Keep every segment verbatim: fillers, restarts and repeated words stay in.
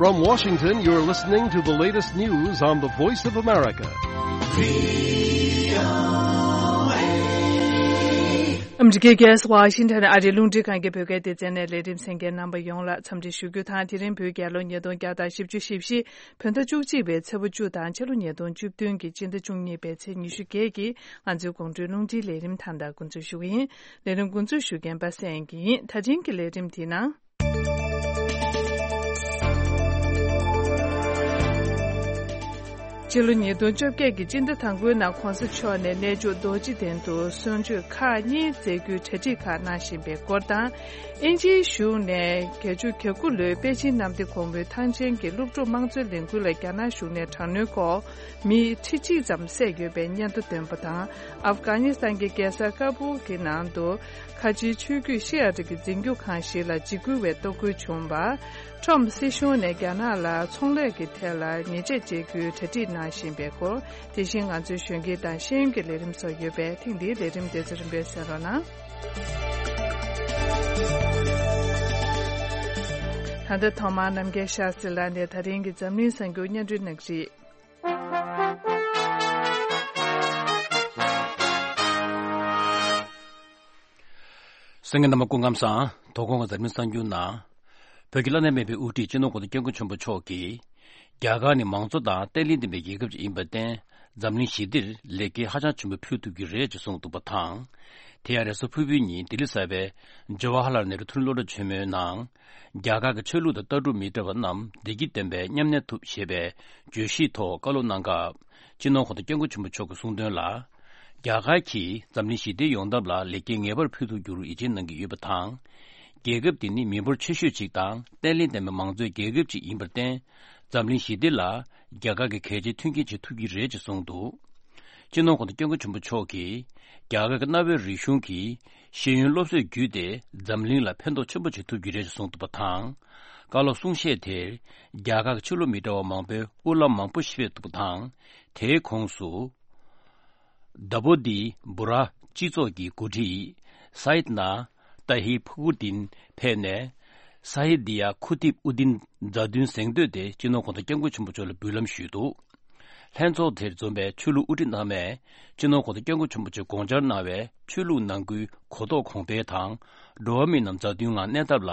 From Washington, you're listening to the latest news on the Voice of America. ཨ་མི་རི་ཀའི་རྒྱལ་ས་ཝ་ཤིང་ཊོན་ཨ་རིའི་རླུང་འཕྲིན་ཁང་གི་བོད་སྐད་སྡེ་ཚན་ནས་ལས་རིམ་གསན་མཁན་རྣམ་པ་ཡོངས་ལ་འཚམས་འདྲི་ཞུ་རྒྱུ་དང་། དེ་རིང་བོད་རྒྱལ་ལོ་ཉིས་སྟོང་བརྒྱ་དང་བཞི་བཅུ་ཞེ་བཞི། བོད་ཟླ་བཅུ་གཅིག་པའི་ཚེས་པ་བཅུ་དང་ཕྱི་ལོ་ཉིས་སྟོང་བཅུ་བདུན་གྱི་སྤྱི་ཟླ་བཅུ་གཉིས་པའི་ཚེས་ཉི་ཤུ་བརྒྱད་ཀྱི་ང་ཚོའི་དགོང་དྲོའི་རླུང་འཕྲིན་ལས་རིམ་ད་ལྟ་འགོ་འཛུགས་ཞུ་གི་ཡིན། ལས་རིམ་འགོ་འཛུགས་ཞུ་མཁན་པ་སངས་སྐྱིད་ཡིན། ད་ཐེངས་ཀྱི་ལས་རིམ་དེའི་ནང་། ཕྱི་ལོ་ཉིས་སྟོང་བཅོ་བརྒྱད་ཀྱི་སྤྱི་ཟླ་དང་པོའི་ནང་གོང་ས་མཆོག་ནས་གནས་མཆོག་རྡོ་རྗེ་གདན་དུ་གསོལ་མཆོད་ཁག་གཉིས་མཛད་རྒྱུའི་གྲ་སྒྲིག་ཁག་གནང་བཞིན་པའི་སྐོར་དང་། དབྱིན་ཇིའི་གཞུང་ནས་བརྒྱད་ཅུ་གྱ་དགུ་ལོའི་པེ་ཅིན་གནམ་བདེ་གོང་མོའི་ཐང་ཆེན་གྱི་སློབ་ཕྲུག་དམངས་གཙོའི་ལས་འགུལ་ལ་རྒྱ་ནག་གཞུང་ནས་དྲག་གནོན་སྐོར། མི་ཁྲི་གཅིག་ཙམ་བསད་ཡོད་པའི་སྙན་ཐོ་བཏོན་པ་དང་། ཨབ་གྷ་ནི་སི་ཐན་གྱི་རྒྱལ་ས་ཀ་བུལ་གྱི་ནང་དུ་ཁ་ཆེའི་ཆོས་བརྒྱུད་ཤི་ཡ་ཏི་གི་འཛིན་སྐྱོང་ཁང་ཞིག་ལ་འཇིགས་སྐུལ་བའི་གཏོར་རྒོལ་བྱུང་བ། ཁྲོམ་སྲིད་གཞུང་ནས་རྒྱ་ནག་ལ་ཚོང་ལས་ཀྱི་ཐད་ལ་ཉེས་ཆད་གཅོད་རྒྱུའི་གྲ་སྒྲིག་གནང་བཞིན་པའི་སྐོར། དེ་བཞིན་ང་ཚོའི་གཞོན་སྐྱེས་དང་ཤེས་ཡོན་གྱི་ལས་རིམ་སོགས་ཡོད་པས། ཐེངས་འདིའི་ལས་རིམ་དེ་ཚོ་རིམ་པས་གསན་རོགས་གནང་། ད་ལྟ་ཐོག་མར་རྣམ་རྒྱལ་ཤཱ་སྟྲི་ལགས་ནས་ད་རིང་གི་འཛམ་གླིང་གསར་འགྱུར་སྙན་སྒྲོན་གནང་གི་རེད། གསན་མཁན་རྣམ་པ་སྐུ་ཁམས་བཟང་། དོ་དགོང་གི་འཛམ་གླིང་གསར་འགྱུར་ནང་། བོད་ཀྱི་བླ་ན་མེད་པའི་དབུ་ཁྲིད་སྤྱི་ནོར་གོང་ས་སྐྱབས་མགོན་ཆེན་པོ་མཆོག་གིས། རྒྱ་གར་ནི་མང་གཙོ་དང་བརྟན་ལྷིང་ལྡན་པའི་རྒྱལ་ཁབ་ཅིག་ཡིན་པར་བརྟེན། འཛམ་གླིང་ཞི་བདེར་ལེགས་སྐྱེས་ཧ་ཅང་ཆེན་པོ་ཕུལ་ཐུབ་ཀྱི་རེད་ཅེས་གསུངས་འདུག་པ་དང་། དེ་ཡང་རེས་གཟའ་ཕུར་བུའི་ཉིན་ལྡི་ལི་གསར་པའི་ཇ་ཝ་ཧ་ལལ་ནེ་རུ་མཐོ་རིམ་སློབ་གྲྭ་ཆེན་མོའི་ནང་། རྒྱ་གར་གྱི་ཆོས་ལུགས་དང་ལྟ་གྲུབ་མི་འདྲ་བ་རྣམས་བདེ་སྐྱིད་ལྡན་པའི་མཉམ་གནས་ཐུབ་ཞེས་པའི་བརྗོད་གཞིའི་ཐོག་བཀའ་སློབ་གནང་སྐབས། སྤྱི་ནོར་གོང་ས་སྐྱབས་མགོན་ཆེན་པོ་མཆོག་གིས་གསུངས་དོན་ལ། རྒྱ་གར་གྱིས་འཛམ་གླིང་ཞི་བདེ་ཡོང་ཐབས་ལ་ལེགས་སྐྱེས་ངེས་པར་ཕུལ་ཐུབ་རྒྱུར་ཡིད་ཆེས་གནང་གི་ཡོད་པ་དང་། རྒྱལ་ཁབ་འདི་ནི་མི་འབོར་ཆེ་ཤོས་ཅིག་དང་བརྟན་ལྷིང་ལྡན་པའི་མང་གཙོའི་རྒྱལ་ཁབ་ཅིག་ཡིན་པར་བརྟེན། འཛམ་གླིང་ཞི་བདེ་ལ་རྒྱ་གར་གྱིས་གལ་ཆེའི་མཐུན་རྐྱེན་བྱེད་ཐུབ་ཀྱི་རེད་ཅེས་གསུངས་འདུག་སྤྱི་ནོར་གོང་ས་སྐྱབས་མགོན་ཆེན་པོ་མཆོག་གིས། རྒྱ་གར་གྱི་གནའ་བོའི་རིག་གཞུང་གི་ཤེས་ཡོན་སློབ་གསོས་བརྒྱུད་དེ་འཛམ་གླིང་ལ་ཕན་ཐོགས་ཆེན་པོ་བྱེད་ཐུབ་ཀྱི་རེད་ཅེས་གསུངས་འདུག་པ་དང་། བཀའ་སློབ་གསུང་བཤད་དེར། རྒྱ་གར་གྱི་ཆོས་ལུགས་མི་འདྲ་བ་མང་པོའི་དབུ་བླམ་མང་པོ་ཞིག་ཕེབས་འདུག་པ་དང་། དེའི་ཁོངས་སུ། དཱ་བོ་དི་བུ་ར་སྤྱི་ཚོགས་ཀྱི་འགོ་ཁྲིད་སཱ་ཡིད་ན་ཏཱ་ཧི་ཕུ་གུ་དིན་ཕེབས་ནས། ས་ཧི་དི་ཡ་ཁུ་ཏིབ་ཨུ་དིན་མཛའ་མཐུན་གཟེངས་བསྟོད་དེ་སྤྱི་ནོར་གོང་ས་སྐྱབས་མགོན་ཆེན་པོ་མཆོག་ལ་འབུལ་ལམ་ཞུས་འདུག་ལྷན་ཚོགས་དེར་འཛོམས་པའི་ཆོས་ལུགས་དབུ་ཁྲིད་རྣམས་ནས་སྤྱི་ནོར་གོང་ས་སྐྱབས་མགོན་ཆེན་པོ་མཆོག་དགོངས་འཆར་གནང་བའི་ཆོས་ལུགས་ནང་ཁུལ་གོ་རྟོགས་གོང་འཕེལ་དང་། འགྲོ་བ་མི་རྣམས་མཛའ་མཐུན་ངང་གནས་ཐབས་ལ་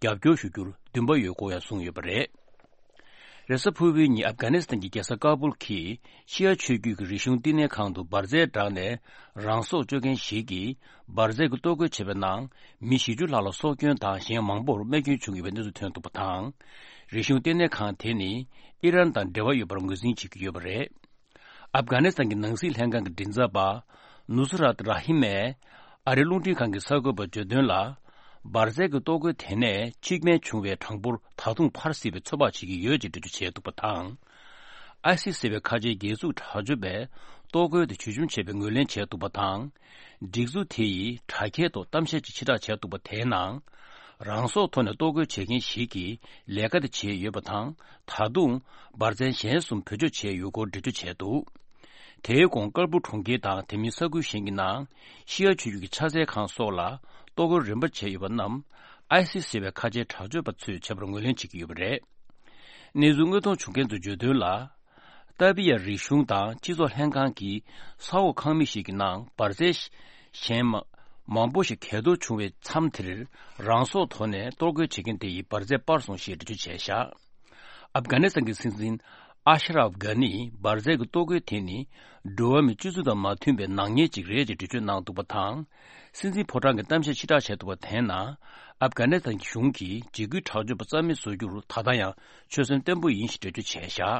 རྒྱབ་སྐྱོར་ཞུ་རྒྱུར་འདུན་པ་ཡོད་སྐོར་ཡང་གསུངས་ཡོད་པ་རེད། རེས་གཟའ་ཕུར་བུའི་ཉིན་ཨབ་གྷ་ནི་སི་ཐན་གྱི་རྒྱལ་ས་ཀ་བུལ་གྱི་ཤི་ཡ་ཆོས་བརྒྱུད་ཀྱི་རིག་གཞུང་བསྟི་གནས་ཁང་དུ་འབར་རྫས་བསྒྲགས་ནས་རང་སྲོག་གཅོད་མཁན་ཞིག་གིས་འབར་རྫས་ཀྱི་གཏོར་རྒོལ་བྱས་པའི་ནང་མི་བཞི་བཅུ་ལྷག་ལ་སྲོག་སྐྱོན་དང་གཞན་མང་པོར་རྨས་སྐྱོན་བྱུང་ཡོད་པའི་གནས་ཚུལ་ཐོན་འདུག་པ་དང་། རིག་གཞུང་བསྟི་གནས་ཁང་དེ་ནི་ཨི་རན་དང་འབྲེལ་བ་ཡོད་པར་ངོས་འཛིན་བྱེད་ཀྱི་ཡོད་པ་རེད། ཨབ་གྷ་ནི་སི་ཐན་གྱི་ནང་སྲིད་ལྷན་ཁང་གི་མགྲིན་ཚབ་པ་ནུ་སི་རཱད་ར་ཧིམ་མས་ཨ་རིའི་རླུང་འཕྲིན་ཁང་གི་གསར་འགོད་པར་བརྗོད་དོན་ལ། འབར་རྫས་ཀྱི་གཏོར་རྒོལ་དེ་ནས་འཆི་རྨས་བྱུང་བའི་གྲངས་འབོར་ད་དུང་འཕར་སྲིད་པའི་ཚོད་དཔག་བྱེད་ཀྱི་ཡོད་ཅེས་འགྲེལ་བརྗོད་བྱས་འདུག་པ་དང་། ཨའི་སི་ཟེར་བའི་ཁ་ཆེའི་རྒྱལ་འཛུགས་དྲག་སྤྱོད་པས་གཏོར་རྒོལ་དེ་བྱུས་འཇོམས་བྱས་པའི་ངོས་ལེན་བྱས་འདུག་པ་དང་། སྒྲིག་འཛུགས་དེ་ཡིས་དྲ་རྒྱའི་ཐོག་གཏམ་བཤད་ཅིག་ཕྱིར་བསྒྲགས་བྱས་འདུག་པ་དེའི་ནང་། རང་སྲོག་ཐོག་ནས་གཏོར་རྒོལ་བྱེད་མཁན་ཞིག་གིས་ལས་ཀ་དེ་བྱས་ཡོད་པ་དང་། ད་དུང་འབར་རྫས་གཞན་གསུམ་བེད་སྤྱོད་བྱས་ཡོད་སྐོར་འགྲེལ་བརྗོད་བྱས་འདུག་དེའི་གོང་ཀལ་པུར་གྲོང་ཁྱེར་དང་དེ་མིན་ས་ཁུལ་གཞན་གྱི་ནང་ཤི་ཡ་ཆོས་བརྒྱུད་ཀྱི་ཕྱག་འཚལ་ཁང་སོགས་ལ་གཏོར་རྒོལ་རིམ་པ་བྱས་ཡོད་པ་རྣམས་ཨའི་སི་ཟེར་བའི་ཁ་ཆེའི་དྲག་སྤྱོད་པ་ཚོས་བྱས་པར་ངོས་ལེན་བྱེད་ཀྱི་ཡོད་པ་རེད། གནས་ཚུལ་དངོས་མཐོང་བྱུང་མཁན་ཚོས་བརྗོད་དོན་ལ། ཏཱ་བི་ཡ་རིག་གཞུང་དང་སྤྱི་ཚོགས་ལྷན་ཁང་གི་ས་འོག་ཁང་མིག་ཞིག་གི་ནང་འབར་རྫས་གཞན་མ་མང་པོ་ཞིག་གས་གཏོར་བྱུང་བའི་མཚམས་དེར་རང་སྲོག་ཐོག་ནས་གཏོར་རྒོལ་བྱེད་མཁན་དེ་ཡིས་འབར་རྫས་སྤར་སོང་ཞེས་འགྲེལ་བརྗོད་བྱས་བཞག་ཨབ་གྷ་ནི་སི་ཐན་གྱི་སྲིད་འཛིན་ཨ་ཤ་རབ་གྷ་ནིས་འབར་རྫས་ཀྱི་གཏོར་རྒོལ་དེ་ནི་འགྲོ་བ་མིའི་སྤྱོད་ཚུལ་དང་མ་མཐུན་པའི་ནག་ཉེས་ཅིག་རེད་ཅེས་འགྲེལ་བརྗོད་གནང་འདུག་པ་དང་། སྲིད་འཛིན་ཕོ་བྲང་གི་གཏམ་བཤད་ཕྱིར་བསྒྲགས་བྱས་འདུག་པ་དེའི་ནང་། ཨབ་གྷ་ནི་སི་ཐན་གྱི་གཞུང་གིས་འཇིགས་སྐུལ་དྲག་སྤྱོད་པ་རྩ་མེད་བཟོ་རྒྱུར་ད་ལྟ་ཡང་ཆོད་སེམས་བརྟན་པོ་ཡིན་ཞེས་འགྲེལ་བརྗོད་བྱས་བཞག་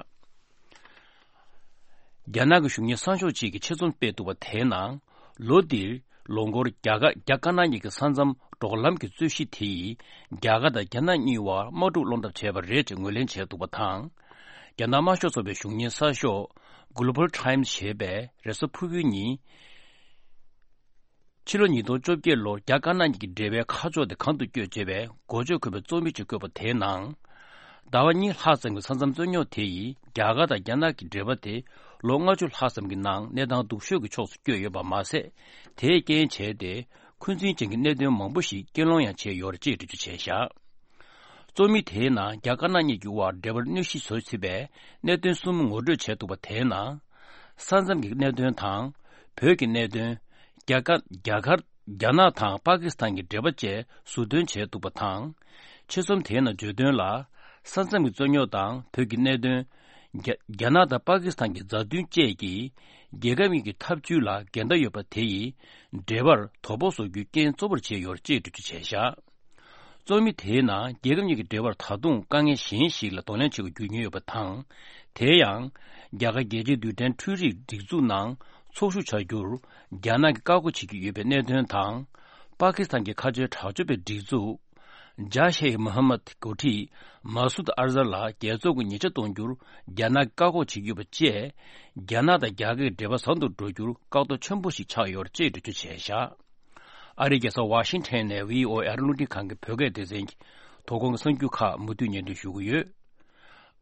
རྒྱ་ནག་གི་གཞུང་གཉེར་སང་ཞོགས་གཅིག་གིས་ཆེད་རྩོམ་སྤེལ་འདུག་པ་དེའི་ནང་། ལོ་འདིར་ལོ་འཁོར་རྒྱ་གར་རྒྱ་དཀར་ནག་གཉིས་ཀྱི་ས་མཚམས་འབྲོག་ལམ་གྱི་རྩོད་གཞི་དེ་ཡིས་རྒྱ་གར་དང་རྒྱ་ནག་གཉིས་བར་དམག་འཁྲུག་སློང་ཐབས་བྱས་པ་རེད་ཅེས་ངོས་ལེན་བྱས་འདུག་པ་དང་། རྒྱ་ནག་དམར་ཤོག་ཚོགས་པའི་གཞུང་གཉེར་གསར་ཤོག་Global Times ཞེས་པས་རེས་གཟའ་ཕུར་བུའི་ཉིན། ཕྱི་ལོ་ཉིས་སྟོང་བཅོ་བརྒྱད་ལོར་རྒྱ་དཀར་ནག་གཉིས་ཀྱི་འབྲེལ་བའི་ཁ་ཕྱོགས་དེ་གང་དུ་བསྐྱོད་ཅེས་པའི་འགོ་བརྗོད་འཁོད་པའི་རྩོམ་ཡིག་ཅིག་བཀོད་པ་དེའི་ནང་། ཟླ་བ་གཉིས་ལྷག་ཙམ་གྱི་ས་མཚམས་རྩོད་རྙོག་དེ་ཡིས་རྒྱ་གར་དང་རྒྱ་ནག་གི་འབྲེལ་བ་དེ་ལོ་ལྔ་བཅུ་ལྷག་ཙམ་གྱི་ནང་གནས་སྟངས་སྡུག་ཤོས་ཀྱི་ཕྱོགས་སུ་བསྐྱོད་ཡོད་པ་མ་ཟད། དེས་རྐྱེན་བྱས་ཏེ་འཁོན་འཛིན་ཅན་གྱི་གནད་དོན་མང་པོ་ཞིག་རྐྱེན་སློང་ཡང་བྱས་ཡོད་རེད་ཅེས་འགྲེལ་བརྗོད་བྱས་བཞག་རྩོམ་ཡིག་དེའི་ནང་རྒྱ་དཀར་ནག་གཉིས་ཀྱི་དབར་འབྲེལ་བར་གནོད་གཞི་བཟོ་སྲིད་པའི་གནད་དོན་གསུམ་ངོ་སྤྲོད་བྱས་འདུག་པ། དེའི་ནང་། ས་མཚམས་ཀྱི་གནད་དོན་དང་། བོད་ཀྱི་གནད་དོན། རྒྱ་དཀར་རྒྱ་གར། རྒྱ་ནག་དང་པ་ཀི་སི་ཐན་གྱི་འབྲེལ་བ་བཅས་ཟུར་འདོན་བྱས་འདུག་པ་དང་། ཆེད་རྩོམ་དེའི་ནང་བརྗོད་དོན་ལ། ས་མཚམས་ཀྱི་རྩོད་རྙོག་དང་བོད་ཀྱི་གནད་དོན། རྒྱ་རྒྱ་ནག་དང་པ་ཀི་སི་ཐན་གྱི་མཛའ་མཐུན་བཅས་ཀྱིས་རྒྱལ་ཁབ་གཉིས་ཀྱི་འཐབ་ཇུས་ལ་འགལ་ཟླ་ཡོད་པ་དེ་ཡིས་འབྲེལ་བར་དོ་ཕོག་བཟོ་རྒྱུའི་རྐྱེན་གཙོ་བོར་བྱས་ཡོད་ཅེས་འགྲེལ་བརྗོད་བྱས་བཞག་རྩོམ་ཡིག་དེའི་ནང་རྒྱལ་ཁབ་གཉིས་ཀྱི་འབྲེལ་བར་ད་དུང་དཀའ་ངལ་གཞན་ཞིག་ལ་གདོང་ལེན་བྱེད་དགོས་རྒྱུ་ཡོད་པ་དང་། དེ་ཡང་། རྒྱ་གར་རྒྱལ་སྤྱིའི་རྡུལ་ཕྲན་འཕྲུལ་རིག་སྒྲིག་འཛུགས་ནང་ཚོགས་ཞུགས་བྱ་རྒྱུར་རྒྱ་ནག་གིས་བཀག་འགོག་བྱེད་ཀྱི་ཡོད་པའི་གནད་དོན་དང་། པ་ཀི་སི་ཐན་གྱི་མཁའ་སྤྱོད་དྲག་སྤྱོད་པའི་སྒྲིག་འཛུགས། ཇཱ་ཤེ་ཨི་མོ་ཧམ་མད་འགོ་ཁྲིད་མ་སུད་ཨར་ཛར་ལ་རྒྱལ་ཚོགས་ཀྱི་ཉེས་ཆད་གཏོང་རྒྱུར་རྒྱ་ནག་གིས་བཀག་འགོག་བྱེད་ཀྱི་ཡོད་པ་བཅས། རྒྱ་ནག་དང་རྒྱ་གར་གྱི་འབྲེལ་བ་བཟང་དུ་འགྲོ་རྒྱུར་བཀག་རྡོ་ཆེན་པོ་ཞིག་ཆགས་ཡོད་ཅེས་འགྲེལ་བརྗོད་བྱས་བཞག་ཨ་རིའི་རྒྱལ་ས་ཝ་ཤིང་ཊོན་ནས་བྷི་ཨོ་ཨེ་ཨ་རིའི་རླུང་འཕྲིན་ཁང་གི་བོད་སྐད་སྡེ་ཚན་གྱི་དོ་དགོང་གི་གསར་འགྱུར་ཁག་མུ་མཐུད་སྙན་སྒྲོན་ཞུ་གི་ཡོད།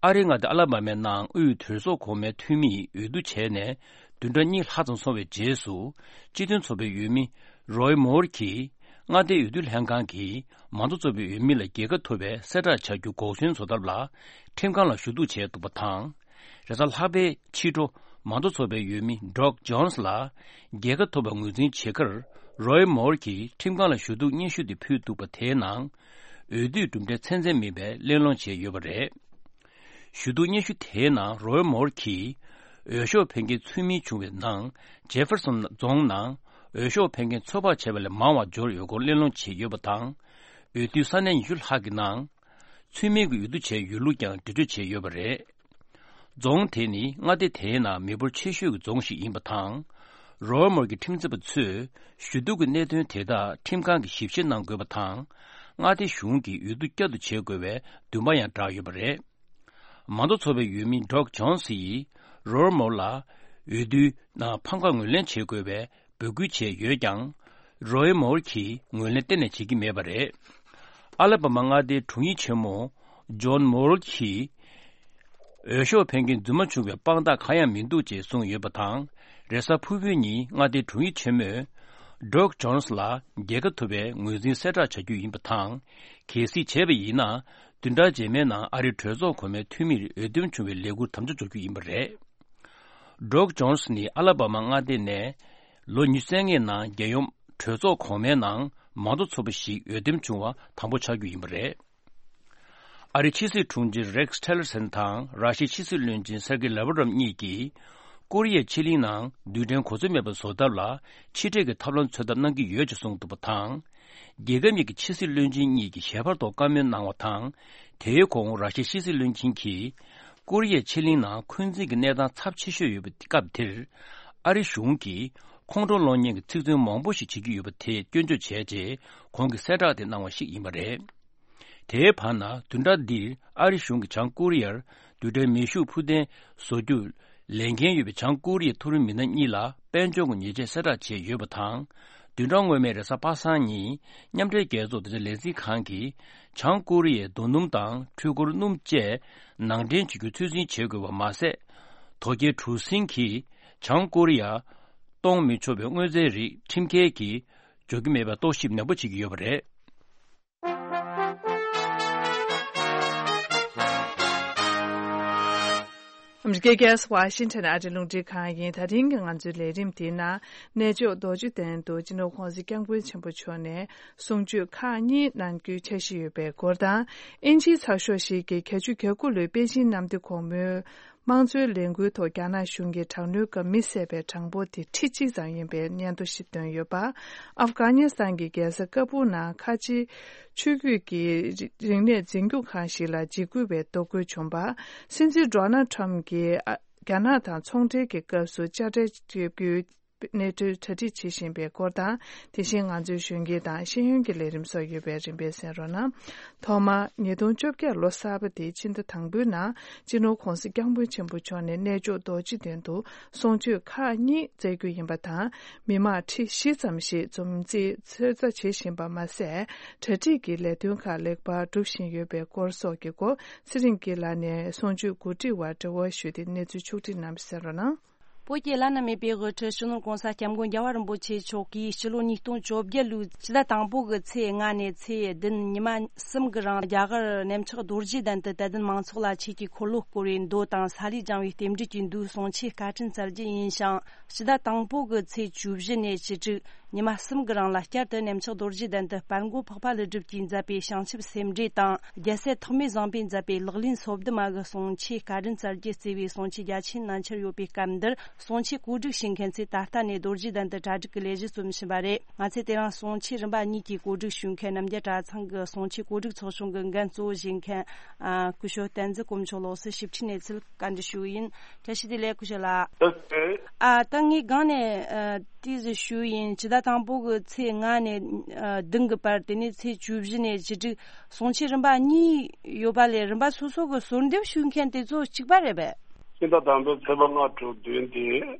ཨ་རིའི་མངའ་སྡེ་ཨ་ལ་བྷ་མའི་ནང་དབུས་གྲོས་ཚོགས་གོང་མའི་འཐུས་མིས་འོས་བསྡུ་བྱས་ནས་བདུན་ཕྲག་གཉིས་ལྷག་ཙམ་སོང་བའི་རྗེས་སུ། སྤྱི་མཐུན་ཚོགས་པའི་འོས་མི་རོའི་མོར་གྱིས་མངའ་སྡེའི་འོས་བསྡུ་ལྷན་ཁང་གིས་མང་གཙོ་ཚོགས་པའི་འོས་མི་ལ་རྒྱལ་ཁ་ཐོབ་པའི་གསལ་བསྒྲགས་བྱ་རྒྱུ་འགོག་ཟོན་བཟོ་ཐབས་ལ་ཁྲིམས་ཁང་ལ་ཞུ་གཏུག་བྱས་འདུག་པ་དང་། རེས་གཟའ་ལྷག་པའི་ཕྱི་དྲོ་མང་གཙོ་ཚོགས་པའི་འོས་མི་ཌོག་ཇོན་སི་ལ་རྒྱལ་ཁ་ཐོབ་པ་ངོས་འཛིན་བྱེད་ཁར་རོའི་མོར་གྱིས་ཁྲིམས་ཁང་ལ་ཞུ་གཏུག་སྙན་ཞུ་དེ་ཕུལ་འདུག་པ། དེའི་ནང་འོས་བསྡུའི་གྲུབ་འབྲས་ཚད་འཛིན་མིན་པའི་གླེང་སློང་བྱས་ཡོད་པ་རེད། ཞུ་གཏུག་སྙན་ཞུ་དེའི་ནང་རོའི་མོར་གྱིས་འོས་ཤོག་འཕེན་མཁན་ཚུལ་མིན་བྱུང་བའི་ནང་ཇེ་ཧྥེར་སོན་རྫོང་ནང་འོས་ཤོག་འཕེན་མཁན་ཚོད་དཔག་བྱས་པ་ལས་མང་བ་འབྱོར་ཡོད་སྐོར་གླེང་སློང་བྱས་ཡོད་པ་དང་། འོས་བསྡུའི་ས་གནས་ཉི་ཤུ་ལྷག་གི་ནང་ཚུལ་མིན་གྱི་འོས་བསྡུ་བྱས་ཡོད་ལུགས་ཀྱང་འགྲེལ་བརྗོད་བྱས་ཡོད་པ་རེད། རྫོང་དེ་ནི་མངའ་སྡེ་དེའི་ནང་མི་འབོར་ཆེ་ཤོས་ཀྱི་རྫོང་ཞིག་ཡིན་པ་དང་། རོའི་མོར་གྱི་ཁྲིམས་རྩོད་པ་ཚོས་ཞུ་གཏུག་གི་གནད་དོན་དེ་དག་ཁྲིམས་ཁང་གིས་ཞིབ་བཤེར་གནང་དགོས་པ་དང་། མངའ་སྡེ་གཞུང་གིས་འོས་བསྡུ་བསྐྱར་དུ་བྱེད་དགོས་པའི་འདུན་པ་ཡང་བསྒྲགས་ཡོད་པ་རེད། མང་གཙོ་ཚོགས་པའི་འོས་མི་ཌོག་ཇོན་སི་ཡིས་རོའི་མོར་ལ་འོས་བསྡུའི་ནང་ཕམ་ཁ་ངོས་ལེན་བྱེད་དགོས་པའི་འབོད་སྐུལ་བྱས་ཡོད་ཀྱང་། རོའི་མོར་གྱིས་ངོས་ལེན་གཏན་ནས་བྱེད་ཀྱི་མེད་པ་རེད། ཨ་ལ་བྷ་མ་མངའ་སྡེའི་དྲུང་ཡིག་ཆེན་མོ་ཇོན་མོར་གྱིས། འོས་ཤོག་འཕེན་མཁན་རྫུན་མ་བྱུང་བའི་དཔང་རྟགས་གང་ཡང་མི་འདུག་ཅེས་གསུངས་ཡོད་པ་དང་། རེས་གཟའ་ཕུར་བུའི་ཉིན་མངའ་སྡེའི་དྲུང་ཡིག་ཆེན་མོས། ཌོག་ཇོན་སི་ལ་རྒྱལ་ཁ་ཐོབ་པའི་ངོས་འཛིན་གསལ་བསྒྲགས་བྱ་རྒྱུ་ཡིན་པ་དང་། གལ་སྲིད་བྱས་པ་ཡིན་ན། བདུན་ཕྲག་རྗེས་མའི་ནང་ཨ་རིའི་གྲོས་ཚོགས་གོང་མའི་འཐུས་མིར་འོས་འདེམས་བྱུང་བའི་ལས་འགུལ་དམ་བཅའ་འཇོག་རྒྱུ་ཡིན་པ་རེད། ཌོག་ཇོན་སི་ནི་ཨ་ལ་བྷ་མ་མངའ་སྡེ་ནས་ལོ་ཉི་ཤུ་རྩ་ལྔའི་ནང་རྒྱལ་ཡོངས་གྲོས་ཚོགས་གོང་མའི་ནང་མང་གཙོ་ཚོགས་པ་ཞིག་འོས་འདེམས་བྱུང་བ་དང་པོ་ཆགས་རྒྱུ་ཡིན་པ་རེད། ཨ་རིའི་ཕྱི་སྲིད་དྲུང་ཆེ་རེག་སི་ཊི་ལར་སན་དང་ར་ཤི་ཡའི་ཕྱི་སྲིད་བློན་ཆེན་སེར་གེ་ལ་ཝ་རོབ་གཉིས་ཀྱིས། ཀོ་རི་ཡའི་ཕྱེད་གླིང་ནང་རྡུལ་ཕྲན་གོ་འཛོལ་མེད་པར་བཟོ་ཐབས་ལ་ཕྱི་འབྲེལ་གྱི་ཐབས་ལམ་འཚོལ་ཐབས་གནང་གི་ཡོད་ཅེས་གསུངས་འདུག་པ་དང་། རྒྱལ་ཁབ་གཉིས་ཀྱི་ཕྱི་སྲིད་བློན་ཆེན་གཉིས་ཀྱིས་ཞལ་པར་ཐོག་བཀའ་མོལ་གནང་བ་དང་། དེའི་གོང་ར་ཤི་ཡའི་ཕྱི་སྲིད་བློན་ཆེན་གྱིས། ཀོ་རི་ཡའི་ཕྱེད་གླིང་ནང་འཁོན་འཛིན་གྱི་གནས་སྟངས་ཚབས་ཆེ་ཤོས་ཡོད་པའི་སྐབས་དེར། ཨ་རི་གཞུང་གིས་ཁོང་ཁྲོ་སློང་མཁན་གྱི་ཚིག་མཚོན་མང་པོ་ཞིག་བྱེད་ཀྱི་ཡོད་པ་དེ་སྐྱོན་བརྗོད་བྱས་རྗེས། ཁོང་གིས་གསལ་བསྒྲགས་དེ་གནང་བ་ཞིག་ཡིན་པ་རེད། དེའི་བར་ན་བདུན་ཕྲག་འདིར་ཨ་རི་གཞུང་གིས་བྱང་ཀོ་རི་ཡར་རྡུལ་ཕྲན་མེ་ཤུགས་འཕུར་མདེལ་བཟོ་རྒྱུ་ལས་འགན་ཡོད་པའི་བྱང་ཀོ་རི་ཡའི་མཐོ་རིམ་མི་སྣ་གཉིས་ལ་དཔལ་འབྱོར་གྱི་ཉེས་ཆད་གསལ་བསྒྲགས་བྱས་ཡོད་པ་དང་། བདུན་ཕྲག་སྔོན་མའི་རེས་གཟའ་པ་སངས་ཉིན་མཉམ་འབྲེལ་རྒྱལ་ཚོགས་དོན་གཅོད་ལས་འཛིན་ཁང་གིས་བྱང་ཀོ་རི་ཡའི་རྡོ་སྣུམ་དང་འཕྲུལ་འཁོར་སྣུམ་བཅས་ནང་འདྲེན་བྱེད་རྒྱུ་ཚོད་འཛིན་བྱེད་དགོས་པ་མ་ཟད། དོལ་རྒྱལ་གྲུ་གཟིངས་ཀྱིས་བྱང་ཀོ་རི་ཡར་གཏོང་མི་ཆོག་པའི་དངོས་རྫས་རིགས་ཁྲིམས་འགལ་གྱིས་འཇོག་རྒྱུ་མེད་པའི་རྟོག་ཞིབ་ནན་པོ་བྱེད་ཀྱི་ཡོད་པ་རེད། ཨ་མི་རི་ཀའི་རྒྱལ་ས་ཝ་ཤིང་ཊོན་ཨ་རིའི་རླུང་འཕྲིན་ཁང་ཡིན། ད་རིང་གི་ང་ཚོའི་ལས་རིམ་དེའི་ནང་གནས་མཆོག་རྡོ་རྗེ་གདན་དུ་སྤྱི་ནོར་༸གོང་ས་༸སྐྱབས་མགོན་ཆེན་པོ་མཆོག་ནས་གསུང་ཆོས་ཁག་གཉིས་གནང་རྒྱུའི་འཆར་གཞི་ཡོད་པའི་སྐོར་དང་། དབྱིན་ཇིའི་ཚགས་ཤོག་ཞིག་གིས་བརྒྱད་ཅུ་གྱ་དགུ་ལོའི་པེ་ཅིན་གནམ་བདེ་གོང་མོའི་དམངས་གཙོའི་ལས་འགུལ་ཐོག་རྒྱ་ནག་གཞུང་གིས་དྲག་གནོན་སྐབས་མི་བསད་པའི་གྲངས་འབོར་དེ་ཁྲི་གཅིག་ཙམ་ཡིན་པའི་སྙན་ཐོ་ཞིག་བཏོན་ཡོད་པ། ཨབ་གྷ་ནི་སི་ཐན་གྱི་རྒྱལ་ས་ཀ་བུལ་ནང་ཁ་ཆེའི་ཆོས་བརྒྱུད་ཀྱི་རིག་གནས་འཛིན་སྐྱོང་ཁང་ཞིག་ལ་འཇིགས་སྐུལ་བའི་གཏོར་རྒོལ་བྱུང་བ། སྲིད་འཛིན་ཌོ་ནལ་ཁྲམ་གྱིས་རྒྱ་ནག་དང་ཚོང་འབྲེལ་གྱི་སྐབས་སུ་དཔྱ་ཁྲལ་གཅོད་རྒྱུའི་གནས་ཚུལ་གྲ་སྒྲིག་བྱེད་བཞིན་པའི་སྐོར་དང་། དེ་བཞིན་ང་ཚོའི་གཞོན་སྐྱེས་དང་ཤེས་ཡོན་གྱི་ལས་རིམ་སོགས་ཡོད་པའི་རིམ་པས་གསན་རོགས་གནང་། ཐོག་མར་ཉིས་སྟོང་བཅོ་བརྒྱད་ལོ་གསར་པ་དེའི་ཕྱི་ཟླ་དང་པོའི་ནང་སྤྱི་ནོར་༸གོང་ས་༸སྐྱབས་མགོན་ཆེན་པོ་མཆོག་ནས་གནས་མཆོག་རྡོ་རྗེ་གདན་དུ་གསུང་ཆོས་ཁག་གཉིས་སྩལ་རྒྱུ་ཡིན་པ་དང་། མི་མང་ཁྲི་བཞི་ཙམ་ཞིག་འཛོམས་རྩིས་ཚོད་ལྟ་བྱེད་བཞིན་པ་མ་ཟད། གྲ་སྒྲིག་གི་ལས་དོན་ཁག་ལེགས་པར་སྒྲུབ་བཞིན་ཡོད་པའི་སྐོར་སོགས་ཀྱི་སྐོར་ཚེ་རིང་སྐྱིད་ལགས་ནས་གསུང་ཆོས་གོ་སྒྲིག་པར་འབྲེལ་བ་ཞུས་ཏེ་གནས་ཚུལ་ཕྱོགས་སྒྲིག་གནང་བ་གསན་རོགས་གནང་། བོད་ཀྱི་བླ་ན་མེད་པའི་དབུ་ཁྲིད་སྤྱི་ནོར་༸གོང་ས་༸སྐྱབས་མགོན་རྒྱལ་བ་རིན་པོ་ཆེ་མཆོག་གིས་ཕྱི་ལོ་ཉིས་སྟོང་བཅོ་བརྒྱད་ལོའི་ཕྱི་ཟླ་དང་པོ་གི་ཚེས་ལྔ་ནས་ཚེས་བདུན་ཉི་མ་གསུམ་གྱི་རིང་རྒྱ་གར་གནམ་ལྕགས་རྡོ་རྗེ་གདན་དུ་དད་ལྡན་མང་ཚོགས་ལ་ཆོས་ཀྱི་འཁོར་ལོ་བསྐོར་བའི་མདོ་དང་ས་ལེ་སྦྱང་བའི་རྟེན་འབྲེལ་གྱི་མདོའི་གསུང་ཆོས་བཀའ་དྲིན་སྩལ་རྒྱུ་ཡིན་ཞིང་། ཕྱི་ཟླ་དང་པོ་གི་ཚེས་བཅུ་བཞི་ནས་བཅུ་དྲུག་ཉི་མ་གསུམ་གྱི་རིང་ལ་བསྐྱར་དུ་གནམ་ལྕགས་རྡོ་རྗེ་གདན་དུ་དཔལ་མགོན་འཕགས་པ་ཀླུ་སྒྲུབ་ཀྱིས་མཛད་པའི་བྱང་ཆུབ་སེམས་འགྲེལ་དང་། རྒྱལ་སྲས་ཐོགས་མེད་བཟང་པོས་མཛད་པའི་ལག་ལེན་སོ་བདུན་མ་གི་གསུང་ཆོས་བཀའ་དྲིན་སྩལ་རྒྱུ་གཙོས་པའི་གསུང་ཆོས་རྒྱ་ཆེན་ནན་ཆེར་ཡོད་པའི་སྐབས་འདིར། གསུང་ཆོས་གོ་སྒྲིག་བྱེད་མཁན་ཚོས་ད་ལྟ་ནས་རྡོ་རྗེ་གདན་དུ་གྲ་སྒྲིག་གི་ལས་གཞི་རྩོམ་བཞིན་པ་རེད། ང་ཚོས་དེ་རིང་གསུང་ཆོས་རིམ་པ་གཉིས་ཀྱི་གོ་སྒྲིག་ཞུ་མཁན་རྣམ་རྒྱལ་གྲྭ་ཚང་གི་གསུང་ཆོས་གོ་སྒྲིག་ཚོགས་ཆུང་གི་འགན་གཙོ་བོ་བཞེས་མཁན་ཨ་སྐུ་ཞབས་བསྟན་འཛིན་དཀོན་མཆོག་ལགས་སུ་ཞིབ་ཕྲའི་གནས་ཚུལ་བཀའ་འདྲི་ཞུ་གི་ཡིན། བཀྲ་ཤིས་བདེ་ལེགས་སྐུ་ཞབས་ལགས། ཨ་ད་ངས་སྒང་ནས་ཨ་ཏོག་ཙམ་ཞུ་ཡིན། ཕྱི་ཟླ་དང་པོ་གི་ཚེས་ལྔ་ནས་ཨ་བདུན་གྱི་བར། དེ་ནས་ཚེས་བཅུ་བཞི་ནས་བཅུ་དྲུག་གསུང་ཆོས་རིམ་པ་གཉིས་ཡོད་པ་ལས། རིམ་པ་སོ་སོ་གི་གསོལ་འདེབས་ཞུ་མཁན་དེ་ཚོ་གཅིག་པ་རེད་པས། ཕྱི་ཟླ་དང་པོའི་ཚེས་པ་ལྔ་དྲུག་བདུན་དེ་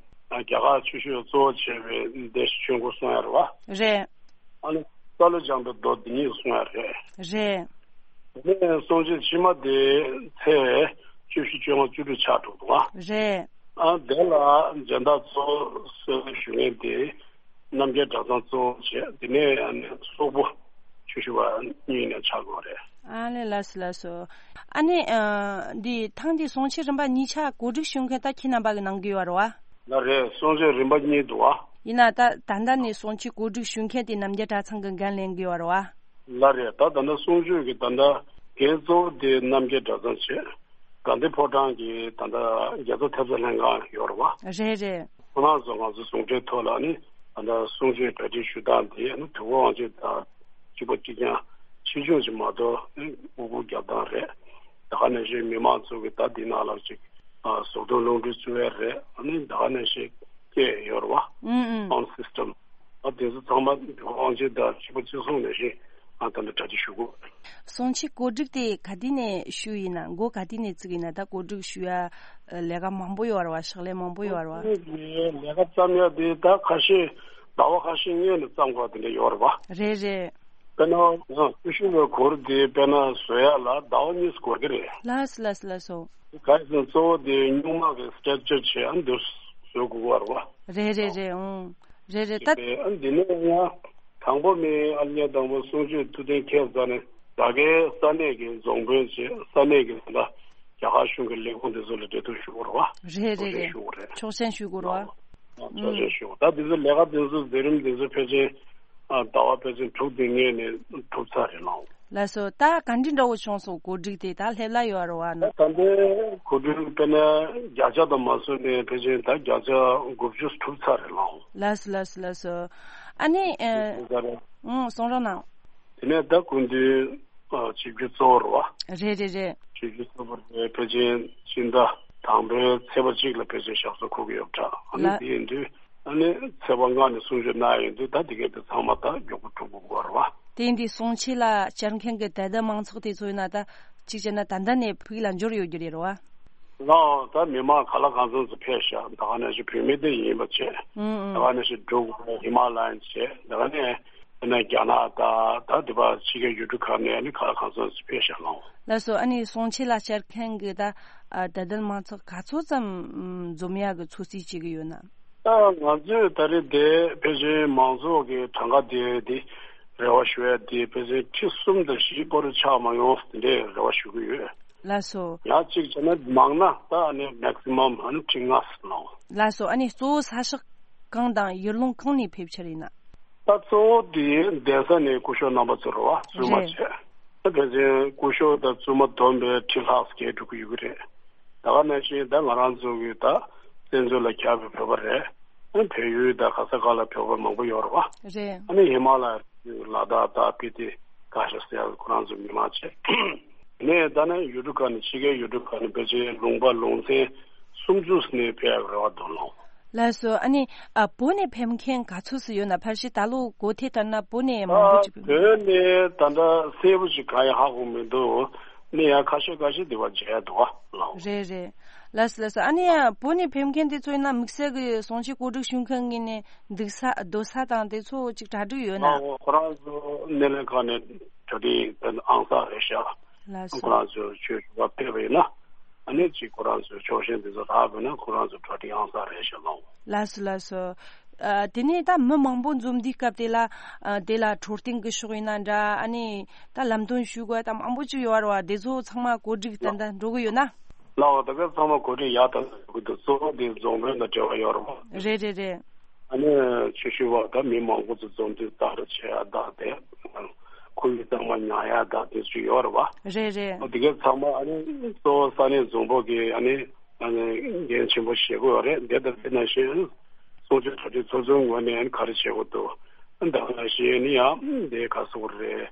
རྒྱ་གར་ཆོས་ཞུ་གཙོ་བོ་བྱས་པའི་སྡེ་སྲིད་ཆོས་འཁོར་གསུང་ཡ་རེད་བ། རེད། ཨ་ནི་ས་ལེ་སྦྱང་བའི་མདོ་འདི་གཉིས་གསུང་ཡ་རེད། རེད། དེ་ནས་གསུང་ཆོས་ཕྱི་མ་དེ་ཚེས་བཅུ་བཞི་བཅོ་ལྔ་བཅུ་དྲུག་ཆགས་འགྲོ་འདུག་བ། རེད། ཨ་དེ་ལ་སྦྱིན་བདག་གཙོ་བོ་གསོལ་འདེབས་ཞུ་མཁན་དེ་རྣམ་རྒྱལ་གྲྭ་ཚང་གཙོ་བོ་བྱས། དེ་ནས་ཨ་ནི་སོག་པོ་ཆོས་ཞུ་བ་གཉིས་ནས་ཆགས་དགོས་རེད། ཨ་ལེ་ལགས་སོ་ལགས་སོ། ཨ་ནི་ཨ་འདི་ཐེངས་འདིའི་གསུང་ཆོས་རིམ་པ་གཉིས་ཆ་གོ་སྒྲིག་ཞུ་མཁན་ད་ཁྱེད་རྣམ་པ་གི་གནང་གི་ཡོད་རེད་བ། ལགས་རེད། གསུང་ཆོས་རིམ་པ་གཉིས་འདུག་བ། ཡིན་ན་ད་ད་ལྟ་ནས་གསུང་ཆོས་གོ་སྒྲིག་ཞུ་མཁན་དེ་རྣམ་རྒྱལ་གྲྭ་ཚང་གི་འགན་ལེན་གི་ཡོད་རེད་བ། ལགས་རེད། ད་ད་ལྟ་གསུང་ཆོས་ཀྱི་ད་ལྟ་འགན་གཙོ་བོ་དེ་རྣམ་རྒྱལ་གྲྭ་ཚང་བྱས། དགའ་ལྡན་ཕོ་བྲང་གི་ད་ལྟ་རྒྱལ་ཚབ་ཐེབས་རྩ་ལྷན་ཁང་ཡོད་རེད་བ། རེད་རེད། ཁོ་རང་ཚོ་ང་ཚོ་ཟུང་འབྲེལ་ཐོག་ལ་ནི་ད་ལྟ་གསུང་ཆོས་གྲ་སྒྲིག་ཞུ་སྟངས་དེ་ནི་དུས་འཁོར་དབང་ཆེན་དང་གཅིག་པ་གཅིག་རྐྱང་ཆེ་ཆུང་ཞིག་མ་གཏོགས་ནི་དབུ་བསྐུར་རྒྱབ་སྟངས་རེད། ད་ག་ནང་བཞིན་མི་མང་ཚོ་གི་ད་འདི་ནང་ལ་ཅིག་ཨ་གཟུགས་མཐོང་ལོངས་སྤྲུལ་བསྩལ་ཡ་རེད། ཨ་ནི་ད་ག་ནང་བཞིན་སྐད་ཡོད་རེད་བ། ཨུམ་ཨུམ། སའུན་ཌི་སིས་ཊམ། ཨ་དེ་ཚོ་ཚང་མ་དབང་ཆེན་དང་གཅིག་པ་གཅིག་མཚུངས་ནང་བཞིན་ཨ་ད་ནི་གྲ་སྒྲིག་ཞུ་དགོས། གསུང་ཆོས་གོ་སྒྲིག་དེ་ག་དུས་ནས་ཞུས་ཡིན་ན། འགོ་ག་དུས་ནས་བཙུགས་ཡིན་ན། ད་གོ་སྒྲིག་ཞུ་ཡ་ལས་ཀ་མང་པོ་ཡོད་རེད་བ། ཕྱག་ལས་མང་པོ་ཡོད་རེད་བ། གོ་སྒྲིག་ལས་ཀ་བརྩམ་ཡ་དེ་ད་ཁ་ཤས་ཟླ་བ་ཁ་ཤས་སྔོན་ནས་བརྩམ་དགོས་དེ་འདྲ་ཡོད་རེད་བ། རེད་རེད། དཔེར་ན་ང་སྐུ་ཞབས་ཀྱི་གུར་དེ་དཔེར་ན་བཟོ་ཡ་ལ་ཟླ་བ་གཉིས་འགོར་གི་རེད། ལགས་སོ་ལགས་སོ་ལགས་སོ། ག་རེ་ཟེར་ན་གཙོ་བོ་དེ་སྨྱུག་མ་གི་སི་ཊེག་ཅར་བྱས་ཨ་འདིར་བཟོ་དགོས་པ་རེད་བ། རེད་རེད་རེད། ཨང་། རེད་རེད། ད་ཨ་འདི་ནས་ཡང་དང་པོ་མི་ཨ་ལས་དང་པོ་གསུང་ཆོས་ཐུགས་གཏན་འཁེལ་ཚར་ནས་ད་གའི་ས་གནས་ཀྱི་རྫོང་དཔོན་བྱས། ས་གནས་ཀྱི་ད་རྒྱ་གར་གཞུང་གི་ལས་ཁུངས་དེ་ཚོ་ལ་འབྲེལ་གཏུག་ཞུ་དགོས་རེད་བ། རེད་རེད་རེད། ཆོག་མཆན་ཞུ་དགོས་རེད། ཆོག་མཆན་ཞུ་དགོས་རེད་བ། ཨ་ཆོག་མཆན་ཞུ་དགོས། ད་དེ་ཚོ་ལས་ཀ་དེ་ཚོ་མཛད་རིམ་དེ་ཚོ་ཕལ་ཆེར་ཨ་ཟླ་བ་ཕལ་ཆེར་དྲུག་དེ་སྔོན་ནས་གྲུབ་ཚར་རེད་ལགས། ལགས་སོ། ད་ག་འདྲ་འདྲ་བོ་བྱུང་སོང་། གོ་སྒྲིག་དེ་ད་སླེབས་ལ་ཡོད་རེད་བ་ན། ད་ལྟའི་གོ་སྒྲིག་དཔེར་ན་བརྒྱ་ཆ་དང་མ་བཟོས་ནས་ཕལ་ཆེར་ད་བརྒྱ་ཆ་དགུ་བཅུ་གྲུབ་ཚར་རེད་ལགས། ལགས་སོ་ལགས་སོ་ལགས་སོ། ཨ་ནི་ཨ་ཨང་གསུང་རོགས་གནང་། དེ་ནས་ད་སྐུ་མདུན་ཨ་ཆིབས་བསྒྱུར་གཙོ་བོ་རེད་བ། རེད་རེད་རེད། ཆིབས་བསྒྱུར་གཙོ་བོ་རེད། ཕལ་ཆེར་ཕྱི་ཟླ་དང་པོའི་ཚེས་པ་གཅིག་ལ་ཕལ་ཆེར་ཞབས་སོར་འཁོད་ཀྱི་ཡོད་པ་འདྲ། ཨ་ནི་ལགས། དེ་ཡིན་དུས་ཨ་ནི་ཚེས་པ་ལྔ་ནས་གསུང་ཆོས་གནང་ཡོང་དུས་ད་དེ་གའི་དེ་ཚང་མ་ད་མགྱོགས་པོ་གྲུབ་དགོས་པ་རེད་བ། དེ་ཡིན་དུས་གསུང་ཆོས་ལ་བཅར་མཁན་གྱི་དད་ལྡན་མང་ཚོགས་དེ་ཚོ་ཡིན་ན་ད་གཅིག་བྱས་ན་ད་ལྟ་ནས་ཕུགས་ལ་འབྱོར་ཡོད་རྒྱུ་རེད་བ། ལགས། ད་མི་མང་ག་ལ་གང་འཚམ་ཚོ་ཕེབས་ཤག་ད་ག་ནང་བཞིན་བོད་མི་དེ་ཡིན་པ་བྱས། ཨང་ཨང་། ད་ག་ནང་བཞིན་འབྲུག་ཧི་མ་ལ་ཡན་བྱས། ད་ག་ནས་ཨ་ནི་རྒྱ་ནག་དང་ད་དེ་པ་ཕྱི་རྒྱལ་ཡུལ་གྲུ་ཁག་ནས་ཨ་ནི་ག་ལ་གང་འཚམ་ཚོ་ཕེབས་ཤག་ལགས། ལགས་སོ། ཨ་ནི་གསུང་ཆོས་ལ་བཅར་མཁན་གྱི་ད་ཨ་དད་ལྡན་མང་ཚོགས་ག་ཚོད་ཙམ་ཨམ་འཛོམས་ཡག་གི་ཚོད་རྩིས་བྱེད་ཀྱི་ཡོད་ན། ད་ང་ཚོས་ད་རེས་དེ་ཕལ་ཆེར་མང་ཚོགས་ཀྱི་གྲངས་ཀ་དེ་དེ་རེ་བ་ཞུ་ཡ་དེ་ཕལ་ཆེར་ཁྲི་གསུམ་དང་བཞི་སྐོར་ཆགས་མ་ཡོང་དེ་འདྲའི་རེ་བ་ཞུ་གི་ཡོད། ལགས་སོ། ཡང་གཅིག་བྱས་ན་མང་ན་ད་ཨ་ནི་མེག་སི་མམ་ཨ་ནི་ཁྲི་ལྔ་ཟེར་ནའོ། ལགས་སོ། ཨ་ནི་གཙོ་བོ་ས་ཕྱོགས་གང་དང་ཡུལ་ལུང་གང་ནས་ཕེབས་ཕྱིར་ཡིན་ན། ད་གཙོ་བོ་དེ་གདན་ས་ནས་སྐུ་ཞབས་རྣམ་པ་ཚོ་རེད་བ། བཙུན་མ་རེད། བྱས། ད་ཕལ་ཆེར་སྐུ་ཞབས་དང་བཙུན་མ་བསྡོམས་པས་ཁྲི་ལྷག་བརྒལ་འགྲོ་གི་ཡོད་ཀྱི་རེད། ད་ག་ནང་བཞིན་ད་ང་རང་ཚོ་གི་ད་བཙན་བྱོལ་ལ་ཁྱབ་པའི་བོད་པ་རེད། ཨ་བལ་ཡུལ་དང་ག་ས་ག་ལ་བོད་པ་མང་པོ་ཡོད་རེད་བ། རེད། ཨ་ནི་ཧི་མ་ལ་ཡ་ལ་དྭགས་དང་སྤི་ཏི་ཀ་ཤ་ཟེར་ཡ་ཁོ་རང་ཚོ་མི་མང་བྱས། ནས་ད་ནི་ཡུལ་གྲུ་ཁག་ནས་ཕྱི་རྒྱལ་ཡུལ་གྲུ་ཁག་ནས་ཕལ་ཆེར་ལུང་པ་ལུང་ཚན་སུམ་ཅུ་ནས་ཕེབས་ཡག་རེ་བ་འདུག་ལགས། ལགས་སོ། ཨ་ནི་ཨ་བོད་ནས་ཕེབས་མཁན་ག་ཚོད་ཙམ་ཡོད་ན། ཕལ་ཆེར་ད་ལོ་གོ་ཐོས་ལྟར་ན་བོད་ནས་མང་པོ་ཅིག་ཕེབས། བོད་ནས་ད་ལྟ་གསལ་པོ་ཞིག་གང་ཡང་ཧ་གོ་མི་འདུག་ནས་ཡང་ཁ་ཤས་ཁ་ཤས་དེ་བ་མཇལ་འདུག་ལགས། རེད་རེད། ལགས་སོ་ལགས་སོ། ཨ་ནི་ཡང་བོད་ནས་ཕེབས་མཁན་དེ་ཚོ་ཡིན་ན་དམིགས་བསལ་གྱི་གསུང་ཆོས་གོ་སྒྲིག་ཞུ་མཁན་ངོས་ནས་འདུག་ས་སྡོད་ས་དང་དེ་ཚོ་ཅིག་གྲ་སྒྲིག་ཡོད་ན། ལགས། ཁོ་རང་ཚོ་སྣེ་ལེན་ཁང་ནས་གྲ་སྒྲིག་ཨང་གསར་རེད་ཤག་ལགས་སོ། ཁོ་རང་ཚོ་ཆོས་ཞུ་བ་ཕེབས་པ་ཡིན་ན། ཨ་ནི། ཅིག་ཁོ་རང་ཚོའི་ཕྱོགས་ཞེན་དེ་ཚོ་རག་དགོས་ན་ཁོ་རང་ཚོ་གྲ་སྒྲིག་ཨང་གསར་རེད་ཤག་ལགས། ལགས་སོ་ལགས་སོ། ཨ། དེ་ནས་ད་མི་མང་པོ་འཛོམས་དུས་སྐབས་དེ་ལ། ཨ། དེ་ལ་འཕྲོད་བསྟེན་གྱི་ཕྱོགས་ཡིན་ན་འདྲ། ཨ་ནི་ད་ལམ་སྟོན་ཞུ་དགོས་ད་མང་པོ་ཅིག་ཡོད་རེད་བ། དེ་ཚོ་ཚང་མ་གོ་སྒྲིག་ཏན་ཏན་འགྲོ་གི་ཡོད་ན། ལགས། ད་ག་ཚང་མ་གོ་སྒྲིག་ཡག་ཏུ་འགྲོ་གི་འདུག་གཙོ་བོ་དེ་རྫོང་དཔོན་དང་འབྲེལ་བ་ཡོད་རེད་བ། རེད་རེད་རེད། ཨ་ནི་ཆུ་ཤུར་བ་དང་མི་མང་པོ་ཚོ་འཛོམས་དུས་ལྟ་རུ་བྱེད་ཡ་དང་དེ། ཁོར་ཡུག་གཙང་མ་ཉར་ཡ་དང་དེ་ཚོ་ཡོད་རེད་བ། རེད་རེད། དེ་གའི་ཚང་མ་ཨ་ནི་གཙོ་བོ་ས་གནས་རྫོང་དཔོན་གྱིས་ཨ་ནི་ཨ་ནི་འགན་ཆེན་པོ་བཞེས་དགོས་རེད། དེ་དང་དེ་ནང་བཞིན་གསུང་ཆོས་གྲ་སྒྲིག་ཚོགས་ཆུང་ངོས་ནས་ཨ་ནི་ག་རེ་བྱེད་དགོས་འདུག་ད་ག་ནང་བཞིན་ཨ་ནི་ཡང་དེ་ག་སོགས་རེད།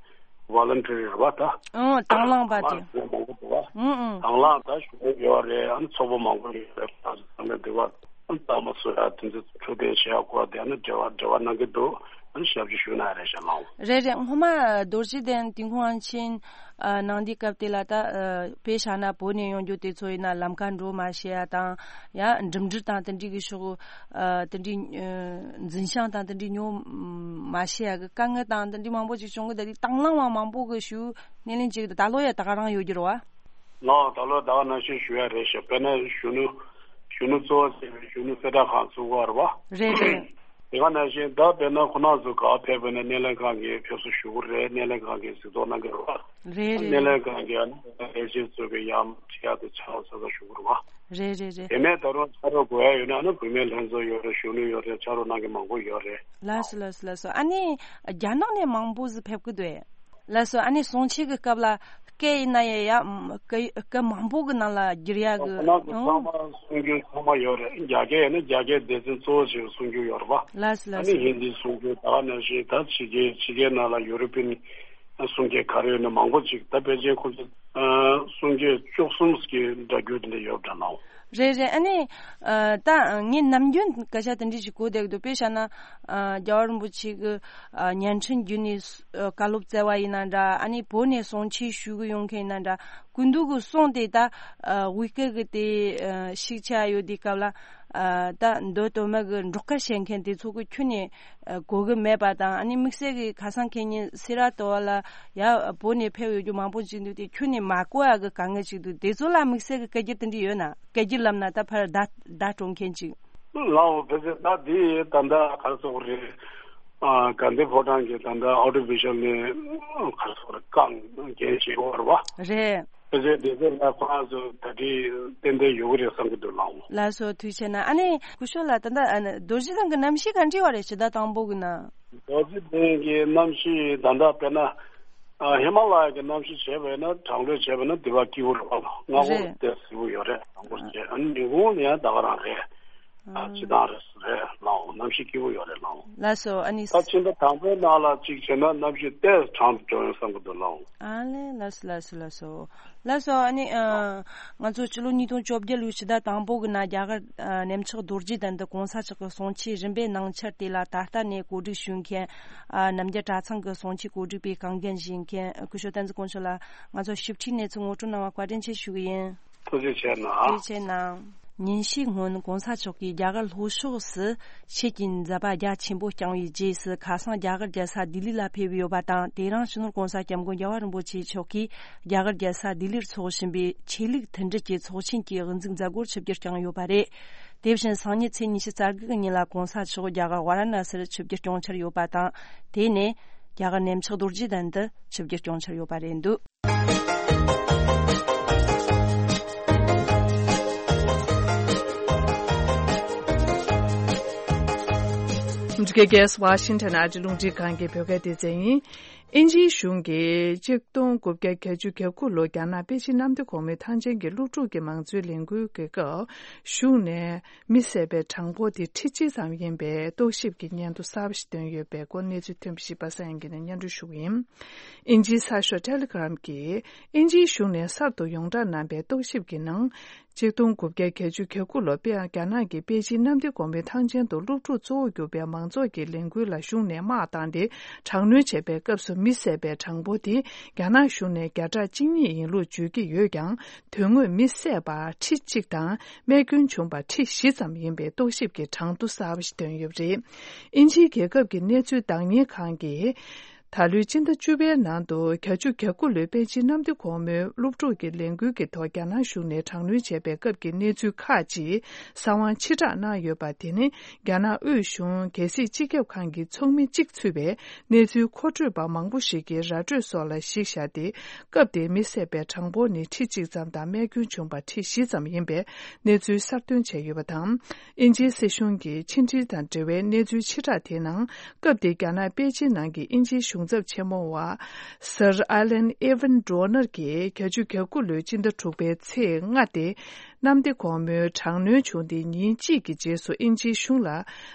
ཝོ་ལན་ཊི་རི་རེད་བ་ད། ཨང་། དང་བླངས་པ་དེ། དང་བླངས་མང་པོ་འདུག་བ། ཨང་ཨང་། དང་བླངས་ད་ཞུ་མཁན་ཡོད་རེད། ཨ་ནི་ཚོགས་པ་མང་པོ་ཡོད་རེད། ད་ཚང་མས་འདི་བ་ཨ་ནི་རྟགས་མ་བཟོ་ཡ་དེ་ཚོ་འཕྲོད་བསྟེན་བྱེད་ཡ་སྐོར་དེ་ཨ་ནི་འབྲེལ་བ་འབྲེལ་བ་གནང་གི་འདུག་ཨ་ནི་ཞབས་ཕྱི་ཞུ་ན་རེད་ཤག་ལགས། རེད་རེད། སྔོན་མ་རྡོ་རྗེ་གདན་ཏུན་ཧོང་ཨན་ཆིན་ཨ་ནང་དེའི་སྐབས་དེ་ལ་ད་ཨ་དཔེ་བཞག་ན་བོད་ནས་ཡོང་རྒྱུ་དེ་ཚོ་ཡིན་ན་ལམ་ཁ་འགྲོ་མ་ཤེས་ཡ་དང་། ཡང་འགྲིམ་འགྲུལ་དང་དེ་འདྲའི་གི་ཕྱོགས་ཨ་དེ་འདྲའི་ཨ་འཛིན་བྱང་དང་དེ་འདྲའི་ཉོ་མ་ཤེས་ཡ་གི་དཀའ་ངལ་དང་དེ་འདྲའི་མང་པོ་ཅིག་བྱུང་གི། ད་དེ་དང་བླངས་པ་མང་པོ་གི་ཞུ་སྣེ་ལེན་བྱེད་ཀྱི་འདུག་ད་ལོ་ཡ་ད་ག་རང་ཡོད་རྒྱུ་རེད་བ། ལགས། ད་ལོ་ད་ག་ནང་བཞིན་ཞུ་ཡ་རེད་ཤག་དཔེར་ན་གཞོན་ནུ་གཞོན་ནུ་གཙོ་བོ་བྱས་པའི་གཞོན་ནུ་གསལ་བསྒྲགས་ཁང་བཙུགས་པ་རེད་བ། རེད་རེད། དེ་ག་ནང་བཞིན་ད་དཔེར་ན་ཁོ་རང་ཚོ་ག་ཕེབས་པ་ན་སྣེ་ལེན་ཁང་གིས་ཕེབས་བསུ་ཞུ་གི་རེད། སྣེ་ལེན་ཁང་གིས་གཟིགས་རྟོག་གནང་གི་རེད་བ། རེད་རེད། སྣེ་ལེན་ཁང་གིས་ཨ་ནི་ལས་བྱེད་ཚོ་གི་ཡང་ཁྲིད་ཡ་དེ་ཆ་ཚང་ཚང་ཞུ་གི་རེད་བ། རེད་རེད་རེད། དེ་ནས་ད་རུང་ཕྱག་རོགས་དགོས་ཡ་ཡོད་ན་ཨ་ནི་བུད་མེད་ལྷན་ཚོགས་ཡོད་རེད། གཞོན་ནུ་ཡོད་རེད། ཕྱག་རོགས་གནང་མཁན་མང་པོ་ཡོད་རེད། ལགས་སོ་ལགས་སོ་ལགས་སོ། ཨ་ནི་རྒྱ་ནག་ནས་མང་པོ་ཟིག་ཕེབས་ཀྱི་འདུག་ཨེ། ལགས་སོ། ཨ་ནི་གསུང་ཆོས་ཀྱི་སྐབས་ལ་སྐད་ཡིན་ན་ཡང་ཡ་སྐད་སྐད་མང་པོ་གི་ནང་ལ་བསྒྱུར་ཡ་གི། ཁོ་རང་ཚོ་ཚང་མ་གསུང་རྒྱུ་ཚང་མ་ཡོད་རེད། རྒྱ་སྐད་ཡིན་ན་རྒྱ་སྐད་སྡེ་ཚན་གཙོ་བོ་ཞིག་གསུང་རྒྱུ་ཡོད་རེད་བ། ལགས་སོ་ཨ་ལགས་ནི་སོ། ཧིན་དི་གསུང་རྒྱུ་ད་ག་ནང་བཞིན་ད་ཕྱི་རྒྱལ་ཕྱི་རྒྱལ་ནང་ལ་ཡུ་རོ་པིན་གསུང་སྐད་ག་རེ་ཡོད་ན་མང་པོ་ཅིག་ད་ཕལ་ཆེར་ཁོ་ཚོ་གསུང་སྐད་བཅུ་གསུམ་གྱི་སྒྲ་བསྒྱུར་དེ་འདྲ་ཡོད་འདྲ་ནའོ། རེད་རེད། ཨ་ནི་ཨ་ད་ངས་ནམ་རྒྱུན་སྐད་ཆ་དེ་འདྲ་ཞིག་གོ་བསྡད་ཀྱི་འདུག་དཔེ་བཞག་ན་ཨ་རྒྱལ་བ་རིན་པོ་ཆེ་གི་ཨ་བརྙན་འཕྲིན་བརྒྱུད་ནས་ཨ་བཀའ་སློབ་སྩལ་བ་ཡིན་ན་འདྲ། ཨ་ནི་བོད་ནས་གསུང་ཆོས་ཞུ་གི་ཡོང་མཁན་ཡིན་ན་འདྲ། སྐུ་མདུན་གྱི་གསུང་དེ་ད་ཨ་དབུས་སྐད་གི་དེ་ཨ་ཤེས་བྱ་ཡོད་དུས་སྐབས་ལ་ཨ་ད་མདོ་དོན་མེད་གི་འགྲོ་ཁ་བཤད་མཁན་དེ་ཚོ་གི་ཁྱོན་ནས་ཨ་གོ་གི་མེད་པ་དང་། ཨ་ནི་དམིགས་བསལ་གི་ཁ་སང་ཁེ་ཉིན་སེ་ར་ཏོ་བ་ལ་ཡ་བོད་ནས་ཕེབས་ཡོད་རྒྱུ་མང་པོ་ཅིག་འདུག་དེ་ཁྱོན་ནས་མ་གོ་ཡ་གི་དཀའ་ངལ་ཅིག་འདུག་དེ་ཚོ་ལ་དམིགས་བསལ་གི་སྐད་སྒྱུར་དེ་འདྲ་ཡོད་ན། སྐད་སྒྱུར་ལབ་ན་ད་ཕར་བརྡ་བརྡ་སྤྲོད་མཁན་ཅིག་ལའོ་བེ་ཟེ་ད་དེ་ད་ལྟ་ག་རེ་ཟེར་དགོས་རེད། ཨ་དགའ་ལྡན་ཕོ་བྲང་གི་ད་ལྟ་ཨོ་ཌི་ཝི་ཞུ་ཨལ་ནས་ག་རེ་ཟེར་དགོས་རེད། རྐང་འགན་བཞེས་ཡོད་རེད་བ། རེད། བེ་ཟེ་དེ་ཚོ་ལ་ཁོ་རང་ཚོ་ད་དེ་ཏན་ཏན་ཡོད་གི་རེད་བསམ་གི་འདུག་ལའོ། ལགས་སོ་ཐུགས་རྗེ་ཆེ་གནང་། ཨ་ནི་སྐུ་ཞབས་ལགས་ད་ལྟ་ཨ་ནི་རྡོ་རྗེ་གདན་གི་གནམ་གཤིས་ག་འདྲ་བ་རེད་ཕྱི་ཟླ་དང་པོ་གི་ནང་། རྡོ་རྗེ་གདན་གི་གནམ་གཤིས་ད་ལྟ་དཔེར་ན་ཨ་ཧི་མ་ལ་ཡ་གི་གནམ་གཤིས་བྱས་པ་ཡིན་ན་གྲང་ལྷོད་བྱས་པ་ཡིན་ན་དེ་བ་སྐྱིད་པོ་རེད་བ། སྔ་པོ་རེད། དེ་སིལ་བུ་ཡོད་རེད། གྲང་པོ་བྱས། ཨ་ནི་ཉིན་གུང་ནི་ཡང་ད་ག་རང་རེད། ཨ་ཨ་སྤྱི་བཏང་རེད་རེད་ལའོ། གནམ་གཤིས་སྐྱིད་པོ་ཡོད་རེད་ལའོ། ལགས་སོ། ཨ་ནི་ད་ཕྱི་ཟླ་དང་པོའི་ནང་ལ་གཅིག་བྱས་ན་གནམ་གཤིས་ཏོག་ཙམ་གྲང་དུ་འགྲོ་ཡོང་བསམ་གི་འདུག་ལའོ། ཨ་ལེ་ལགས་སོ་ལགས་སོ་ལགས་སོ། ལགས་སོ། ཨ་ནི་ཨ་ང་ཚོ་ཕྱི་ལོ་ཉིས་སྟོང་བཅོ་བརྒྱད་ལོའི་ཕྱི་ཟླ་དང་པོ་གི་ནང་རྒྱ་གར་ཨ་གནས་མཆོག་རྡོ་རྗེ་གདན་དུ་གོང་ས་མཆོག་གི་གསུང་ཆོས་རིམ་པའི་ནང་འཆར་དེ་ལ་ད་ལྟ་ནས་གོ་སྒྲིག་ཞུ་མཁན་ཨ་རྣམ་རྒྱལ་གྲྭ་ཚང་གི་གསུང་ཆོས་གོ་སྒྲིག་པའི་གང་འགན་བཞེས་མཁན་སྐུ་ཞབས་བསྟན་འཛིན་དཀོན་མཆོག་ལགས། ང་ཚོ་ཞིབ་ཕྲའི་གནས་ཚུལ་ངོ་སྤྲོད་གནང་བར་བཀའ་དྲིན་ཆེ་ཞུ་གི་ཡིན། ཐུགས་རྗེ་ཆེ་གནང་། ཐུགས་རྗེ་ཆེ་གནང་། ཉིན་ཤས་སྔོན་གོང་ས་མཆོག་གིས་རྒྱ་གར་ལྷོ་ཕྱོགས་སུ་ཆོས་ཀྱི་མཛད་པ་རྒྱ་ཆེན་པོ་བསྐྱངས་པའི་རྗེས་སུ་ཁ་སང་རྒྱ་གར་རྒྱལ་ས་ལྡི་ལི་ལ་ཕེབས་ཡོད་པ་དང་། དེ་རིང་སྤྱི་ནོར་༸གོང་ས་༸སྐྱབས་མགོན་རྒྱལ་བ་རིན་པོ་ཆེ་མཆོག་གིས་རྒྱ་གར་རྒྱལ་ས་ལྡི་ལིར་འཚོགས་བཞིན་པའི་ཆོས་ལུགས་མཐུན་སྒྲིལ་གྱི་ཚོགས་ཆེན་གྱི་དབུ་འཛུགས་མཛད་སྒོར་ཆིབས་བསྒྱུར་བསྐྱངས་ཡོད་པ་རེད། དེ་བཞིན་སང་ཉིན་ཚེས་ཉི་ཤུ་རྩ་དགུ་གི་ཉིན་ལ་གོང་ས་མཆོག་རྒྱ་གར་ཝཱ་ར་ཎ་སིར་ཆིབས་བསྒྱུར་སྐྱོང་འཆར་ཡོད་པ་དང་། དེ་ནས་རྒྱ་གར་གནས་མཆོག་རྡོ་རྗེ་གདན་དུ་ཆིབས་བསྒྱུར་སྐྱོང་འཆར་ཡོད་པ་རེད་འདུག་འདི་ག་གེ་སི་ཝ་ཤིང་ཊོན་ཨ་རིའི་རླུང་འཕྲིན་ཁང་གི་བོད་སྐད་སྡེ་ཚན་ཡིན། དབྱིན་ཇིའི་གཞུང་གིས་གཅིག་སྟོང་དགུ་བརྒྱ་བརྒྱད་ཅུ་གྱ་དགུ་ལོ་རྒྱ་ནག་པེ་ཅིན་གནམ་བདེ་གོང་མའི་ཐང་ཆེན་གྱི་སློབ་ཕྲུག་གི་མང་གཙོའི་ལས་འགུལ་གྱི་སྐབས་གཞུང་ནས་མི་བསད་པའི་གྲངས་འབོར་དེ་ཁྲི་གཅིག་ཙམ་ཡིན་པའི་རྟོག་ཞིབ་ཀྱི་སྙན་ཐོ་གསར་པ་ཞིག་བཏོན་ཡོད་པའི་སྐོར་གནས་ཚུལ་ཐོན་པ་ཞིག་པ་སངས་དབྱངས་སྐྱིད་ནས་སྙན་སྒྲོན་ཞུ་གི་ཡིན། དབྱིན་ཇིའི་གསར་ཤོག་ཊེ་ལི་གྷི་རམ་གྱིས་དབྱིན་ཇིའི་གཞུང་ནས་གསར་དུ་ཡོངས་བསྒྲགས་གནང་པའི་རྟོག་ཞིབ་ཀྱི་ནང་། གཅིག་སྟོང་དགུ་བརྒྱ་བརྒྱད་ཅུ་གྱ་དགུ་ལོ་པེ། རྒྱ་ནག་གི་པེ་ཅིན་གནམ་བདེ་གོང་མའི་ཐང་ཆེན་དུ་སློབ་ཕྲུག་གཙོ་བོ་གྱུར་པའི་མང་ཚོགས་ཀྱི་ལས་འགུལ་ལ་གཞུང་ནས་དམག་བཏང་སྟེ་དྲག་གནོན་བྱས་པའི་སྐབས་སུ་མི་བསད་པའི་གྲངས་འབོར་དེ་རྒྱ་ནག་གཞུང་ནས་བརྒྱ་ཕྲག་གཅིག་གཉིས་ཡིན་ལུགས་བརྗོད་ཀྱི་ཡོད་ཀྱང་། དོན་དངོས་མི་བསད་པ་ཁྲི་གཅིག་དང་རྨས་སྐྱོན་བྱུང་བ་ཁྲི་བཞི་ཙམ་ཡིན་པའི་རྟོག་ཞིབ་ཀྱི་གྲངས་ཐོ་གསར་པ་ཞིག་བཏོན་ཡོད་པ་རེད། དབྱིན་ཇིའི་རྒྱལ་ཁབ་ཀྱི་གནས་ཚུལ་བདག་གཉེར་ཁང་གིས། ད་ལོའི་སྤྱི་ཟླ་བཅུ་པའི་ནང་དུ་བརྒྱད་ཅུ་གྱ་དགུ་ལོའི་པེ་ཅིན་གནམ་བདེ་སྒོ་མོའི་སློབ་ཕྲུག་གི་ལས་འགུལ་གྱི་ཐོག་རྒྱ་ནག་གཞུང་ནས་དྲག་གནོན་བྱས་པའི་སྐབས་ཀྱི་གནས་ཚུལ་ཁག་ཅིག་གསང་བ་ཕྱིར་བསྒྲགས་གནང་ཡོད་པ་དེ་ནི། རྒྱ་ནག་དབུས་གཞུང་རྒྱལ་སྲིད་སྤྱི་ཁྱབ་ཁང་གི་ཚོགས་མི་གཅིག་ཚུད་པའི་གནས་ཚུལ་མཁོ་སྤྲོད་པ་མང་པོ་ཞིག་གིས་ར་སྤྲོད་སོགས་ལ་གཞི་བཞག་སྟེ། སྐབས་དེའི་མི་བསད་པའི་གྲངས་འབོར་ནི་ཁྲི་གཅིག་ཙམ་དང་རྨས་སྐྱོན་བྱུང་བ་ཁྲི་བཞི་ཙམ་ཡིན་པའི་གནས་ཚུལ་གསར་བཏོན་བྱས་ཡོད་པ་དང་། དབྱིན་ཇིའི་སྲིད་གཞུང་གི་ཕྱི་འབྲེལ་དང་འབྲེལ་བའི་གནས་ཚུལ་ཕྱིར་བསྒྲགས་དེའི་ནང་། སྐབས་དེའི་རྒྱ་ནག་པེ་ཅིན་ནང་གི་དབྱིན་ཇིའི་གཞུང་ཚབ་ཆེན་མོ་བ་Sir Alan Evan Donner གྱིས་བརྒྱད་ཅུ་གྱ་དགུ་ལོའི་སྤྱི་ཟླ་དྲུག་པའི་ཚེས་ལྔ་སྟེ། གནམ་བདེ་སྒོ་མོའི་དྲག་གནོན་བྱུང་སྟེ་ཉིན་གཅིག་གི་རྗེས་སུ་དབྱིན་ཇིའི་གཞུང་ལ་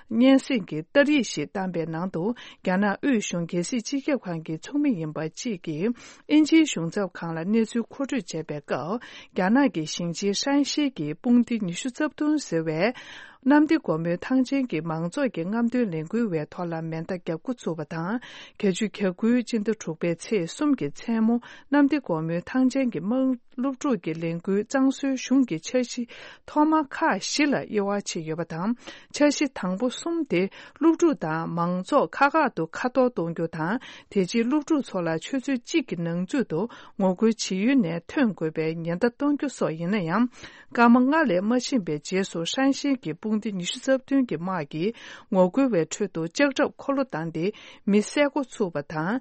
སྙན་སེང་གི་རྟ་རིས་ཤིག་བཏང་པའི་ནང་དུ། རྒྱ་ནག་དབུས་གཞུང་རྒྱལ་སྲིད་སྤྱི་ཁྱབ་ཁང་གི་ཚོགས་མི་ཡིན་པ་གཅིག་གིས་དབྱིན་ཇིའི་གཞུང་ཚབ་ཁང་ལ་གནས་ཚུལ་མཁོ་སྤྲོད་བྱས་པའི་སྐབས། རྒྱ་ནག་གི་ཞིང་ཆེན་ཧྲན་ཞི་གི་དཔུང་སྡེ་ཉི་ཤུ་རྩ་བདུན་ཟེར་བས། གནམ་བདེ་སྒོ་མོའི་ཐང་ཆེན་གྱི་མང་ཚོགས་ཀྱི་རྔམ་སྟོན་ལས་འགུལ་བའི་ཐོག་ལ་མེ་མདའ་བརྒྱབ་འགོ་ཚུགས་པ་དང་། བརྒྱད་ཅུ་གྱ་དགུའི་སྤྱི་ཟླ་དྲུག་པའི་ཚེས་གསུམ་གྱི་མཚན་མོ། གནམ་བདེ་སྒོ་མོའི་ཐང་ཆེན་གྱི་དམངས་སློབ་ཕྲུག་གི་ལས་འགུལ་གཙང་བཟོའི་གཞུང་གི་འཆར་གཞི་ཐོག་མ་ཁག་བཞི་ལ་དབྱེ་བ་ཕྱེ་ཡོད་པ་དང་། འཆར་གཞི་དང་པོ་གསུམ་དེ། སློབ་ཕྲུག་དང་མང་ཚོགས་ཁག་ཁག་ཏུ་ཁ་གཏོར་གཏོང་རྒྱུ་དང་། དེ་རྗེས་སློབ་ཕྲུག་ཚོ་ལ་ཆུ་ཚོད་གཅིག་གི་ནང་ཚུད་དུ་ངོ་རྒོལ་བྱེད་ཡུལ་ནས་ཐོན་དགོས་པའི་ཉེན་བརྡ་གཏོང་རྒྱུ་སོགས་ཡིན་ན་ཡང་། སྐར་མ་ལྔ་ལས་མ་ཕྱིན་པའི་རྗེས་སུ་ཧྲན་ཞིན་གྱི་དཔུང་སྡེ་ཉི་ཤུ་རྩ་བདུན་གྱི་དམག་གིས་ངོ་རྒོལ་བའི་ཁྲོད་དུ་ལྕགས་ཁྲབ་འཁོར་ལོ་བཏང་སྟེ་མི་བསད་འགོ་ཚུགས་པ་དང་།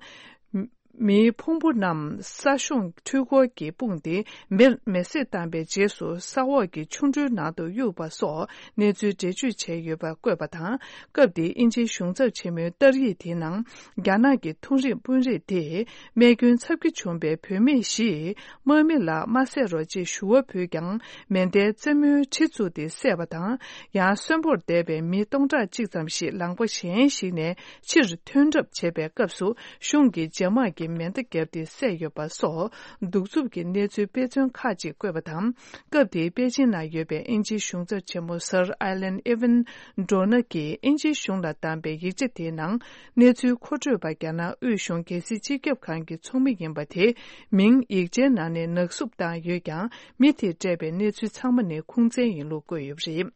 མིའི་ཕུང་པོ་རྣམས་ས་གཞུང་འཕྲུལ་འཁོར་གྱི་དཔུང་སྟེ་མེ་མེ་བསྲེགས་བཏང་པའི་རྗེས་སུ་ས་འོག་གི་ཆུ་འགྲུལ་ནང་དུ་གཡུགས་པ་སོགས་གནས་ཚུལ་འགྲེལ་བརྗོད་བྱས་ཡོད་པ་བཀོད་པ་དང་། སྐབས་དེའི་དབྱིན་ཇིའི་གཞུང་ཚབ་ཆེན་མོའི་རྟགས་ཡིག་དེའི་ནང་། རྒྱ་ནག་གི་ཐུང་རིགས་དཔོན་རིགས་དེས་རྨས་སྐྱོན་ཚབས་ཆེ་བྱུང་པའི་བུད་མེད་བཞིས་དམག་མི་ལ་མ་བསད་རོགས་ཅེས་ཞུ་བ་ཕུལ་ཀྱང་། མེ་མདའའི་རྩེ་མོའི་གྲི་བཙུགས་ཏེ་བསད་པ་དང་། ཡང་གསོན་པོར་བསྡད་པའི་མི་སྟོང་ཕྲག་གཅིག་ཙམ་ཞིག་ལམ་ཁ་གཞན་ཞིག་ནས་ཕྱིར་ཐོན་གྲབས་བྱེད་པའི་སྐབས་སུ། གཞུང་གི་འཇབ་དམག་གིས་མེ་མདའ་བརྒྱབ་སྟེ་བསད་ཡོད་པ་སོགས། གདུག་རྩུབ་ཀྱི་གནས་ཚུལ་དཔེ་མཚོན་ཁག་ཅིག་བཀོད་པ་དང་། སྐབས་དེའི་པེ་ཅིན་ནང་ཡོད་པའི་དབྱིན་ཇིའི་གཞུང་ཚབ་ཆེན་མོ་Sir Alan Evan Donner གྱིས་དབྱིན་ཇིའི་གཞུང་ལ་བཏང་པའི་ཡིག་ཆ་དེའི་ནང་། གནས་ཚུལ་མཁོ་སྤྲོད་པ་རྒྱ་ནག་དབུས་གཞུང་རྒྱལ་སྲིད་སྤྱི་ཁྱབ་ཁང་གི་ཚོགས་མི་ཡིན་པ་དེ་མིང་ཡིག་ཆའི་ནང་ནས་ནག་བསུབ་བཏང་ཡོད་ཀྱང་། མི་དེས་སྤྲད་པའི་གནས་ཚུལ་ཚང་མ་ནི་ཁུངས་བཙན་ཡིན་ལུགས་བཀོད་ཡོད་པ་རེད།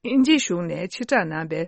དབྱིན་ཇིའི་གཞུང་ནས་ཕྱིར་བསྒྲགས་གནང་བའི།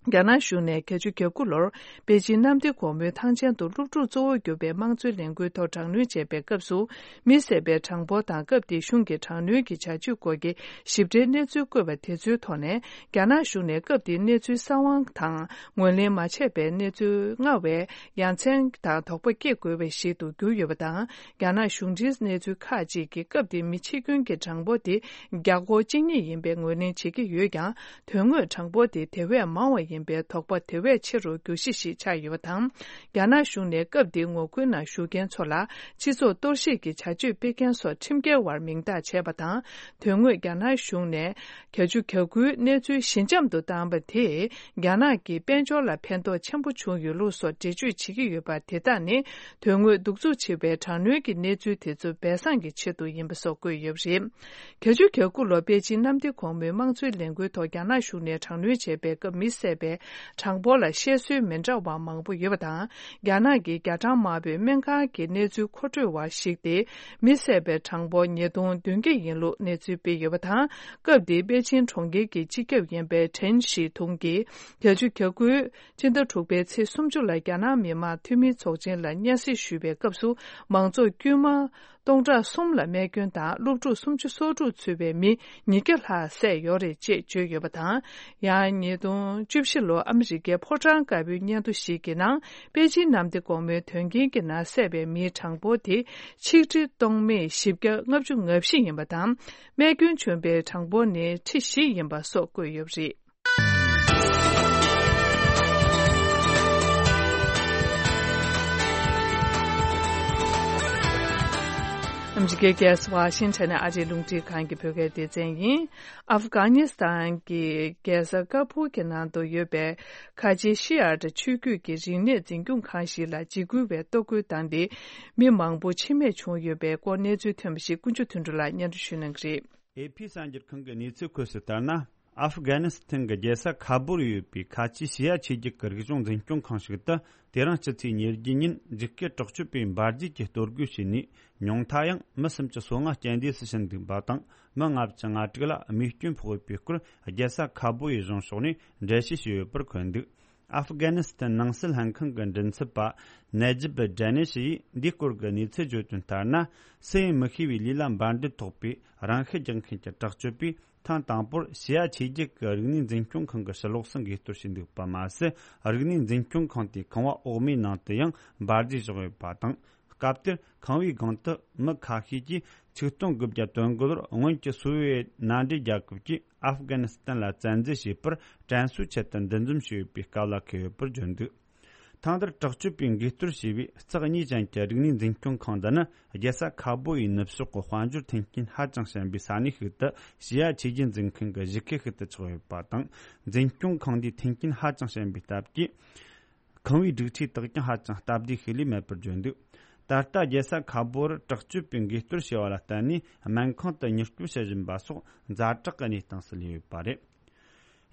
རྒྱ་ནག་གཞུང་ནས་བརྒྱད་ཅུ་གྱ་དགུ་ལོར་པེ་ཅིན་གནམ་བདེ་སྒོ་མོའི་ཐང་ཆེན་དུ་སློབ་ཕྲུག་གཙོ་བོར་གྱུར་པའི་དམངས་གཙོའི་ལས་འགུལ་ཐོག་དྲག་གནོན་བྱས་པའི་སྐབས་སུ། མི་བསད་པའི་གྲངས་འབོར་དང་སྐབས་དེའི་གཞུང་གི་དྲག་གནོན་གྱི་བྱ་སྤྱོད་སྐོར་གྱི་ཞིབ་ཕྲའི་གནས་ཚུལ་བཀོད་པ་དེ་ཚོའི་ཐོག་ནས། རྒྱ་ནག་གཞུང་ནས་སྐབས་དེའི་གནས་ཚུལ་གསང་བ་དང་ངོས་ལེན་མ་བྱས་པའི་གནས་ཚུལ་སྔར་བས་ཡ་མཚན་དང་དོགས་པ་སྐྱེ་དགོས་པ་ཞིག་ཏུ་གྱུར་ཡོད་པ་དང་། རྒྱ་ནག་གཞུང་འབྲེལ་གནས་ཚུལ་ཁག་ཅིག་གིས་སྐབས་དེའི་མི་འཆི་སྐྱོན་གྱི་གྲངས་འབོར་དེ་བརྒྱ་སྐོར་གཅིག་གཉིས་ཡིན་པའི་ངོས་ལེན་བྱེད་ཀྱི་ཡོད་ཀྱང་། དོན་དངོས་གྲངས་འབོར་དེ་དེ་བས་མང་བ་ཡིན་པའི་དོགས་པ་དེ་བས་ཆེ་རུ་འགྱུར་གཞི་ཞིག་ཆགས་ཡོད་པ་དང་། རྒྱ་ནག་གཞུང་ནས་སྐབས་དེའི་ངོ་རྒོལ་ནང་ཞུགས་མཁན་ཚོ་ལ་སྤྱི་ཚོགས་གཏོར་བཤིག་གི་བྱ་སྤྱོད་སྤེལ་མཁན་སོགས་ཁྲིམས་འགལ་བར་མིང་བཏགས་བྱས་པ་དང་། དོན་དངོས་རྒྱ་ནག་གཞུང་ནས་བརྒྱད་ཅུ་གྱ་དགུའི་གནས་ཚུལ་ཞི་འཇམ་དུ་བཏང་བ་དེས་རྒྱ་ནག་གི་དཔལ་འབྱོར་ལ་ཕན་ཐོགས་ཆེན་པོ་བྱུང་ཡོད་ལུགས་སོགས་འགྲེལ་བརྗོད་བྱེད་ཀྱི་ཡོད་པ་དེ་དག་ནི། དོན་དངོས་གདུག་རྩུབ་ཆེ་བའི་དྲག་གནོན་གྱི་གནས་ཚུལ་དེ་ཚོ་སྦས་གསང་གི་ཆེད་དུ་ཡིན་པ་སོགས་བཀོད་ཡོད་པ་རེད། བརྒྱད་ཅུ་གྱ་དགུ་ལོར་པེ་ཅིན་གནམ་བདེ་སྒོ་མོའི་དམངས་གཙོའི་ལས་འགུལ་ཐོག་རྒྱ་ནག་གཞུང་ནས་དྲག་གནོན་བྱས་པའི་སྐབས་མི་བསད་པའི་གྲངས་འབོར་ལ་བཤད་སྲོལ་མི་འདྲ་བ་མང་པོ་ཡོད་པ་དང་། རྒྱ་ནག་གི་རྒྱ་གྲམ་དམར་པོའི་སྨན་ཁང་གི་གནས་ཚུལ་མཁོ་སྤྲོད་པ་ཞིག་སྟེ། མི་བསད་པའི་གྲངས་འབོར་ཉིས་སྟོང་བདུན་བརྒྱ་ཡིན་ལུགས་གནས་ཚུལ་སྤེལ་ཡོད་པ་དང་། སྐབས་དེའི་པེ་ཅིན་གྲོང་ཁྱེར་གྱི་སྤྱི་ཁྱབ་ཡིན་པའི་ཁྲེན་ཞི་ཐུང་གིས་བརྒྱད་ཅུ་གྱ་དགུའི་སྤྱི་ཟླ་དྲུག་པའི་ཚེས་སུམ་ཅུ་ལ་རྒྱ་ནག་མི་དམངས་འཐུས་མིའི་ཚོགས་ཆེན་ལ་སྙན་སེང་ཞུས་པའི་སྐབས་སུ། མང་ཚོགས་དཀྱུས་མ་སྟོང་ཕྲག་གསུམ་ལ་རྨས་སྐྱོན་དང་། སློབ་ཕྲུག་སུམ་ཅུ་སོ་དྲུག་ཚུད་པའི་མི་ཉིས་བརྒྱ་ལྷག་བསད་ཡོད་རེད་ཅེས་བརྗོད་ཡོད་པ་དང་། ཡང་ཉིས་སྟོང་བཅུ་བཞི་ལོར་ཨ་མི་རི་ཀའི་ཕོ་བྲང་དཀར་པོའི་སྙན་ཐོ་ཞིག་གི་ནང་། པེ་ཅིན་གནམ་བདེ་སྒོ་མོའི་དོན་རྐྱེན་གྱི་ནང་བསད་པའི་མིའི་གྲངས་འབོར་དེ་ཆིག་ཁྲི་སྟོང་མེད་བཞི་བརྒྱ་ལྔ་བཅུ་ང་བཞི་ཡིན་པ་དང་། རྨས་སྐྱོན་བྱུང་པའི་གྲངས་འབོར་ནི་ཁྲི་བཞི་ཡིན་པ་སོགས་བཀོད་ཡོད་པ་རེད། ཨ་མི་རི་ཀའི་རྒྱལ་ས་ཝ་ཤིང་ཊོན་ནས་ཨ་རིའི་རླུང་འཕྲིན་ཁང་གི་བོད་སྐད་སྡེ་ཚན་ཡིན། ཨབ་གྷ་ནི་སི་ཐན་གྱི་རྒྱལ་ས་ཀ་བུལ་གྱི་ནང་དུ་ཡོད་པའི་ཁ་ཆེའི་ཤི་ཡ་ཊི་ཆོས་བརྒྱུད་ཀྱི་རིག་གནས་འཛིན་སྐྱོང་ཁང་ཞིག་ལ་འཇིགས་སྐུལ་བའི་གཏོར་རྒོལ་བཏང་སྟེ། མི་མང་པོ་འཆི་རྨས་བྱུང་ཡོད་པའི་སྐོར་གནས་ཚུལ་ཐོན་པ་ཞིག་ཀུན་སྤྱོད་དོན་གྲུབ་ལགས་སྙན་སྒྲོན་ཞུ་གནང་གི་རེད། ཨེ་ཕི་གསར་འགྱུར་ཁང་གི་གནས་ཚུལ་ཁོངས་སུ་ལྟར་ན། ཨབ་གྷ་ནི་སི་ཐན་གྱི་རྒྱལ་ས་ཁ་བུར་ཡོད་པའི་ཁ་ཆེའི་ཤི་ཡ་ཆོས་བརྒྱུད་ཀྱི་རིག་གཞུང་འཛིན་སྐྱོང་ཁང་ཞིག་ཏུ། དེ་རིང་སྤྱི་ཚེས་ཉེར་བརྒྱད་ཉིན་འཇིགས་སྐུལ་དྲག་སྤྱོད་པས་འབར་རྫས་ཀྱི་གཏོར་རྒོལ་བྱས་ནས། ཉུང་མཐའ་ཡང་མི་སུམ་ཅུ་སོ་ལྔ་རྐྱེན་འདས་སུ་ཕྱིན་འདུག་པ་དང་། མི་ལྔ་བཅུ་ང་དྲུག་ལ་རྨས་སྐྱོན་ཕོག་ཡོད་པའི་སྐོར། རྒྱལ་ས་ཁ་བུར་ཡི་གཞུང་ཕྱོགས་ནས་འགྲེལ་བཤད་བྱས་ཡོད་པར་འཁོད་འདུག། ཨབ་གྷ་ནི་སི་ཐན་ནང་སྲིད་ལྷན་ཁང་གི་མགྲིན་ཚབ་པ་ནེ་ཇིབ་ཌེ་ནི་ཤི་ཡིས་འདིའི་སྐོར་གྱི་གནས་ཚུལ་བརྗོད་དོན་ལྟར་ན། སུ་ཡིན་མི་ཤེས་པའི་ལུས་ལ་འབར་མདེལ་ཐོགས་པའི་རང་ཤི་རྒྱག་མཁན་གྱི་དྲག་སྤྱོད་པས། ཐེངས་དང་པོར་ཞི་ཡ་ཆོས་བརྒྱུད་ཀྱི་རིག་གནས་འཛིན་སྐྱོང་ཁང་གི་ཕྱི་ལོགས་སུ་འགུལ་གཏོར་བྱས་འདུག་པ་མ་ཟད། རིག་གནས་འཛིན་སྐྱོང་ཁང་དེའི་ཁང་བ་འོག་མའི་ནང་དུ་ཡང་འབར་མདེལ་བཞག་ཡོད་པ་དང་། སྐབས་དེར་ཁང་བའི་སྒང་དུ་མི་ཁ་ཤས་ཀྱིས་ཆིག་སྟོང་དགུ་བརྒྱ་དོན་དགུ་ལོར་སྔོན་གྱི་སོ་བི་ཡེ་མནའ་འབྲེལ་རྒྱལ་ཁབ་ཀྱིས་ཨབ་གྷ་ནི་སི་ཐན་ལ་བཙན་འཛུལ་བྱས་པར་དྲན་གསོའི་ཆེད་དུ་འདུ་འཛོམས་བྱས་ཡོད་པའི་སྐབས་ལ་འཁེལ་ཡོད་པར་བརྗོད་འདུག་ཐེངས་འདིར་དྲག་སྤྱོད་པས་འགུལ་གཏོར་བྱས་པའི་རྩེག་གཉིས་ཅན་གྱི་རིག་གནས་འཛིན་སྐྱོང་ཁང་འདི་ནི། རྒྱལ་ས་ཁ་སྦོ་ཡི་ནུབ་ཕྱོགས་ཀྱི་དཔལ་འབྱོར་མཐུན་རྐྱེན་ཧ་ཅང་ཞན་པའི་ས་གནས་ཤིག་ཏུ་ཞི་ཡ་ཆོས་བརྒྱུད་འཛིན་མཁན་གྱི་གཞིས་ཁུལ་ཞིག་ཏུ་ཆགས་ཡོད་པ་དང་། འཛིན་སྐྱོང་ཁང་འདིའི་མཐུན་རྐྱེན་ཧ་ཅང་ཞན་པའི་སྟབས་ཀྱིས། ཁང་བའི་སྒྲིག་ཆས་དག་ཀྱང་ཧ་ཅང་སྟབས་བདེ་ཞིག་ལས་མེད་པར་བརྗོད་འདུག་ད་ལྟ་རྒྱལ་ས་ཁ་སྦོ་རུ་དྲག་སྤྱོད་པས་འགུལ་གཏོར་བྱས་པ་ལ་བརྟེན་ནས། སྨན་ཁང་དུ་མྱུར་སྐྱོབ་བྱེད་བཞིན་པ་སོགས་ཛ་དྲག་གི་གནས་སྟངས་སུ་སླེབས་ཡོད་པ་རེད།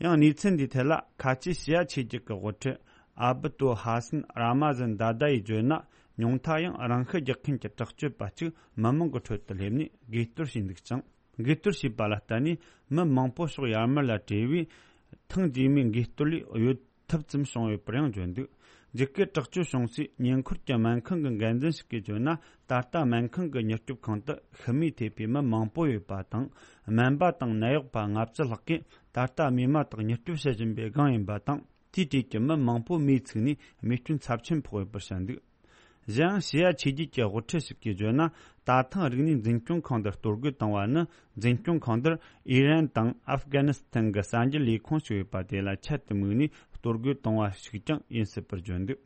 ཡང་གནས་ཚུལ་འདིའི་ཐད་ལ། ཁ་ཆེའི་ཞི་ཡ་ཆོས་བརྒྱུད་ཀྱི་དབུ་ཁྲིད་ཨ་བུ་ཏོ་ཧ་སན་ར་མ་ཟན་དཱ་དཱ་ཡིས་བརྗོད་ན། ཉུང་མཐའ་ཡང་རང་ཤི་རྒྱག་མཁན་གྱི་དྲག་སྤྱོད་པ་གཅིག་མི་མང་གི་ཁྲོད་དུ་སླེབས་ནས་འགུལ་གཏོར་བྱས་འདུག་ཅིང་། འགུལ་གཏོར་བྱས་པ་ལ་བརྟེན་ནས་མི་མང་པོ་ཕྱོགས་ཡར་མར་ལ་བྲོས་པས། ཐེངས་རྗེས་མའི་འགུལ་གཏོར་ལས་གཡོལ་ཐབས་ཙམ་བྱུང་ཡོད་པར་ཡང་བརྗོད་འདུག་འཇིགས་སྐུལ་དྲག་སྤྱོད་བྱུང་སའི་ཉེ་འཁོར་གྱི་སྨན་ཁང་གི་འགན་འཛིན་ཞིག་གིས་བརྗོད་ན། ད་ལྟ་སྨན་ཁང་གི་མྱུར་སྐྱོབ་ཁང་དུ་ཤི་རྨས་ཐེབས་པའི་མི་མང་པོ་ཡོད་པ་དང་། སྨན་པ་དང་ནད་གཡོག་པ་ལྔ་བཅུ་ལྷག་གིས་ད་ལྟ་རྨས་མ་དག་མྱུར་སྐྱོབ་བྱེད་བཞིན་པའི་སྒང་ཡིན་པ་དང་། དེའི་གྲས་ཀྱི་མི་མང་པོ་མིས་ཚིག་ནས་རྨས་སྐྱོན་ཚབས་ཆེན་ཕོག་ཡོད་པར་བཤད་འདུག་གཞན་ཡང་ཞི་ཡ་ཆོས་བརྒྱུད་ཀྱི་དབུ་ཁྲིད་ཞིག་གིས་བརྗོད་ན། ད་ཐེངས་རིག་གནས་འཛིན་སྐྱོང་ཁང་འདིར་གཏོར་རྒོལ་བཏང་བ་ནི། འཛིན་སྐྱོང་ཁང་འདིར་ཨི་རན་དང་ཨབ་གྷ་ནི་སི་ཐན་གྱི་གསར་འགྱུར་ལས་ཁུངས་ཤིག་ཡོད་པ་དེ་ལ་ཆེད་དུ་དམིགས་ནས་གཏོར་རྒོལ་བཏང་བ་ཞིག་ཀྱང་ཡིན་སྲིད་པར་བརྗོད་འདུག་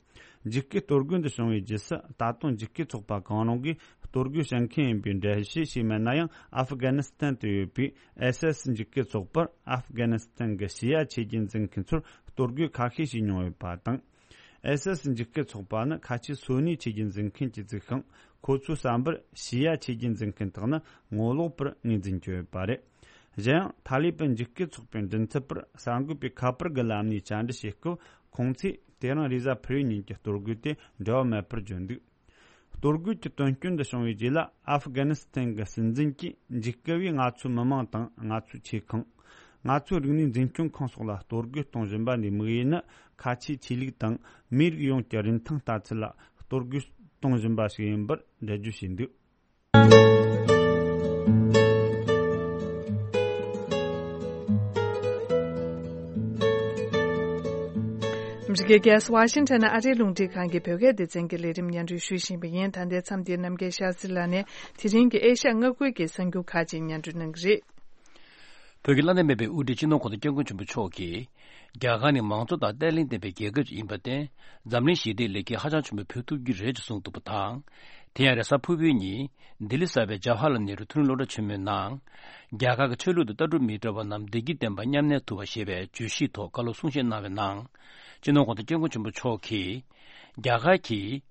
འཇིགས་སྐུལ་གཏོར་རྒོལ་འདི་བྱུང་བའི་རྗེས་སུ། ད་དུང་འཇིགས་སྐུལ་ཚོགས་པ་གང་རུང་གིས་གཏོར་རྒོལ་བྱེད་མཁན་ཡིན་པའི་འགྲེལ་བཤད་བྱས་མེད་ན་ཡང་། ཨབ་གྷ་ནི་སི་ཐན་དུ་ཡོད་པའི་ཨེ་སི་ཨེ་སི་འཇིགས་སྐུལ་ཚོགས་པར་ཨབ་གྷ་ནི་སི་ཐན་གྱི་ཞི་ཡ་ཆོས་བརྒྱུད་འཛིན་མཁན་ཚོར་གཏོར་རྒོལ་ཁ་ཤས་བྱས་མྱོང་ཡོད་པ་དང་། ཨེ་སི་ཨེ་སི་འཇིགས་སྐུལ་ཚོགས་པ་ནི་ཁ་ཆེའི་སུ་ནི་ཆོས་བརྒྱུད་འཛིན་མཁན་གྱིས་བཙུགས་ཤིང་། ཁོ་ཚོའི་བསམ་པར་ཞི་ཡ་ཆོས་བརྒྱུད་འཛིན་མཁན་དག་ནི་ངོ་ལོག་པར་ངོས་འཛིན་བྱས་ཡོད་པ་རེད། གཞན་ཡང་། ཐ་ལི་པན་འཇིགས་སྐུལ་ཚོགས་པའི་མགྲིན་ཚབ་པར་གསར་འགོད་པས་ཁ་པར་གྱི་ལམ་ནས་བཅར་འདྲི་བྱེད་སྐབས། ཁོང་ཚོས་དེ་རིང་རེས་གཟའ་ཕུར་བུའི་ཉིན་གྱི་གཏོར་རྒོལ་དེ་འབྲེལ་བ་མེད་པར་བརྗོད་འདུག་གཏོར་རྒོལ་གྱི་དོན་རྐྱེན་འདི་བྱུང་བའི་རྗེས་ལ། ཨབ་གྷ་ནི་སི་ཐན་གྱི་སྲིད་འཛིན་གྱིས། འཇིགས་སྐུལ་བས་ང་ཚོའི་མི་མང་དང་། ང་ཚོའི་ཆེ་ཁང་། ང་ཚོའི་རིག་གནས་འཛིན་སྐྱོང་ཁང་སོགས་ལ་གཏོར་རྒོལ་གཏོང་བཞིན་པ་འདིའི་དམིགས་ཡུལ་ནི། ཁ་ཆེའི་ཆོས་ལུགས་དང་མིའི་རིགས་ཡོངས་ཀྱི་རིན་ཐང་ལྟ་ཚུལ་ལ་གཏོར་རྒོལ་གཏོང་བཞིན་པ་ཞིག་ཡིན་པར་འགྲེལ་བརྗོད་བྱས་འདུག་ཨ་མི་རི་ཀའི་རྒྱལ་ས་ཝ་ཤིང་ཊོན་ནས་ཨ་རིའི་རླུང་འཕྲིན་ཁང་གི་བོད་སྐད་སྡེ་ཚན་གྱི་ལས་རིམ་སྙན་སྒྲོན་ཞུ་བཞིན་པ་ཡིན། ད་ལྟའི་མཚམས་འདིར་རྣམ་རྒྱལ་ཤཱ་སྟྲི་ལགས་ནས་དེ་རིང་གི་ཨེ་ཤ་ཡ་མངའ་ཁུལ་གྱི་གསར་འགྱུར་ཁག་ཅིག་སྙན་སྒྲོན་གནང་གི་རེད། བོད་ཀྱི་བླ་ན་མེད་པའི་དབུ་ཁྲིད་སྤྱི་ནོར་གོང་ས་སྐྱབས་མགོན་ཆེན་པོ་མཆོག་གིས། རྒྱ་གར་ནི་མང་གཙོ་དང་བརྟན་ལྷིང་ལྡན་པའི་རྒྱལ་ཁབ་ཅིག་ཡིན་པར་བརྟེན། འཛམ་གླིང་ཞི་བདེའི་ལེགས་སྐྱེས་ཧ་ཅང་ཆེན་པོ་ཕུལ་ཐུབ་ཀྱི་རེད་ཅེས་གསུངས་འདུག་པ་དང་། དེ་ཡང་རེས་གཟའ་ཕུར་བུའི་ཉིན། ལྡི་ལི་གསར་པའི་ཇ་ཧ་ལ་ནེ་རུ་མཐོ་རིམ་སློབ་གྲྭ་ཆེན་མོའི་ནང་། རྒྱ་གར་གྱི་ཆོས་ལུགས་དང་ལྟ་གྲུབ་མི་འདྲ་བ་རྣམས་བདེ་སྐྱིད་ལྡན་པ་མཉམ་གནས་ཐུབ་པ་ཞེས་པའི་བརྗོད་གཞིའི་ཐོག་བཀའ་སློབ་གསུང་བཤད་གནང་བའི་ནང་། སྤྱི་ནོར་གོང་ས་སྐྱབས་མགོན་ཆེན་པོ་མཆོག་གིས། རྒྱ་གར་གྱིས།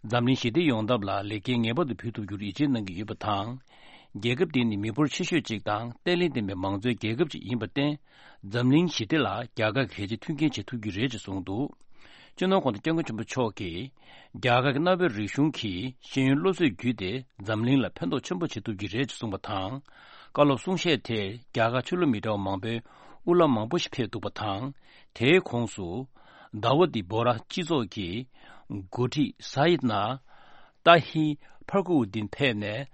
འཛམ་གླིང་ཞི་བདེ་ཡོང་ཐབས་ལ་ལེགས་སྐྱེས་ངེས་པར་དུ་ཕུལ་ཐུབ་རྒྱུར་ཡིད་ཆེས་གནང་གི་ཡོད་པ་དང་། རྒྱལ་ཁབ་དེ་ནི་མི་འབོར་ཆེ་ཤོས་གཅིག་དང་བརྟན་ལྷིང་ལྡན་པའི་མང་གཙོའི་རྒྱལ་ཁབ་ཅིག་ཡིན་པར་བརྟེན། འཛམ་གླིང་ཞི་བདེ་ལ་རྒྱ་གར་གྱིས་གལ་ཆེའི་མཐུན་རྐྱེན་བྱེད་ཐུབ་ཀྱི་རེད་ཅེས་གསུངས་འདུག་སྤྱི་ནོར་གོང་ས་སྐྱབས་མགོན་ཆེན་པོ་མཆོག་གིས། རྒྱ་གར་གྱི་གནའ་བོའི་རིག་གཞུང་གིས་ཤེས་ཡོན་སློབ་གསོས་བརྒྱུད་དེ་འཛམ་གླིང་ལ་ཕན་ཐོགས་ཆེན་པོ་བྱེད་ཐུབ་ཀྱི་རེད་ཅེས་གསུངས་པ་དང་། བཀའ་སློབ་གསུང་བཤད་དེར་རྒྱ་གར་ཆོས་ལུགས་མི་འདྲ་བ་མང་པོའི་དབུ་བླ་མང་པོ་ཞིག་ཕེབས་འདུག་པ་དང་། དེའི་ཁོངས་སུ། དཱ་ཝུ་ཏི་བྷོ་ར་སྤྱི་ཚོགས་ཀྱི་འགོ་ཁྲིད་ས་ཡིད་ན། ཏཱ་ཧི་ཕར་ཁུ་ཨུ་དིན་ཕེབས་ནས།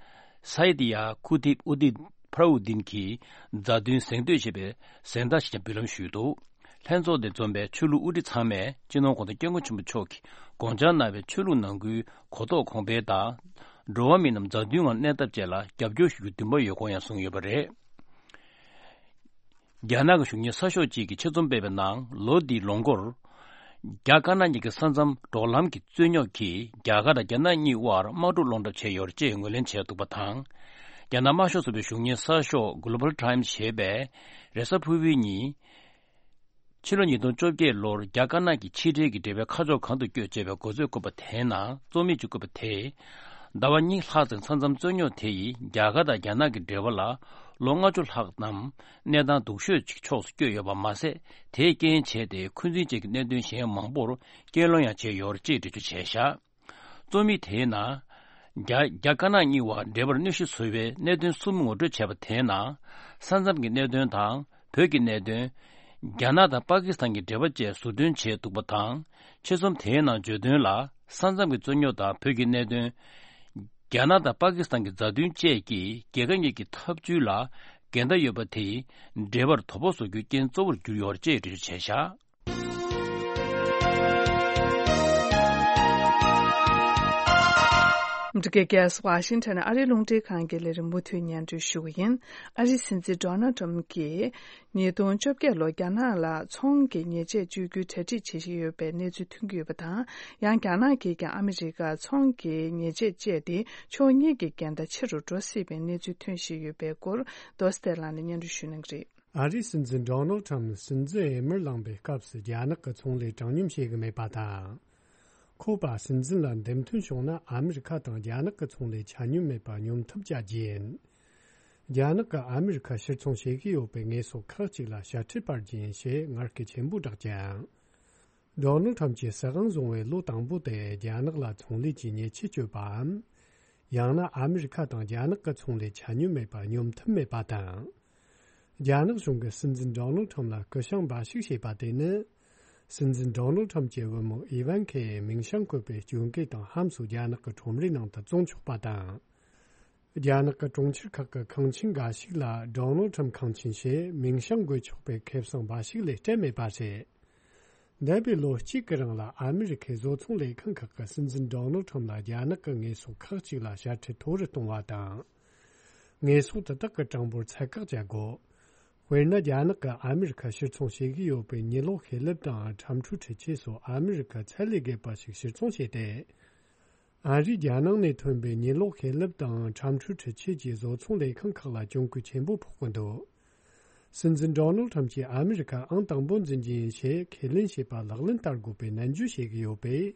ས་ཡིད་ཡ་ཁུ་ཐིབ་ཨུ་དིན་ཕར་ཨུ་དིན་གྱི་མཛའ་མཐུན་གཟེངས་བསྟོད་ཞེས་པའི་གཟེངས་རྟགས་ཤིག་ཀྱང་འབུལ་ལམ་ཞུས་འདུག་ལྷན་ཚོགས་དེ་འཛོམས་པའི་ཆོས་ལུགས་དབུ་ཁྲིད་ཚང་མས་སྤྱི་ནོར་གོང་ས་སྐྱབས་མགོན་ཆེན་པོ་མཆོག་གིས་དགོངས་འཆར་གནང་བའི་ཆོས་ལུགས་ནང་ཁུལ་གོ་རྟོགས་གོང་འཕེལ་དང་། འགྲོ་བ་མི་རྣམས་མཛའ་མཐུན་ངང་གནས་ཐབས་བཅས་ལ་རྒྱབ་སྐྱོར་ཞུ་རྒྱུ་འདུན་པ་ཡོད་སྐོར་ཡང་གསུངས་ཡོད་པ་རེད། རྒྱ་ནག་གི་གཞུང་གཉེར་གསར་ཤོག་ཅིག་གིས་ཆེད་རྩོམ་སྤེལ་བའི་ནང་། ལོ་འདིའི་ལོ་འགོར། རྒྱ་དཀར་ནག་གཉིས་ཀྱི་ས་མཚམས་འབྲོག་ལམ་གྱི་རྩོད་རྙོག་གིས་རྒྱ་གར་དང་རྒྱ་ནག་གཉིས་དབར་དམག་འཁྲུག་སློང་གྲབས་བྱས་ཡོད་རེད་ཅེས་ངོས་ལེན་བྱས་འདུག་པ་དང་། རྒྱ་ནག་དམར་ཤོག་ཚོགས་པའི་གཞུང་གཉེར་གསར་ཤོག་Global Times ཞེས་པས། རེས་གཟའ་ཕུར་བུའི་ཉིན། ཕྱི་ལོ་ཉིས་སྟོང་བཅོ་བརྒྱད་ལོར་རྒྱ་དཀར་ནག་གི་ཕྱི་འབྲེལ་གྱི་འབྲེལ་བའི་ཁ་ཕྱོགས་གང་དུ་བསྐྱོད་ཅེས་པའི་དགོས་ཚུལ་བཀོད་པ་དེའི་ནང་། རྩོམ་ཡིག་ཅིག་བཀོད་པ་དེས། ཟླ་བ་གཉིས་ལྷག་ཙམ་ས་མཚམས་རྩོད་རྙོག་དེ་ཡིས་རྒྱ་གར་དང་རྒྱ་ནག་གི་འབྲེལ་བ་ལ་ལོ་ལྔ་བཅུ་ལྷག་ཙམ་གནས་སྟངས་སྡུག་ཤོས་ཅིག་ཕྱོགས་སུ་བསྐྱོད་ཡོད་པ་མ་ཟད། དེས་རྐྱེན་བྱས་ཏེ་འཁོན་འཛིན་བཅས་ཀྱི་གནད་དོན་གཞན་མང་པོར་སྐྱེད་སློང་ཡང་བྱས་ཡོད་རེད་ཅེས་འགྲེལ་བརྗོད་བྱས་བཞག་རྩོམ་ཡིག་དེའི་ནང་། རྒྱ་རྒྱ་དཀར་ནག་གཉིས་བར་འབྲེལ་བར་གནོད་གཞི་བཟོ་བའི་གནད་དོན་གསུམ་ངོ་སྤྲོད་བྱས་པ་དེའི་ནང་། ས་མཚམས་ཀྱི་གནད་དོན་དང་བོད་ཀྱི་གནད་དོན། རྒྱ་ནག་དང་པ་ཀི་སི་ཐན་གྱི་འབྲེལ་བ་བཅས་ཟུར་འདོན་བྱས་འདུག་པ་དང་། ཆེད་རྩོམ་དེའི་ནང་བརྗོད་དོན་ལ། ས་མཚམས་ཀྱི་རྩོད་རྙོག་དང་བོད་ཀྱི་གནད་དོན། རྒྱ་ནག་དང་པ་ཀི་སི་ཐན་གྱི་མཛའ་མཐུན་བཅས་ཀྱིས་རྒྱལ་ཁབ་གཉིས་ཀྱི་འཐབ་ཇུས་ལ་འགལ་ཟླ་ཡོད་པ་དེས་འབྲེལ་བར་དོ་ཕོག་བཟོ་རྒྱུ་རྐྱེན་གཙོ་བོར་གྱུར་ཡོད་ཅེས་འགྲེལ་བརྗོད་བྱས་བཞག་ཨ་མི་རི་ཀའི་རྒྱལ་ས་ཝ་ཤིང་ཊོན་ནས་ཨ་རིའི་རླུང་འཕྲིན་ཁང་གི་ལས་རིམ་མུ་མཐུད་སྙན་སྒྲོན་ཞུ་གི་ཡིན། ཨ་རིའི་སྲིད་འཛིན་ཌོ་ནལ་ཊམ་གྱིས། ཉིས་སྟོང་བཅོ་བརྒྱད་ལོར་རྒྱ་ནག་ལ་ཚོང་གི་ཉེས་ཆད་གཅོད་རྒྱུའི་གྲ་སྒྲིག་བྱེད་བཞིན་ཡོད་པའི་གནས་ཚུལ་ཐོན་གྱི་ཡོད་པ་དང་། ཡང་རྒྱ་ནག་གིས་ཀྱང་ཨ་མི་རི་ཀར་ཚོང་གི་ཉེས་ཆད་བཅད་དེ་ཕྱོགས་གཉིས་ཀྱི་འགལ་ཟླ་ཆེ་རུ་འགྲོ་སྲིད་པའི་གནས་ཚུལ་ཐོན་བཞིན་ཡོད་པའི་སྐོར་རྡོ་སྟེ་ལགས་ནས་སྙན་སྒྲོན་ཞུ་གནང་གི་རེད། ཨ་རིའི་སྲིད་འཛིན་ཌོ་ནལ་ཁྲམ་སྲིད་འཛིན་འོས་མིར་ལངས་པའི་སྐབས་སུ་རྒྱ་ནག་གི་ཚོང་ལས་དྲང་སྙོམས་བྱེད་ཀྱི་མེད་པ་དང་། ཁོ་པ་སྲིད་འཛིན་ལ་འདེམས་ཐོན་བྱུང་ན་ཨ་མི་རི་ཁ་དང་རྒྱ་ནག་གི་ཚོང་ལས་ཆ་སྙོམས་མེད་པ་སྙོམས་ཐབས་བྱ་རྒྱུ་ཡིན། རྒྱ་ནག་གིས་ཨ་མི་རི་ཁར་ཕྱིར་ཚོང་བྱེད་ཀྱི་ཡོད་པའི་དངོས་ཟོག་ཁག་ཅིག་ལ་ཞབས་ཁྲིད་སྤར་རྒྱུ་ཡིན་ཞེས་ངར་སྐད་ཆེན་པོས་བསྒྲགས་ཀྱང་། ཌོ་ནལ་ཁྲམ་གྱིས་སྲིད་དབང་བཟུང་བའི་ལོ་དང་པོ་དེ་རྒྱ་ནག་ལ་ཚོང་ལས་ཀྱི་ཉེས་ཆད་གཅོད་པའམ། ཡང་ན་ཨ་མི་རི་ཁ་དང་རྒྱ་ནག་གི་ཚོང་ལས་ཆ་སྙོམས་མེད་པ་སྙོམས་ཐབས་མེད་པ་དང་། རྒྱ་ནག་གཞུང་གིས་སྲིད་འཛིན་ཌོ་ནལ་ཁྲམ་ལ་སྐུ་ཞབས་འབའ་ཞིག་བྱས་པ་དེ་ནི། སྲིད་འཛིན་ཌོ་ནལ་ཁྲམ་གྱི་བུ་མོ་ཨི་ཝན་ཁའི་མིང་བྱང་བཀོད་པའི་སྐྱོན་བཀོད་དང་ཧམ་སོགས་རྒྱ་ནག་གི་ཁྲོམ་རའི་ནང་དུ་བཙོང་ཆོག་པ་དང་། རྒྱ་ནག་གི་གྲོང་ཁྱེར་ཁག་གི་ཁང་ཆེན་འགའ་ཞིག་ལ་ཌོ་ནལ་ཁྲམ་ཁང་ཆེན་ཞེས་མིང་བྱང་འགོད་ཆོག་པའི་ཁེ་བཟང་འབའ་ཞིག་ལས་སྤྲད་མེད་པ་རེད། འདས་པའི་ལོ་གཅིག་གི་རིང་ལ་ཨ་མི་རི་ཁའི་བཟོ་ཚོང་ལས་ཁང་ཁག་གིས་སྲིད་འཛིན་ཌོ་ནལ་ཁྲམ་ལ་རྒྱ་ནག་གི་དངོས་ཟོག་ཁག་ཅིག་ལ་ཞབས་ཁྲིད་མཐོ་རུ་གཏོང་བ་དང་། དངོས་ཟོག་དེ་དག་གི་གྲངས་འབོར་ཚད་བཀག་བྱ་དགོས། དཔེར་ན། རྒྱ་ནག་གིས་ཨ་མི་རི་ཁར་ཕྱིར་ཚོང་བྱེད་ཀྱི་ཡོད་པའི་ཉི་གློག་ཤེལ་ལེབ་དང་ཁྲམ་འཁྲུག་འཕྲུལ་ཆས་སོགས་ཨ་མི་རི་ཁར་ཚད་ལས་བརྒལ་བ་ཞིག་ཕྱིར་ཚོང་བྱས་ཏེ། ཨ་རིས་རྒྱལ་ནང་ནས་ཐོན་པའི་ཉི་གློག་ཤེལ་ལེབ་དང་ཁྲམ་འཁྲུག་འཕྲུལ་ཆས་ཀྱི་བཟོ་ཚོང་ལས་ཁང་ཁག་ལ་གྱོང་གུན་ཆེན་པོ་ཕོག་གི་འདུག། སྲིད་འཛིན་ཌོ་ནལ་ཁྲམ་གྱིས་ཨ་མི་རི་ཁ་ཨང་དང་པོ་འཛིན་རྒྱུ་ཡིན་ཞེས་ཁས་ལེན་བྱས་པ་ལག་ལེན་བསྟར་དགོས་པའི་ནན་བརྗོད་བྱེད་ཀྱི་ཡོད་པས།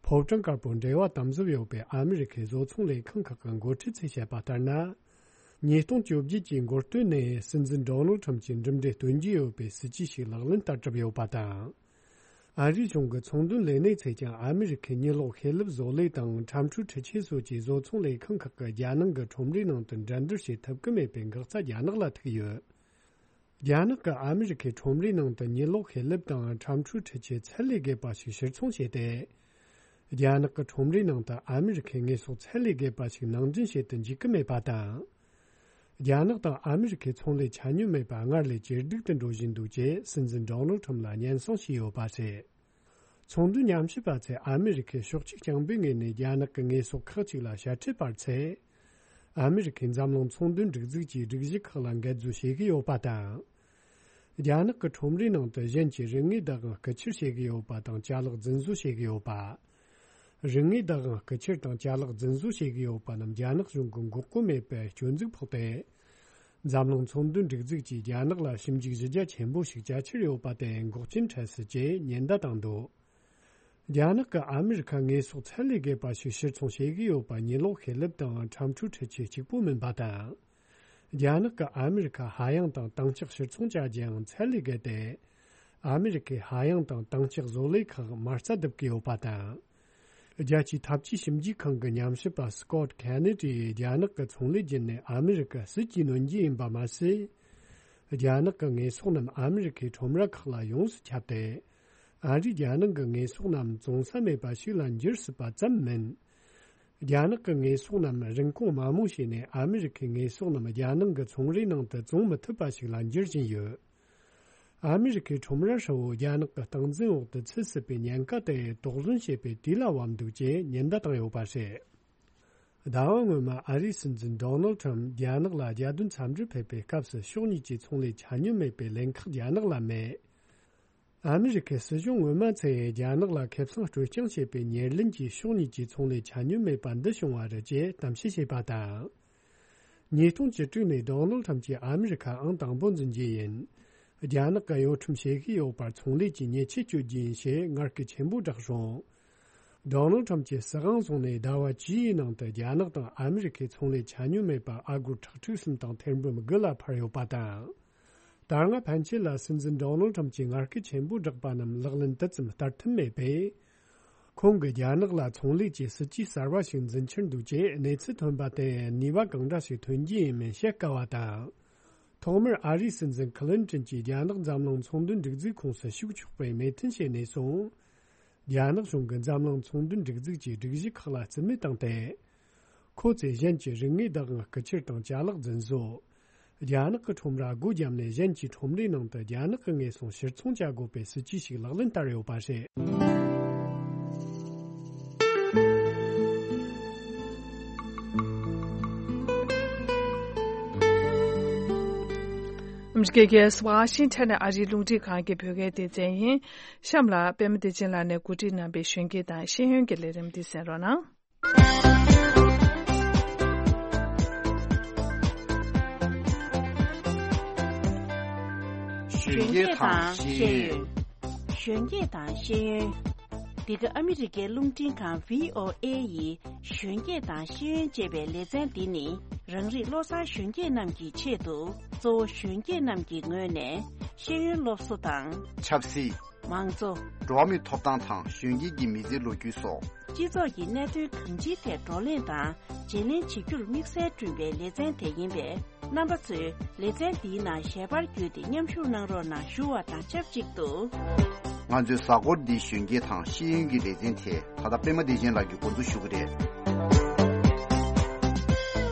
ཕོ་བྲང་དཀར་པོར་འབྲེལ་བ་དམ་ཟབ་ཡོད་པའི་ཨ་མི་རི་ཁའི་བཟོ་ཚོང་ལས་ཁང་ཁག་གི་འགོ་ཁྲིད་ཚོས་བཤད་པ་ལྟར་ན། ཉིས་སྟོང་བཅོ་བརྒྱད་ཀྱི་འགོ་སྟོད་ནས་སྲིད་འཛིན་ཌོ་ནལ་ཁྲམ་གྱིས་གྲུབ་འབྲས་སྟོན་རྒྱུ་ཡོད་པའི་སྲིད་ཇུས་ཤིག་ལག་ལེན་བསྟར་གྲབས་ཡོད་པ་དང་། ཨ་རིའི་གཞུང་གི་ཚོང་དོན་ལས་སྣེ་ཚོས་ཀྱང་ཨ་མི་རི་ཁའི་ཉི་གློག་ཤེལ་ལེབ་བཟོ་ལས་དང་ཁྲམ་འཁྲུག་འཕྲུལ་ཆས་སོགས་ཀྱི་བཟོ་ཚོང་ལས་ཁང་ཁག་གིས་རྒྱལ་ནང་གི་ཁྲོམ་རའི་ནང་དུ་འགྲན་བསྡུར་བྱེད་ཐུབ་ཀྱི་མེད་པའི་འགག་རྩ་རྒྱ་ནག་ལ་ཐུག་ཡོད། རྒྱ་ནག་གིས་ཨ་མི་རི་ཁའི་ཁྲོམ་རའི་ནང་དུ་ཉི་གློག་ཤེལ་ལེབ་དང་ཁྲམ་འཁྲུག་འཕྲུལ་ཆས་ཚད་ལས་བརྒལ་བ་ཞིག་ཕྱིར་ཚོང་བྱས་ཏེ། རྒྱ་ནག་གི་ཁྲོམ་རའི་ནང་དུ་ཨ་མི་རི་ཁའི་དངོས་ཟོག་ཚད་ལས་བརྒལ་བ་ཞིག་ནང་འདྲེན་བྱེད་དུ་འཇུག་གི་མེད་པ་དང་། རྒྱ་ནག་དང་ཨ་མི་རི་ཁའི་ཚོང་ལས་ཆ་སྙོམས་མེད་པ་སྔར་ལས་ཇེ་སྡུག་ཏུ་འགྲོ་བཞིན་འདུག་ཅེས་སྲིད་འཛིན་ཌོ་ནལ་ཁྲམ་ལ་སྙན་སེང་ཞུས་ཡོད་པ་རེད། ཚོང་དོན་ཉམས་ཞིབ་པ་ཚོས་ཨ་མི་རི་ཁས་ཕྱོགས་གཅིག་རྐྱང་པའི་ངོས་ནས་རྒྱ་ནག་གི་དངོས་ཟོག་ཁག་ཅིག་ལ་ཞབས་ཁྲིད་སྤར་ཚེ། ཨ་མི་རི་ཁའི་འཛམ་གླིང་ཚོང་དོན་སྒྲིག་འཛུགས་ཀྱི་སྒྲིག་གཞི་ཁག་ལ་འགལ་འཛུལ་བྱེད་ཀྱི་ཡོད་པ་དང་། རྒྱ་ནག་གི་ཁྲོམ་རའི་ནང་དུ་གཞན་གྱི་རིན་དངུལ་བདག་དབང་རྐུ་འཁྱེར་བྱེད་ཀྱི་ཡོད་པ་དང་ཅ་ལག་རྫུན་བཟོ་བྱེད་ཀྱི་ཡོད་པ། རིན་དངུལ་བདག་དབང་རྐུ་འཁྱེར་དང་ཅ་ལག་རྫུན་བཟོ་བྱེད་ཀྱི་ཡོད་པ་རྣམས་རྒྱ་ནག་གཞུང་གིས་འགོག་རྒོལ་མེད་པའི་སྐྱོན་འཛུགས་ཕོག་སྟེ། འཛམ་གླིང་ཚོང་དོན་སྒྲིག་འཛུགས་ཀྱིས་རྒྱ་ནག་ལ་ཞིབ་འཇུག་གཞི་རྒྱ་ཆེན་པོ་ཞིག་བྱ་འཆར་ཡོད་པ་དེ་འགོག་རྐྱེན་འཕྲད་སྲིད་ཅེས་ཉེན་བརྡ་བཏང་འདུག། རྒྱ་ནག་གིས་ཨ་མི་རི་ཁར་དངོས་ཟོག་ཚད་ལས་བརྒལ་བ་ཞིག་ཕྱིར་ཚོང་བྱེད་ཀྱི་ཡོད་པ་ཉི་གློག་ཤེལ་ལེབ་དང་ཁྲམ་འཁྲུག་འཕྲུལ་ཆས་གཅིག་པུ་མིན་པ་དང་། རྒྱ་ནག་གིས་ཨ་མི་རི་ཁར་ཧ་ཡང་དང་དྭངས་ལྕགས་ཕྱིར་ཚོང་བྱ་རྒྱུའང་ཚད་ལས་བརྒལ་ཏེ། ཨ་མི་རི་ཁའི་ཧ་ཡང་དང་དྭངས་ལྕགས་བཟོ་ལས་ཁག་མ་རྩ་རྡིབ་ཀྱི་ཡོད་པ་དང་། རྒྱལ་སྤྱིའི་འཐབ་ཇུས་ཞིབ་འཇུག་ཁང་གི་ཉམས་ཞིབ་པ་སི་ཀོད་ཁེ་ནེ་ཏིས་རྒྱ་ནག་གི་ཚོང་ལས་བརྒྱུད་ནས་ཨ་མི་རི་ཀར་སྲིད་ཇུས་སྣོན་རྒྱུ་ཡིན་པ་མ་ཟད། རྒྱ་ནག་གི་དངོས་ཟོག་རྣམས་ཨ་མི་རི་ཁའི་ཁྲོམ་ར་ཁག་ལ་ཡོངས་སུ་ཁྱབ་སྟེ། ཨ་རིས་རྒྱ་ནག་གི་དངོས་ཟོག་རྣམས་བཙོང་ས་མེད་པ་ཞིག་ལ་འགྱུར་སྲིད་པ་ཙམ་མིན། རྒྱ་ནག་གི་དངོས་ཟོག་རྣམས་རིན་གོང་དམའ་མོ་བྱས་ནས་ཨ་མི་རི་ཁའི་དངོས་ཟོག་རྣམས་རྒྱལ་ནང་གི་ཚོང་རའི་ནང་དུ་བཙོང་མི་ཐུབ་པ་ཞིག་ལ་འགྱུར་བཞིན་ཡོད། ཨ་མི་རི་ཁའི་ཁྲོམ་ར་ཧྲིལ་བོ་རྒྱ་ནག་གི་སྟངས་འཛིན་འོག་ཏུ་ཚུད་སྲིད་པའི་ཉེན་ཁ་དེ་དོགས་ཟོན་བྱེད་པའི་དུས་ལ་བབ་འདུག་ཅེས་ཉེན་བརྡ་བཏང་ཡོད་པ་རེད། ཟླ་བ་སྔོན་མ་ཨ་རིའི་སྲིད་འཛིན་ཌོ་ནལ་ཁྲམ་རྒྱ་ནག་ལ་རྒྱལ་དོན་འཚམས་འདྲིར་ཕེབས་པའི་སྐབས་སུ་ཕྱོགས་གཉིས་ཀྱི་ཚོང་ལས་ཆ་སྙོམས་མེད་པའི་ལན་ཁག་རྒྱ་ནག་ལ་མེད། ཨ་མི་རི་ཁའི་སྲིད་གཞུང་སྔོན་མ་ཚོས་རྒྱ་ནག་ལ་ཁེ་བཟང་སྤྲོད་རྐྱང་བྱེད་པའི་ཉེར་ལེན་གྱིས་ཕྱོགས་གཉིས་ཀྱི་ཚོང་ལས་ཆ་སྙོམས་མེད་པ་འདི་བྱུང་བ་རེད་ཅེས་གཏམ་བཤད་བྱས་པ་དང་། ཉིས་སྟོང་བཅུ་དྲུག་ནས་ཌོ་ནལ་ཁྲམ་གྱིས་ཨ་མི་རི་ཁ་ཨང་དང་པོ་འཛིན་རྒྱུ་ཡིན། རྒྱ་ནག་གིས་གཡོ་ཁྲམ་བྱེད་ཀྱི་ཡོད་པར་ཚོང་ལས་ཀྱི་ཉེས་ཆད་གཅོད་རྒྱུ་ཡིན་ཞེས་ངར་སྐད་ཆེན་པོས་བསྒྲགས་རུང་། ཌོ་ནལ་ཁྲམ་གྱིས་སྲིད་དབང་བཟུང་ནས་ཟླ་བ་བཅུའི་ནང་དུ་རྒྱ་ནག་དང་ཨ་མི་རི་ཁའི་ཚོང་ལས་ཆ་སྙོམས་མེད་པ་ཨ་སྒོར་ཁྲག་ཁྲིག་གསུམ་དང་ཐེར་འབུམ་དགུ་ལ་འཕར་ཡོད་པ་དང་། ད་སྔ་ཕན་ཆད་ལ་སྲིད་འཛིན་ཌོ་ནལ་ཁྲམ་གྱིས་ངར་སྐད་ཆེན་པོས་བསྒྲགས་པ་རྣམས་ལག་ལེན་དུ་ཙམ་བསྟར་ཐུབ་མེད་པས། ཁོང་གིས་རྒྱ་ནག་ལ་ཚོང་ལས་ཀྱི་སྲིད་ཇུས་གསར་བ་ཞིག་འཛིན་འཆར་འདུག་ཅེས་གནས་ཚུལ་ཐོན་པ་དེ་ནུས་པ་གང་འདྲ་ཞིག་ཐོན་རྒྱུ་ཡིན་མིན་བཤད་དཀའ་བ་དང་། ཐོག་མར་ཨ་རིའི་སྲིད་འཛིན་ཁི་ལིན་ཏྲིན་གྱིས་རྒྱ་ནག་འཛམ་གླིང་ཚོང་དོན་སྒྲིག་འཛུགས་ཁོངས་སུ་ཞུགས་ཆོག་པའི་མོས་མཐུན་བྱས་ནས་བཟུང་། རྒྱ་ནག་གཞུང་གིས་འཛམ་གླིང་ཚོང་དོན་སྒྲིག་འཛུགས་ཀྱི་སྒྲིག་གཞི་ཁག་ལ་རྩིས་མེད་བཏང་སྟེ། ཁོ་ཚོས་གཞན་གྱི་རིག་དངོས་བདག་དབང་རྐུ་འཁྱེར་དང་ཅ་ལག་རྫུན་བཟོ། རྒྱ་ནག་གི་ཁྲོམ་ར་སྒོ་བརྒྱབ་ནས་གཞན་གྱི་ཁྲོམ་རའི་ནང་དུ་རྒྱ་ནག་གི་ངོས་སྲུང་ཕྱིར་ཚོང་བྱ་དགོས་པའི་སྲིད་ཇུས་ཤིག་ལག་ལེན་བསྟར་ཡོད་པ་རེད། ཨ་མི་རི་ཀའི་རྒྱལ་ས་ཝ་ཤིང་ཊོན་ནས་ཨ་རིའི་རླུང་འཕྲིན་ཁང་གི་བོད་སྐད་སྡེ་ཚན་ཡིན། གཤམ་ལ་པད་མ་བདེ་ཆེན་ལགས་ནས་གོ་སྒྲིག་གནང་པའི་གཞོན་སྐྱེས་དང་ཤེས་ཡོན་གྱི་ལས་རིམ་འདི་གསན་རོགས་གནང་། གཞོན་སྐྱེས་དང་ཤེས་ཡོན། གཞོན་སྐྱེས་དང་ཤེས་ཡོན། འདི་ག་ཨ་མི་རི་ཀའི་རླུང་འཕྲིན་ཁང་བྷི་ཨོ་ཨེ་ཡི་གཞོན་སྐྱེས་དང་ཤེས་ཡོན་ཅེས་པའི་ལེ་ཚན་འདི་ནི། རང་རིགས་བློ་བཟང་གཞོན་སྐྱེས་རྣམས་ཀྱི་ཆེད་དུ། གཙོ་བོ་གཞོན་སྐྱེས་རྣམས་ཀྱི་ངོས་ནས་ཤེས་ཡོན་སློབ་གསོ་དང་། ཆབ་སྲིད། མང་གཙོ། འགྲོ་བ་མིའི་ཐོབ་ཐང་དང་གཞོན་སྐྱེས་ཀྱི་མི་ཚེའི་ལོ་རྒྱུས་སོགས། སྤྱི་ཚོགས་ཀྱི་གནད་དོན་གང་ཅིའི་ཐད་བགྲོ་གླེང་དང་བརྗེ་ལེན་བྱེད་རྒྱུར་དམིགས་བསལ་བསྐྲུན་པའི་ལེ་ཚན་དེ་ཡིན་པས། རྣམ་པ་ཚོས་ལེ་ཚན་འདིའི་ནང་ཞལ་པར་བརྒྱུད་དེ་མཉམ་ཞུགས་གནང་རོགས་གནང་ཞུ་བ་དང་ཆབས་ཅིག་ཏུ། ང་ཚོའི་གཟའ་འཁོར་འདིའི་གཞོན་སྐྱེས་དང་ཤེས་ཡོན་གྱི་ལེ་ཚན་དེ་ད་ལྟ་པད་མ་བདེ་ཆེན་ལགས་ཀྱིས་འགོ་འཛུགས་ཞུ་གི་རེད།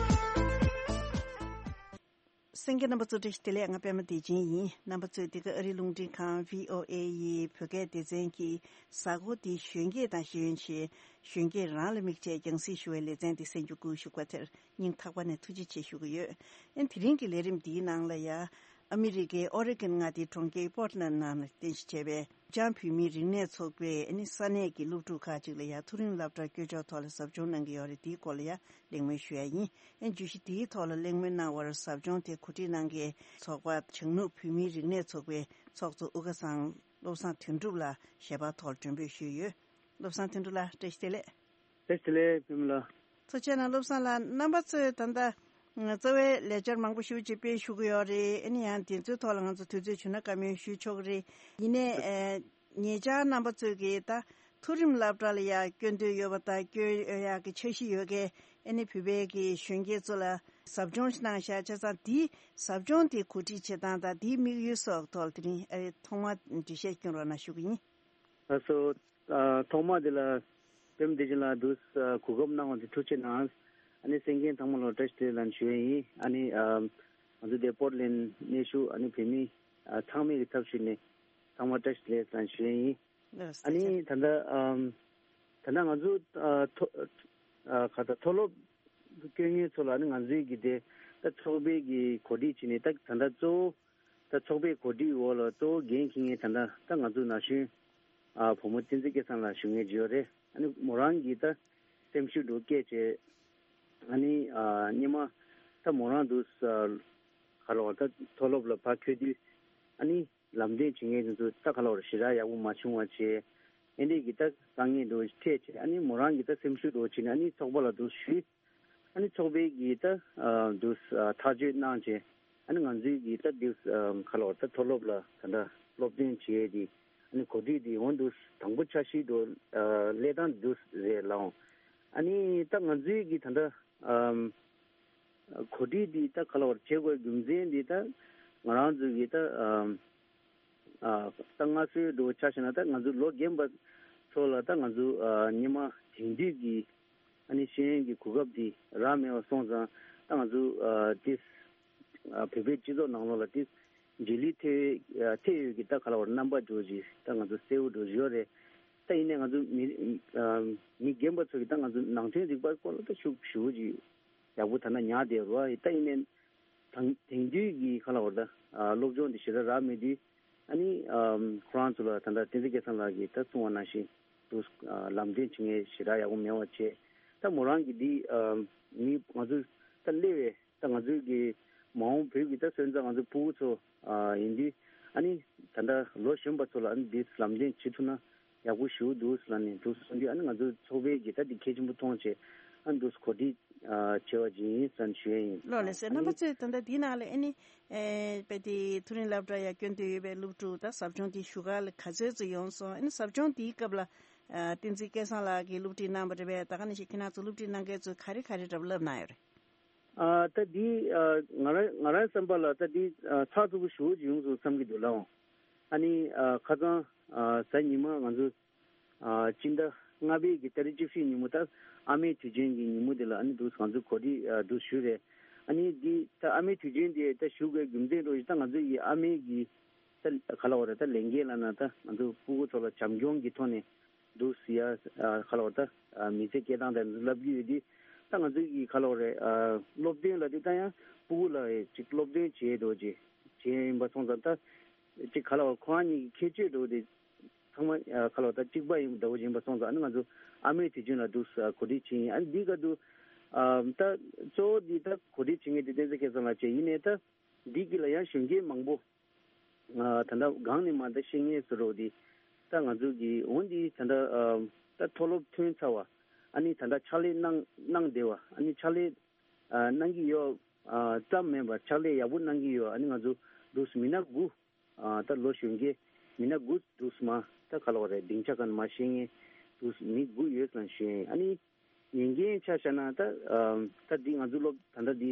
གསན་མཁན་རྣམ་པ་ཚོ་བཀྲ་ཤིས་བདེ་ལེགས། ང་པད་མ་བདེ་ཆེན་ཡིན། རྣམ་པ་ཚོས་འདི་ག་ཨ་རིའི་རླུང་འཕྲིན་ཁང་བྷི་ཨོ་ཨེ་ཡི་བོད་སྐད་སྡེ་ཚན་གྱི་གཟའ་འཁོར་འདིའི་གཞོན་སྐྱེས་དང་ཤེས་ཡོན་ཞེས་གཞོན་སྐྱེས་རང་ལ་དམིགས་བྱས་རྒྱང་སྲིང་ཞུ་བའི་ལེ་ཚན་འདི་གསན་རྒྱུ་བསྐུལ་ཞུ་བ་དེར་སྙིང་ཐག་པ་ནས་ཐུགས་རྗེ་ཆེ་ཞུ་གི་ཡོད། ཨ་ནི་དེ་རིང་གི་ལས་རིམ་འདིའི་ནང་ལ་ཡ། ཨ་མི་རི་ཀའི་ཨོ་རེ་གོན་མངའ་སྡེའི་གྲོང་ཁྱེར་པོར་ཊི་ལན་ནང་ལ་རྟེན་གཞི་བྱས་པའི་འབྲུག་རྒྱང་བོད་མིའི་རིག་གནས་ཚོགས་པས་ཨ་ནི་ས་གནས་ཀྱི་སློབ་ཕྲུག་ཁག་ཅིག་ལ་ཡ་མཐོ་རིམ་སློབ་གྲྭ་བསྐྱོད་ཕྱོགས་ཐོག་ལ་ཟབ་སྦྱོང་གནང་གི་ཡོད་རེད། དེའི་སྐོར་ལ་ཡ་གླེང་མོལ་ཞུ་ཡ་ཡིན། ཨ་ནི་བརྗོད་གཞི་དེའི་ཐོག་ལ་གླེང་མོལ་གནང་བར་ཟབ་སྦྱོང་དེ་གོ་སྒྲིག་གནང་མཁན་ཚོགས་པ་བྱང་ནུབ་བོད་མིའི་རིག་གནས་ཚོགས་པའི་ཚོགས་གཙོ་དབུ་དགའ་ཚང་བློ་བཟང་དོན་གྲུབ་ལགས་ཞལ་པར་ཐོག་མགྲོན་འབོད་ཞུས་ཡོད། བློ་བཟང་དོན་གྲུབ་ལགས་བཀྲ་ཤིས་བདེ་ལེགས། བཀྲ་ཤིས་བདེ་ལེགས་པད་མ་ལགས། ཐུགས་རྗེ་གནང་། བློ་བཟང་ལགས། རྣམ་པ་ཚོས་ད་ལྟ་རྩ་བའི་ལས་འཆར་མང་པོ་ཞེ་པོ་ཅིག་སྤེལ་བཞུགས་ཀྱི་ཡོད་རེད། ཨ་ནི་ཡང་དེ་ཚོའི་ཐོག་ལ་ང་ཚོ་དུས་ཚོད་བྱུང་ན་བཀའ་མོལ་ཞུ་ཆོག་གི་རེད། ཡིན་ནའི་ཨ་ཉེ་ཆར་རྣམ་པ་ཚོས་ཀྱིས་ད་མཐོ་རིམ་སློབ་གྲྭ་ལ་ཡང་སྐྱོན་འདོད་ཡོད་པ་དང་སྐྱོན་ཡོད་ཡག་གི་འཆར་གཞི་ཡོད་མཁན་ཨ་ནི་བོད་པའི་གི་གཞོན་སྐྱེས་ཚོ་ལ་ཟབ་སྦྱོང་ཞིག་གནང་བཞག་བྱས་ཙང་། དེའི་ཟབ་སྦྱོང་དེ་གོ་སྒྲིག་བྱེད་སྟངས་དང་དེའི་དམིགས་ཡུལ་སོགས་ཐོག་དེ་རིང་ཨ་ཐོག་མར་འགྲེལ་བཤད་སྐྱོན་རོགས་གནང་ཞུ་གི་ཡིན། ལགས་སོ། ཨ་ཐོག་མ་དེ་ལ་པད་མ་བདེ་ཆེན་ལགས་འདུག་ཨ་གོ་སྐབས་གནང་བ་དེ་ཐུགས་རྗེ་གནང་། ཨ་ནི་གསན་མཁན་ཚང་མ་ལ་བཀྲ་ཤིས་བདེ་ལེགས་ལབ་ཞུ་ཡས་ཡིན། ཨ་ནི་ཨ་ང་ཚོ་དེ་པོར་ཊི་ལན་གནས་བཞུགས་ཨ་ནི་བོད་མི་ཨ་ཚང་མའི་གི་ཚབ་ཞུས་ནས་ཚང་མ་བཀྲ་ཤིས་བདེ་ལེགས་ལབ་ཞུ་ཡས་ཡིན། ལགས་སོ། ཨ་ནི་ད་ལྟ་ཨམ་ད་ལྟ་ང་ཚོ་ཨ་མཐོ་ཨ་ག་ད་མཐོ་སློབ་སྐྱོན་མཁན་ཚོ་ལ་ཨ་ནི་ང་ཚོའི་གི་དེ་ད་ཚོགས་པའི་གི་གོ་སྒྲིག་བྱས་ནས་ད་ད་ལྟ་གཙོ་བོ་ད་ཚོགས་པའི་གོ་སྒྲིག་འོག་ལ་གཙོ་བོ་འགན་འཁྱེར་མཁན་ད་ལྟ་ད་ང་ཚོ་ན་གཞོན་ཨ་བུ་མོ་བསྟན་འཛིན་སྐལ་བཟང་ལགས་བཞུགས་མཁན་ཅིག་ཡོད་རེད། ཨ་ནི་མོ་རང་གིས་ད་སེམས་ཤུགས་འདྲ་བསྐྱེད་བྱས། ཨ་ནི་ཨ་སྔོན་མ་ད་མོ་རང་འདུག་ཨ་ག་ལ་བ་ད་མཐོ་སློབ་ལ་ཕར་འཁྱོལ་དུས་ཨ་ནི་ལམ་སྟོན་བྱེད་མཁན་དེ་ཚོ་ད་ག་ལ་བ་ཞེ་དྲག་ཡག་པོ་མ་བྱུང་བ་བྱས། ཨ་ནི་གི་ད་དཀའ་ངལ་འདྲ་བོ་འཕྲད་བྱས། ཨ་ནི་མོ་རང་གིས་ད་སེམས་ཤུགས་འདྲ་བོ་བྱས་ནས་ཨ་ནི་ཚོགས་པ་ལ་འདུག་ཞུས། ཨ་ནི་ཚོགས་པའི་གི་ད་ཨ་འདུག་ཨ་ཐག་གཅོད་གནང་བྱས། ཨ་ནི་ང་ཚོའི་གི་ད་འདུག་ཨ་ག་ལ་བ་ད་མཐོ་སློབ་ལ་ད་ལྟ་སློབ་སྟོན་བྱས་ཏེ་ཨ་ནི་གོ་སྒྲིག་དེ་འོ་འདུག་དང་པོ་འཆར་གཞི་འདྲ་བོ་ཨ་སླེབས་སྟངས་འདུག་རེད་ལགས། ཨ་ནི་ད་ང་ཚོའི་གི་ད་ལྟ་ཨམ་གོ་སྒྲིག་འདི་ད་ག་ལ་བར་བྱེད་དགོས་རྒྱུ་མཚན་འདི་ད་ང་རང་ཚོ་གི་ད་ཨམ་ཨ་ད་སྔ་སྲོལ་འདྲ་བོ་ཆ་བཞག་ན་ད་ང་ཚོ་ལོ་རྒན་པ་ཚོ་ལ་ད་ང་ཚོ་ཨ་སྔོན་མ་དེང་དུས་ཀྱི་ཨ་ནི་ཤེས་ཡོན་གྱི་གོ་སྐབས་འདི་རག་མེད་པ་སོང་ཙང་། ད་ང་ཚོ་ཨ་དེ་ཨ་བོད་པའི་སྤྱི་ཚོགས་ནང་ལོགས་ལ་དེ་རྗེས་ལུས་ཐེབས་ཨ་ཐེབས་ཡོད་ཀྱི་ད་ག་ལ་བར་རྣམ་པ་འདྲ་བོ་ཅིག་ད་ང་ཚོ་གསལ་བོ་འདྲ་བོ་ཡོད་རེད། ད་ཡིན་ནའི་ང་ཚོ་མི་ཨ་མི་རྒན་པ་ཚོ་གི་ད་ང་ཚོ་ནང་དོན་རིག་པ་སྐོར་ལ་ད་ཤུགས་ཞེ་པོ་ཅིག་ཡག་པོ་ད་ལྟ་ཉར་བསྡད་ཡོད་རེད་བ། ད་ཡིན་ནའི་དང་དེང་དུས་ཀྱི་ག་ལ་བར་ད་ཨ་སློབ་སྦྱོང་འདི་ཞེ་དྲག་རག་མེད་དུས། ཨ་ནི་ཨམ་ཁོ་རང་ཚོ་ལ་ད་ལྟ་བསྟན་འཛིན་སྐལ་བཟང་ལགས་ཀྱིས་ད་གསུངས་པ་ནང་བཞིན་དུ་ཨ་ལམ་སྟོན་བྱེད་མཁན་ཞེ་དྲག་ཡག་པོ་མེད་པ་བྱས། ད་མོ་རང་གིས་འདི་ཨམ་མི་ང་ཚོ་ད་སླེབས་པའི་ད་ང་ཚོའི་གི་མ་འོངས་བོད་ཀྱི་ད་སོན་རྩ་ང་ཚོ་ཕྲུ་གུ་ཚོ་ཨ་ཡིན་དུས། ཨ་ནི་ད་ལྟ་ལོ་གཞོན་པ་ཚོ་ལ་ཨ་ནི་འདི་ལམ་སྟོན་བྱེད་ཐུབ་ན་ཡག་པོ་ཞེ་པོ་འདུག་ལབ་ནས་འདུག་གསུངས་དུས། ཨ་ནི་ང་ཚོ་ཚོགས་པའི་གི་ད་འདི་གལ་ཆེན་པོ་མཐོང་བྱས། ཨ་ནི་འདུག་གོ་སྒྲིག་ཨ་བྱས་པ་ཅིག་ཡིན་ཟེར་ཞུ་ཡས་ཡིན། ལགས་ལགས་སོ། ཨ་རྣམ་པ་ནི་ཚོས་ད་ལྟ་འདི་ནང་ལ་ཨ་ནི་ཨེ་དཔེ་དེ་མཐོ་རིམ་སློབ་གྲྭ་ཡར་སྐྱོད་འདོད་ཡོད་པའི་སློབ་ཕྲུག་ད་ཟབ་སྦྱོང་དེ་ཞུ་ག་ལ་ག་ཚོད་ཙམ་ཡོང་སོང་། ཨ་ནི་ཟབ་སྦྱོང་དེའི་སྐབས་ལ་ཨ་བསྟན་འཛིན་སྐལ་བཟང་ལགས་ཀྱིས་སློབ་ཁྲིད་གནང་བ་རེད་པས། ད་ག་ནང་བཞིན་ཁྱེད་རང་ཚོ་སློབ་ཁྲིད་གནང་མཁན་ཚོས་ག་རེ་ག་རེ་འདྲ་པོ་བསླབ་གནང་ཡོད་རེད། ཨ་ད་འདི་ཨ་ང་རང་ང་རང་བསམ་པ་ལ་ད་འདི་ཨ་ཚགས་ཚུད་པོ་ཞེ་པོ་ཅིག་ཡོང་སོང་བསམ་གྱི་འདུག་ལགས། ཨ་ནི་ཨ་ཁ་སང་ཨ་གཟའ་ཉི་མ་ང་ཚོ་ཨ་སྤྱི་ཟླ་ལྔ་པའི་གི་ཏ་རིག་བཅུ་བཞི་ཉིན་མོ་ད་ཨ་མའི་དུས་ཆེན་གྱི་ཉིན་མོ་དེ་ལ་ཨ་ནི་འདུག་ང་ཚོ་གོ་སྒྲིག་ཨ་འདུག་ཞུས་རེད། ཨ་ནི་འདི་ད་ཨ་མའི་དུས་ཆེན་དེ་ད་ཞུ་དགོས་རྒྱུ་མཚན་འདྲ་བོ་ཞིག་ད་ང་ཚོ་ཡི་ཨ་མའི་གི་ད་ག་ལ་བ་རེད། ད་ལས་འགན་ལ་ན་ད་ང་ཚོ་སྤུ་གུ་ཚོ་ལ་བྱམས་སྐྱོང་གི་ཐོག་ནས་འདུག་ཟེར་ཡ་ཨ་ག་ལ་བ་ད་ཨ་མི་ཚེ་སྐྱེལ་སྟངས་དེ་ཚོ་ལབ་ཀྱི་ཡོད་དུས། ད་ང་ཚོ་གི་ག་ལ་བ་རེད། ཨ་སློབ་སྟོན་ལ་དུས་ད་ཡང་སྤུ་གུ་ལ་ཅིག་སློབ་སྟོན་བྱེད་འགྲོ་ཅིག་བྱེད་ཡིན་པ་སོང་ཙང་ད་ཅིག་ག་ལ་བ་ཁོ་རང་གཉིས་ཀྱི་ཁྱད་ཆོས་འགྲོ་དེ་ཚང་མ་ཨ་ག་ལ་བ་ད་གཅིག་པ་ཡིན་འདྲ་བོ་ཡིན་པ་སོང་ཙང་ཨ་ནི་ང་ཚོ་ཨ་མའི་དུས་ཆེན་ལ་འདུག་གོ་སྒྲིག་བྱེད་ཡིན། ཨ་ནི་འདི་ག་དུ་ཨ་ད་གཙོ་བོ་འདི་ད་གོ་སྒྲིག་བྱེད་མཁན་དེ་བསྟན་འཛིན་སྐལ་བཟང་ལགས་བྱས་ཡིན་ནའི་ད་འདི་གི་ལ་ཡང་གཞོན་སྐྱེས་མང་པོ། ཨ་ད་ལྟ་གང་ནས་མ་ད་ཤེས་ངེས་སུ་རོགས་དེ་ད་ང་ཚོ་གི་འོན་ཏེ་ད་ལྟ་ཨ་ད་མཐོ་སློབ་ཐོན་ཚར་བ། ཨ་ནི་ད་ལྟ་ཕྱག་ལས་གནང་གནང་བསྡད་པ། ཨ་ནི་ཕྱག་ལས་ཨ་གནང་གི་ཡོད་ཨ་ཙམ་མིན་པར་ཕྱག་ལས་ཡག་པོ་གནང་གི་ཡོད། ཨ་ནི་ང་ཚོ་འདུག་མི་སྣ་དགུ་ཨ་ད་ལོ་གཞོན་སྐྱེས་མི་སྣ་དགུ་འདུག་མ་ད་ག་ལ་བ་རེད། སྡིངས་ཆ་ག་ནས་མ་ཤེས་ངེས་འདུག་མི་དགུ་ཡོད་ཙང་ཞུ་ཡིན། ཨ་ནི་ཉན་མཁན་ཆ་བཞག་ན་ད་ཨམ་ད་འདི་ང་ཚོ་སློབ་ད་ལྟ་འདི་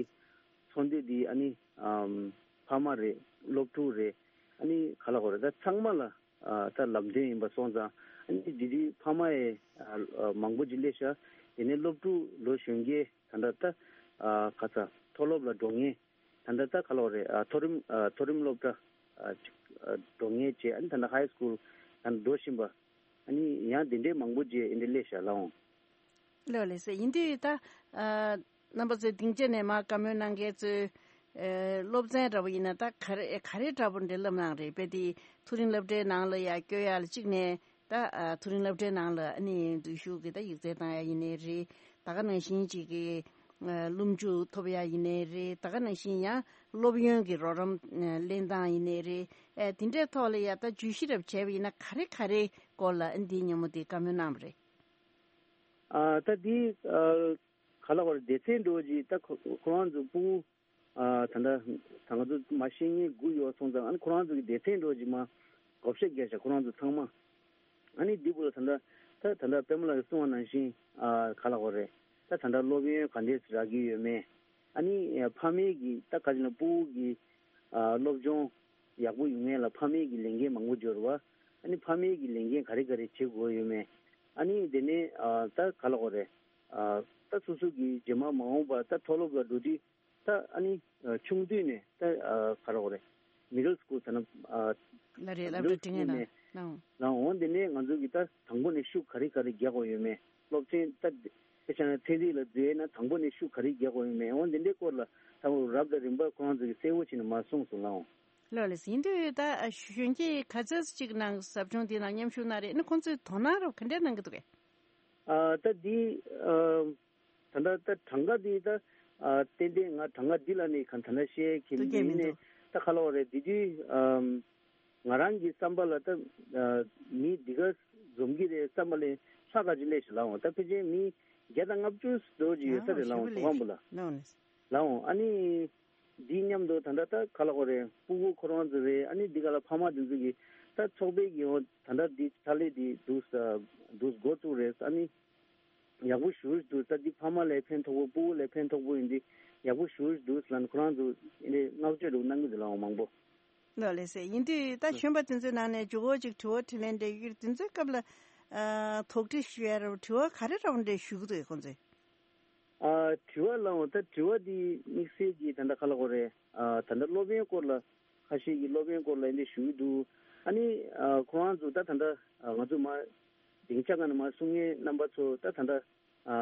ཚོགས་འདུ་འདི་ཨ་ནི་ཨམ་ཕ་མ་རེད། སློབ་ཕྲུག་རེད། ཨ་ནི་ག་ལ་གོ་རེད། ད་ཚང་མ་ལ་ཨ་ད་ལམ་སྟོན་ཡིན་པ་སོང་ཙང་ཨ་ནི་འདི་འདི་ཕ་མ་ཡི་ཨ་ཨ་མང་པོ་ཅིག་སླེབས་ཤག་དེ་ནས་སློབ་ཕྲུག་ལོ་གཞོན་སྐྱེས་ད་ལྟ་ད་ཨ་ག་ས་མཐོ་སློབ་ལ་འགྲོ་མཁན་ད་ལྟ་ད་ག་ལ་གོ་རེད། ཨ་མཐོ་རིམ་ཨ་མཐོ་རིམ་སློབ་གྲྭ་ཨ་ཅིག་ཨ་འགྲོ་མཁན་བཅས་ཨ་ནི་ད་ལྟ་ཧའི་སྐུལ་ད་ལྟ་འགྲོ་བཞིན་པ། ཨ་ནི་ཡང་དེ་འདྲའི་མང་པོ་ཅིག་ཨེ་འདྲ་སླེབས་ཤག་ལགས་འོང་། ལགས་ལགས་སེ། ཡིན་དུས་ད་ཨ་རྣམ་པ་ཚོས་སྡིངས་ཆ་ནས་མར་བཀའ་མོལ་གནང་མཁན་ཚོས་ཨ་སློབ་ཚན་འདྲ་པོ་ཡིན་ན་ད་ག་རེ་ག་རེ་འདྲ་པོ་འདྲ་ལབ་གནང་རེད། དཔེ་དེ་མཐོ་རིམ་སློབ་གྲྭའི་ནང་ལ་ཡ་བསྐྱོད་ཡ་ལ་གཅིག་ནས་ད་ཨ་མཐོ་རིམ་སློབ་གྲྭའི་ནང་ལ་ཨ་ནི་འཛུལ་ཞུགས་ཀྱི་ད་ཡིག་ཚད་བཏང་ཡ་ཡིན་ནའི་རེད། ད་ག་ནང་བཞིན་ཅིག་གི་ཨ་སློབ་འཇུག་ཐོབ་ཡ་ཡིན་ནའི་རེད། ད་ག་ནང་བཞིན་ཡང་སློབ་ཡོན་གྱི་རོགས་རམ་ཨ་ལེན་སྟངས་ཡིན་ནའི་རེད། ཨ་དེ་འདྲའི་ཐོག་ལ་ཡ་ད་བརྗོད་གཞི་འདྲ་པོ་བྱས་པ་ཡིན་ན་ག་རེ་ག་རེ་སྐོར་ལ་ཨ་འདིའི་ཉིན་མོ་དེ་བཀའ་མོལ་གནང་བ་རེད། ཨ་ད་འདི་ཨ་ག་ལ་བར་སྡེ་ཚན་འགྲོ་རྗེས་ད་ཁོ་ཁོ་རང་ཚོ་སྤུ་གུ་ཨ་ད་ལྟ་ད་ང་ཚོ་མ་ཤེས་མཁན་དགུ་ཡོད་སོང་ཙང་ཨ་ནི་ཁོ་རང་ཚོ་གི་སྡེ་ཚན་འགྲོ་རྗེས་མ་བགོ་བཤའ་རྒྱག་བྱ་ཁོ་རང་ཚོ་ཚང་མ་ཨ་ནི་འདི་བུ་ལ་ད་ལྟ་ད་ད་ལྟ་པད་མ་ལགས་ཀྱིས་གསུངས་པ་ནང་བཞིན་ཨ་ག་ལ་བར་རེད། ད་ད་ལྟ་སློབ་ཡོན་ག་འདྲས་རག་གི་ཡོད་མེད། ཨ་ནི་ཕ་མའི་གི་ད་ག་ཅིག་ན་སྤུ་གུ་གི་ཨ་སློབ་སྦྱོང་ཡག་པོ་ཡོང་ཡས་ལ་ཕ་མའི་གི་ལས་འགན་མང་པོ་འབྱོར་བ། ཨ་ནི་ཕ་མའི་གི་ལས་འགན་ག་རེ་ག་རེ་བྱེད་དགོས་ཡོད་མེད། ཨ་ནི་དེ་ནས་ཨ་ད་ག་ལ་གོ་རེད། ཨ་ད་སོ་སོ་གི་རྗེས་མ་མ་འོངས་པ་ད་མཐོ་སློབ་ལ་འགྲོ་དུས་ད་ཨ་ནི་ཨ་ཆུང་དུས་ནས་ད་ཨ་ག་ལ་གོ་རེད། མི་ཌལ་སི་ཀུལ་ཟེར་ན་ཨ་ལ་རེད་ལབ་མི་ཌལ་སི་ཀུལ་རེད་ནས་ལ་ལ་འོང་དེ་ནས་ང་ཚོ་གི་ད་དང་པོ་ནས་ཤུགས་ག་རེ་ག་རེ་རྒྱག་དགོས་ཡོད་མེད། སློབ་ཚན་ད་དཔེ་ཆ་ན་ཚན་རིག་ལ་འཛུལ་ཡས་ན་དང་པོ་ནས་ཤུགས་ག་རེ་རྒྱག་དགོས་ཡོད་མེད། འོ་འདི་འདྲའི་སྐོར་ལ་ད་འོ་རབ་དང་རིམ་པ་ཁོ་རང་ཚོ་གིས་གསལ་བོ་བྱས་ནས་མར་གསུངས་སོང་ལགས་འོང་། ལགས་ལགས་ཡིན་དུས་ད་གཞོན་སྐྱེས་ག་ཚོད་ཅིག་ནང་ཟབ་སྦྱོང་འདི་ནང་མཉམ་ཞུགས་གནང་རེད། ཨ་ནི་ཁོང་ཚོས་དོ་སྣང་རབ་ག་འདྲས་གནང་གི་འདུག་གས། ཨ་ད་འདི་ཨ་ད་ལྟ་ད་གྲངས་ཀ་འདི་ད་ཨ་ཏན་ཏན་ང་གྲངས་ཀ་འདི་ལ་ནི་ག་ད་ལྟ་བཤད་ཀྱི་འདུག་གས་མི་མིན་ནས་འདུག་ད་ག་ལ་བ་རེད། འདི་དུས་ཨམ་ང་རང་གི་བསམ་པ་ལ་ད་ཨ་མི་འདི་ག་འཛོམས་ཀྱི་རེད་བསམ་པ་ལས་ལྷག་ག་ཅིག་སླེབས་ཤག་ལགས་འོང་། ད་ཕལ་ཆེར་མི་བརྒྱ་དང་ལྔ་བཅུ་ཙམ་ཅིག་ཡོད་ས་རེད་ལགས་འོང་། ཨ་ཞེ་པོ་ཅིག་ལ་ལགས་འོང་། ལགས་འོང་། ཨ་ནི་འདི་མཉམ་དུ་ད་ལྟ་ད་ག་ལ་གོ་རེད། སྤུ་གུ་ཁོ་རང་ཚོ་རེད། ཨ་ནི་འདི་ག་ལ་ཕ་མ་འདི་ཚོ་གི་ད་ཚོགས་པའི་གི་འོ་ད་ལྟ་འདི་ཕྱག་ལས་འདི་འདུག་ས་འདུག་འགོ་བཙུགས་རེད། ཨ་ནི་ཡག་པོ་ཞེ་པོ་ཅིག་འདུག་ད་འདི་ཕ་མ་ལ་ཕན་ཐོགས་པོ་སྤུ་གུ་ལ་ཕན་ཐོགས་པོ་ཡིན་འདི་ཡག་པོ་ཞེ་པོ་ཅིག་འདུག་ལབ་ནས་ཁོ་རང་ཚོ་ཨ་ནི་བསྔགས་བརྗོད་འདྲ་པོ་གནང་གི་འདུག་ལགས་འོང་མང་པོ། ལགས་ལགས་སེ། ཡིན་དུས་ད་གཞོན་པ་དེ་ཚོའི་ནང་ནས་མགྱོགས་པོ་ཅིག་དྲི་བ་དྲིས་ལན་འདྲ་ཡོད་དུས་དེ་ཚོའི་སྐབས་ལ་ཨ་དོགས་འདྲི་ཞུ་ཡ་ར་དྲི་བ་ག་རེ་འདྲ་པོ་འདྲ་ཞུ་གི་འདུག་ཁོང་ཚོས། ཨ་དྲི་བ་ལའང་ད་དྲི་བ་འདི་དམིགས་བསལ་གྱི་ད་ལྟ་ག་ལ་གོ་རེད། ཨ་ད་ལྟ་སློབ་ཡོན་སྐོར་ལ་ཁ་ཤས་ཀྱིས་སློབ་ཡོན་སྐོར་ལ་འདི་ཞུ་གི་འདུག་ཨ་ནི་ཨ་ཁོ་རང་ཚོ་ད་ད་ལྟ་ཨ་ང་ཚོ་མ་སྡིངས་ཆ་སྒང་ནས་མར་གསུང་མཁན་རྣམ་པ་ཚོ་ད་ད་ལྟ་ཨ་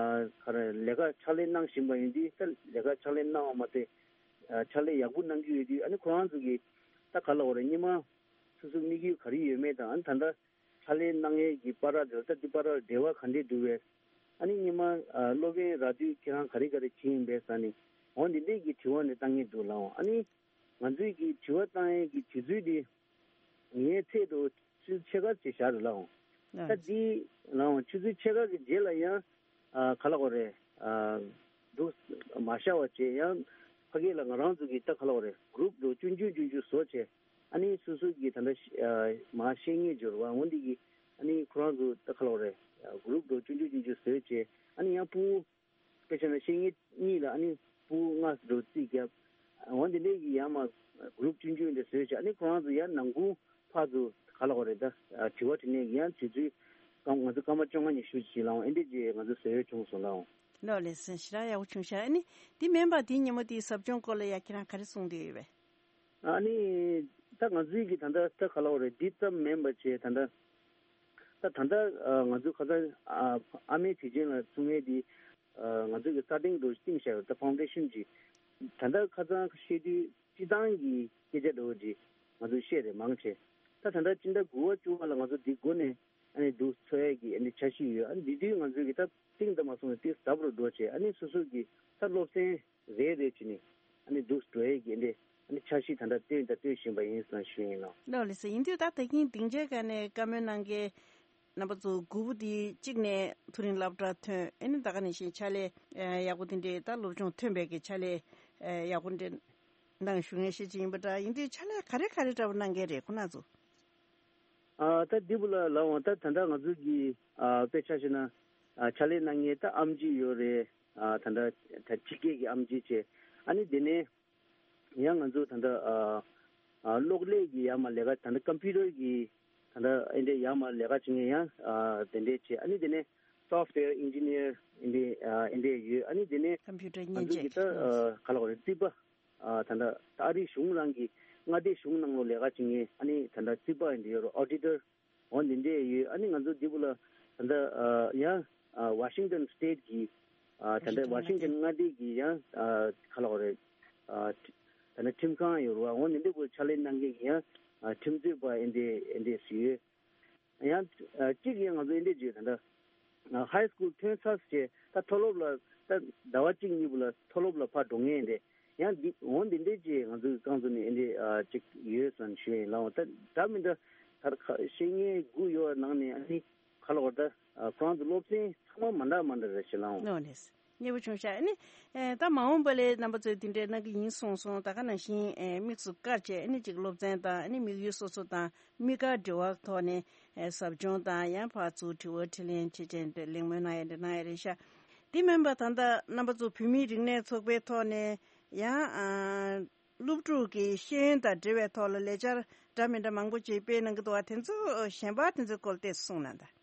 ག་རེ་ལས་ཀ་ཕྱག་ལས་གནང་བཞིན་པ་ཡིན་དུས་ད་ལས་ཀ་ཕྱག་ལས་གནང་བ་མ་ཟད་ཨ་ཕྱག་ལས་ཡག་པོ་གནང་གི་ཡོད་དུས་ཨ་ནི་ཁོ་རང་ཚོ་གིས་ད་ག་ལ་གོ་རེད། སྔོན་མ་སོ་སོ་དམིགས་ཡུལ་ག་རེ་ཡོད་མེད་དང་ཨ་ནི་ད་ལྟ་ཕྱག་ལས་གནང་ཡས་ཀྱི་བར་ལ་ད་འདི་བར་ལ་འབྲེལ་བ་ག་འདྲས་འདུག་པས། ཨ་ནི་སྔོན་མ་ཨ་སློབ་ཡོན་རག་དུས་ཁྱེད་རང་ག་རེ་ག་རེ་བྱས་ཡིན་པས་ཟེར་ནས། འོ་འདི་འདྲས་ཀྱི་དྲི་བ་ནི་བཏང་གི་འདུག་ལགས་འོང་། ཨ་ནི་ང་ཚོའི་གི་དྲི་བ་བཏང་ཡས་ཀྱི་དུས་ཚོད་འདི་ངའི་ཚད་དུ་ཆུ་ཚོད་ཕྱེད་ཀ་ཅིག་བཞག་རེད་ལགས་འོང་། ད་འདི་ལགས་འོང་ཆུ་ཚོད་ཕྱེད་ཀ་གི་རྗེས་ལ་ཡང་ཨ་ག་ལ་གོ་རེད། ཨ་འདུག་མ་བཞག་པ་བྱས་ཡང་ཕ་གི་ལ་ང་རང་ཚོ་གི་ད་ག་ལ་གོ་རེད། གུ་རུབ་འདྲ་པོ་ཆུང་ཆུང་ཆུང་ཆུང་བཟོ་བྱས། ཨ་ནི་སོ་སོ་གི་ད་ལྟ་ཤ་ཨ་མར་ཤེས་མཁན་འབྱོར་བ་འོ་འདི་གི་ཨ་ནི་ཁོ་རང་ཚོ་ད་ག་ལ་གོ་རེད། གུ་རུབ་འདྲ་པོ་ཆུང་ཆུང་ཆུང་ཆུང་བཟོས་བྱས། ཨ་ནི་ཡང་སྤུ་གུ་དཔེ་ཆ་ན་ཤེས་མཁན་གཉིས་ལ་ཨ་ནི་ ཕྲུ་གུ་ལྔ་ཙམ་འདྲ་བོ་རྩིས་བརྒྱབ། འོ་འདི་འདྲའི་གི་ཡང་མ་གུ་རུབ་ཆུང་ཆུང་འདྲ་བཟོས་བྱས། ཨ་ནི་ཁོ་རང་ཚོ་ཡང་ནང་ཁུལ་ཕར་ཚུར་ག་ལབ་དགོས་རེད། ད་དྲི་བ་དྲིས་ལན་གྱི་ཡང་དུས་ཚོད་སྐར་མ་ང་ཚོ་སྐར་མ་བཅོ་ལྔ་ཉི་ཤུ་ཅིག་ལའང་ཨེ་འདྲས་ཅིག་ང་ཚོ་བཟོ་ཡས་བྱུང་སོང་ལའང་། ལགས་ལགས་སོ། ཞེ་དྲག་ཡག་པོ་བྱུང་ཤག་ཨ་ནི་འདི་མིན་པ་འདི་ཉིན་མོ་འདིའི་ཟབ་སྦྱོང་སྐོར་ལ་ཡ་ཁྱེད་རང་ག་རེ་གསུང་འདོད་ཡོད་པས། ཨ་ནི་ད་ང་ཚོའི་གི་ད་ལྟ་ད་ག་ལབ་དགོས་རེད། འདི་ཙམ་མིན་པ་བྱས། ད་ལྟ་ད་ད་ལྟ་ཨ་ང་ཚོ་ཁ་སང་ཨ་ཨ་མའི་དུས་ཆེན་ལ་ཚུགས་མཁན་འདི་ཨ་ང་ཚོ་གི་ས་སྟེང་འདྲ་བོ་ཞིག་བཏིང་བཞག་ཡོད། ད་ཕའུན་ཌེ་ཤན་ཅིག་ད་ལྟ་ཁ་སང་བཤད་དུས་སྤྱི་བཏང་གི་སྐད་ཆ་འདྲ་བོ་ཅིག་ང་ཚོ་བཤད་རེད་མང་ཆེ། ད་ད་ལྟ་སྤྱི་ཟླ་དགུ་པ་བཅུ་པ་ལ་ང་ཚོ་འདི་སྒོ་ནས་ཨ་ནི་འདུག་འཚོགས་ཡས་ཀྱི་ཨ་ནི་འཆར་གཞི་ཡོད། ཨ་ནི་འདི་དུས་ང་ཚོའི་གི་ད་བཏིང་ད་མ་སོང་ནས་ཏིས་ཟབ་རུ་འགྲོ་བྱས། ཨ་ནི་སོ་སོ་གི་ད་སློབ་ཚན་རེ་རེ་བྱས་ནས་ཨ་ནི་འདུག་འགྲོ་ཡས་ཀྱི་ཨ་ནི་ཨ་ནི་འཆར་གཞི་ད་ལྟ་བཏོན་ད་བཏོན་བཞིན་པ་ཡིན་ཟེར་ཞུ་ཡིན་ལགས། ལགས་ལགས་སོ། ཡིན་དུས་ད་ད་གིན་སྡིངས་ཆའི་སྒང་ནས་བཀའ་མོལ་གནང་མཁན་རྣམ་པ་ཚོ་དགུ་པོ་འདི་གཅིག་ནས་མཐོ་རིམ་སློབ་གྲྭ་ཐོན། ཨ་ནི་ད་ག་ནང་བཞིན་ཕྱག་ལས་ཨ་ཡག་པོ་དེ་འདྲའི་ད་སློབ་སྦྱོང་ཐོན་པའི་གི་ཕྱག་ལས་ཨ་ཡག་པོ་འདྲ་གནང་བཞུགས་མཁན་ཤེས་ཀྱི་ཡིན་པ་འདྲ། ཡིན་དུས་ཕྱག་ལས་ག་རེ་ག་རེ་འདྲ་པོ་གནང་མཁན་རེད་ཁོ་རང་ཚོ། ཨ་ད་འདི་བུ་ལ་ལབ་འོང་། ད་ད་ལྟ་ང་ཚོ་གི་ཨ་དཔེ་ཆ་བཞག་ན་ཨ་ཕྱག་ལས་གནང་མཁན་ད་ཨེམ་ཆི་ཡོད་རེད། ཨ་ད་ལྟ་ད་ཕྱི་རྒྱལ་གྱི་ཨེམ་ཆི་བྱས། ཨ་ནི་དེ་ནས་ཡང་ང་ཚོ་ད་ལྟ་ཨ་ཨ་གློག་ཀླད་ཀྱི་ཡར་མར་ལས་ཀ། ད་ལྟ་ཀམ་པུ་ཊར་གྱི་ད་ལྟ་ཨེ་འདྲས་ཡར་མར་ལས་ཀ་བྱེད་མཁན་ཡང་ཨ་དེ་འདྲས་བྱས། ཨ་ནི་དེ་ནས་སོཕ་ཝེར་ཨིན་ཇི་ནི་ཡར་ཨེ་འདྲས་ཨ་ཨེ་འདྲས་ཡོད། ཨ་ནི་དེ་ནས་ཀམ་པུ་ཊར་ང་མཉེན་ཚོ་གི་ཆས་ད་ཨ་ག་ལབ་དགོས་རེད། རྩིས་པ། ཨ་ད་ལྟ་ད་ཨ་རིའི་གཞུང་ནང་གི་མངའ་སྡེ་གཞུང་ནང་ལོགས་ལས་ཀ་བྱེད་མཁན་ཨ་ནི་ད་ལྟ་རྩིས་པ་ཨེ་འདྲས་ཡོད་རེད། ཨོ་ཌི་ཊར་འོ་འདི་འདྲས་ཡོད། ཨ་ནི་ང་ཚོ་འདི་བུ་ལ་ད་ལྟ་ཨ་ཡང་ཨ་ཝ་ཤིང་ཊོན་སི་ཊེཊ་གི་ཨ་ད་ལྟ་ཝ་ཤིང་ཊོན་མངའ་སྡེ་གི་ཡང་ཨ་ག་ལབ་དགོས་རེད། ཨ་ད་ལྟ་ཁྲིམས་ཁང་ཡོད་རེད་པ། འོ་འདི་འདྲས་བུ་ཕྱག་ལས་གནང་མཁན་གི་ཡང་ཨ་ཁྲིམས་རྩོད་པ་ཨེ་འདྲས་ཨེ་འདྲས་སུ་ཡོད། ཡང་ཨ་གཅིག་ཡང་ང་ཚོ་ཨེ་འདྲས་བརྗོད། ད་ལྟ་ཨ་ཧའི་སི་ཀུལ་ཐོན་ཚར་བྱས་ད་མཐོ་སློབ་ལ་ད་ཟླ་བ་གཅིག་གཉིས་པོ་ལ་མཐོ་སློབ་ལ་ཕར་འགྲོ་མཁན་རེད། ཡང་འདི་འོ་འདི་འདྲས་ཅིག་ང་ཚོའི་རྐང་ཚུགས་ནས་ཨེ་འདྲས་ཨ་གཅིག་ཡོད་ཟེར་ཞུ་ཡིན་ལགས། འོ་ད་འདྲ་མི་འདྲ་ད་ཁ་ཤེས་མཁན་དགུ་ཡོད་པ་ནང་ནས་ཨ་ནི་ག་ལབ་དགོས་རེད། ད་ཨ་ཁོ་རང་ཚོ་སློབ་ཚན་ཚང་མ་མ་འདྲ་མ་འདྲ་རེད་ཤག་ལགས། འོ་ལགས། མཉེས་པོ་བྱུང་ཤག་ཨ་ནི་ཨེ་ད་མ་འོངས་པ་ལ་རྣམ་པ་ཚོས་འདི་འདྲའི་གནང་གི་ཡིན་གསུངས་སོང་། ད་ག་ནང་བཞིན་ཨེ་དམིགས་སུ་བཀར་བྱས་ཨ་ནི་ཅིག་སློབ་ཚན་དང་ཨ་ནི་དམིགས་ཡུལ་སོ་སོ་དང་དམིགས་བཀར་འབྲེལ་བ་ཐོག་ནས་ཨེ་ཟབ་སྦྱོང་དང་ཡང་ཕར་ཚུར་དྲི་བ་དྲིས་ལན་བྱེད་བྱས་འདི་གླེང་མོལ་གནང་ཡ་འདི་གནང་ཡ་རེད་ཤག་དེ་མིན་པ་ད་ལྟ་རྣམ་པ་ཚོ་བོད་མིའི་རིག་གནས་ཚོགས་པའི་ཐོག་ནས་ཡང་ཨ་སློབ་ཕྲུག་གི་ཤེས་ཡོན་དང་འབྲེལ་བའི་ཐོག་ལ་ལས་འཆར་འདྲ་མི་འདྲ་མང་པོ་ཅིག་སྤེལ་གནང་གི་འདུག་པ། དེ་ཚོ་གཞན་པ་དེ་ཚོའི་སྐོར་ཏོག་ཙམ་གསུངས་གནང་དང་།